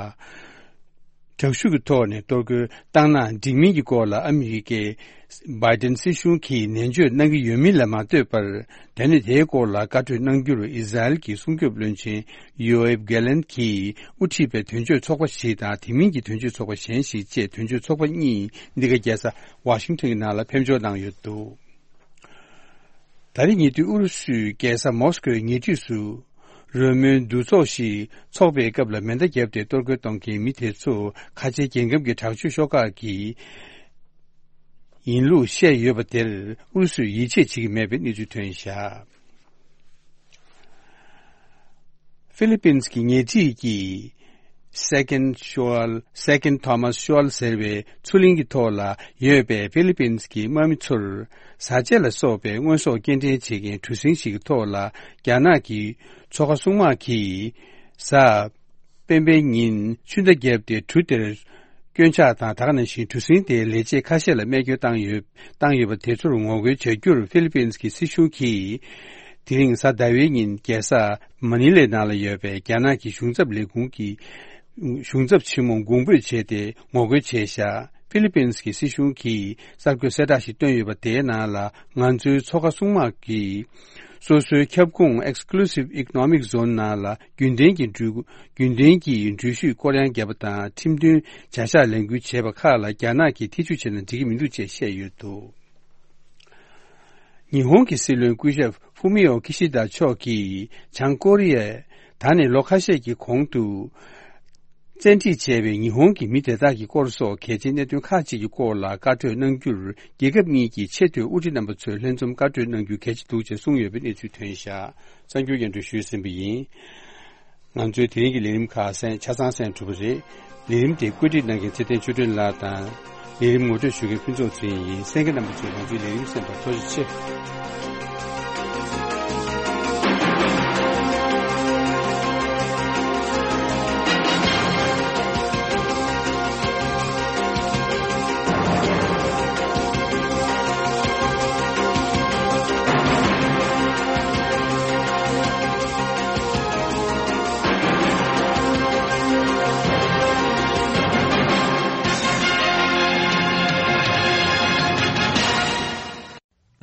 དྲག་ཤུགས་ཀྱི་ཐོག་ནས་གཏོར་རྒོལ་བཏང་ན་འགྲིག་མིན་གྱི་སྐོར་ལ་ཨ་མི་རི་ཀའི་བྷའི་ཏན་སྲིད་གཞུང་གིས་ནན་བརྗོད་གནང་གི་ཡོད་མིན་ལ་མ་ལྟོས་པར། དེ་ནི་དེའི་སྐོར་ལ་བཀའ་གྲོས་གནང་རྒྱུར་ཨི་ཟ་རེལ་གྱི་སྲུང་སྐྱོབ་བློན་ཆེན་ཡོ་ཨེབ་གྷེ་ལན་གྱིས་དབུ་ཁྲིད་པའི་དོན་གཅོད་ཚོགས་པ་ཞིག་དང་། དེ་མིན་གྱི་དོན་གཅོད་ཚོགས་པ་གཞན་ཞིག་བཅས་དོན་གཅོད་ཚོགས་པ་གཉིས་འདི་ག་རྒྱལ་ས་ཝ་ཤིང་ཐོན་གྱི་ནང་ལ་ཕེབས་འབྱོར་གནང་ཡོད་འདུག། ད་རེས་ཉེ་དུས་ཨུ་རུ་སུའི་རྒྱལ་ས་མོ་སི་ཀོའི་ཉེ་འཁྲིས་སུ་རོལ་མོའི་འདུ་ཚོགས་ཤིག་འཚོགས་པའི་སྐབས་ལ་མེ་མདའ་བརྒྱབ་སྟེ་གཏོར་རྒོལ་གཏོང་མཁན་མི་དེ་ཚོ་ཁ་ཆེའི་རྒྱལ་ཁམས་ཀྱི་དྲག་སྤྱོད་ཤོག་ཁག་གི་ཡིན་ལུགས་བཤད་ཡོད་པ་དེར་ཨུ་རུ་སུས་ཡིད་ཆེས་བྱེད་ཀྱི་མེད་པའི་གནས་ཚུལ་ཐོན་བཞག། ཧྥི་ལི་པིན་གྱི་ཉེ་འཁྲིས་ཀྱི་Second Shoal, Second Thomas Shoal ཟེར་བའི་མཚོ་གླིང་གི་ཐོག་ལ་ཡོད་པའི་ཧྥི་ལི་པིན་གྱི་དམག་མི་ཚོར་ཟ་ཆས་ལ་སོགས་པའི་དངོས་ཟོག་སྐྱེལ་འདྲེན་བྱེད་མཁན་གྲུ་གཟིངས་ཤིག་གི་ཐོག་ལ་རྒྱ་ནག་གི་མཚོ་ཁ་སྲུང་དམག་གིས་གཟའ་སྤེན་པའི་ཉིན་ཆུ་མདའ་བརྒྱབ་སྟེ་གྲུ་དེར་སྐྱོན་ཆག་དང་། ད་ག་ནང་བཞིན་གྲུ་གཟིངས་དེའི་ལས་བྱེད་ཁ་ཤས་ལ་རྨས་སྐྱོན་བཏང་ཡོད། བཏང་ཡོད་པ་དེ་ཚོར་ངོ་རྒོལ་བྱ་རྒྱུར་ཧྥི་ལི་པིན་གྱི་སྲིད་གཞུང་གིས་དེ་རིང་གཟའ་ཟླ་བའི་ཉིན་རྒྱལ་ས་མ་ནི་ལའི་ནང་ལ་ཡོད་པའི་རྒྱ་ནག་གི་གཞུང་ཚབ་ལས་ཁུངས་ཀྱི་གཞུང་ཚབ་ཆེན་མོ་དགོངས་འབོད་བྱས་ཏེ་ངོ་རྒོལ་བྱས་བཞག། ཧྥི་ལི་པིན་གྱི་སྲིད་གཞུང་གིས་གསར་འགོད་གསལ་བསྒྲགས་ཤིག་བཏོན་ཡོད་པ་དེའི་ནང་ལ། ང་ཚོའི་མཚོ་ཁ་སྲུང་དམག་གིས་སོ་སོའི་ཁྱབ་ཁོངས་Exclusive Economic Zone ནང་ལ་རྒྱུན་ལྡན་གྱི་འགྲུལ་རྒྱུན་ལྡན་གྱི་འགྲུལ་བཞུད་སྐོར་གཡང་བརྒྱབ་པ་དང་། ཁྲིམས་མཐུན་བྱ་གཞག་ལས་འགུལ་བྱས་པ་ཁག་ལ་རྒྱ་ནག་གིས་ཐེ་བྱུས་བྱས་ན་འགྲིག་གི་མི་འདུག་ཅེས་བཤད་ཡོད་འདུག། ཉི་ཧོང་གི་སྲིད་བློན་སྐུ་ཞབས་ཧྥུ་མི་ཡོ་ཁི་ཤི་དཱ་མཆོག་གིས་བྱང་ཀོ་རི་ཡས་ད་ནས་ལོ་ཁ་ཤས་ཀྱི་གོང་དུ་བཙན་ཁྲིད་བྱས་པའི་ཉི་ཧོང་གི་མི་དེ་དག་གི་སྐོར་སོགས་གལ་ཆེའི་གནད་དོན་ཁག་ཅིག་གི་སྐོར་ལ་བཀའ་གྲོས་གནང་རྒྱུར་རྒྱལ་ཁབ་གཉིས་ཀྱི་ཆེས་མཐོའི་དབུ་ཁྲིད་རྣམ་པ་ཚོས་ལྷན་འཛོམས་བཀའ་གྲོས་གནང་རྒྱུ་གལ་ཆེ་འདུག་ཅེས་གསུངས་ཡོད་པའི་གནས་ཚུལ་ཐོན་བཞག། གསར་འགྱུར་སྙན་སྒྲོན་ཞུས་ཟིན་པ་ཡིན། ང་ཚོའི་དེ་རིང་གི་ལས་རིམ་ཁག་གསན་ཆ་ཚང་གསན་གྲུབ་པ་རེད། ལས་རིམ་དེ་བཀོད་སྒྲིག་གནང་མཁན་ཚེ་བརྟན་ཆོས་སྒྲོན་ལགས་དང་། ལས་རིམ་ངོ་སྤྲོད་ཞུ་མཁན་ཕུན་ཚོགས་ཚེ་རིང་ཡིན། གསན་མཁན་རྣམ་པ་ཚོས་ང་ཚོའི་ལས་རིམ་གསན་པར་ཐུགས་རྗེ་ཆེ།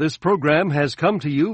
This program has come to you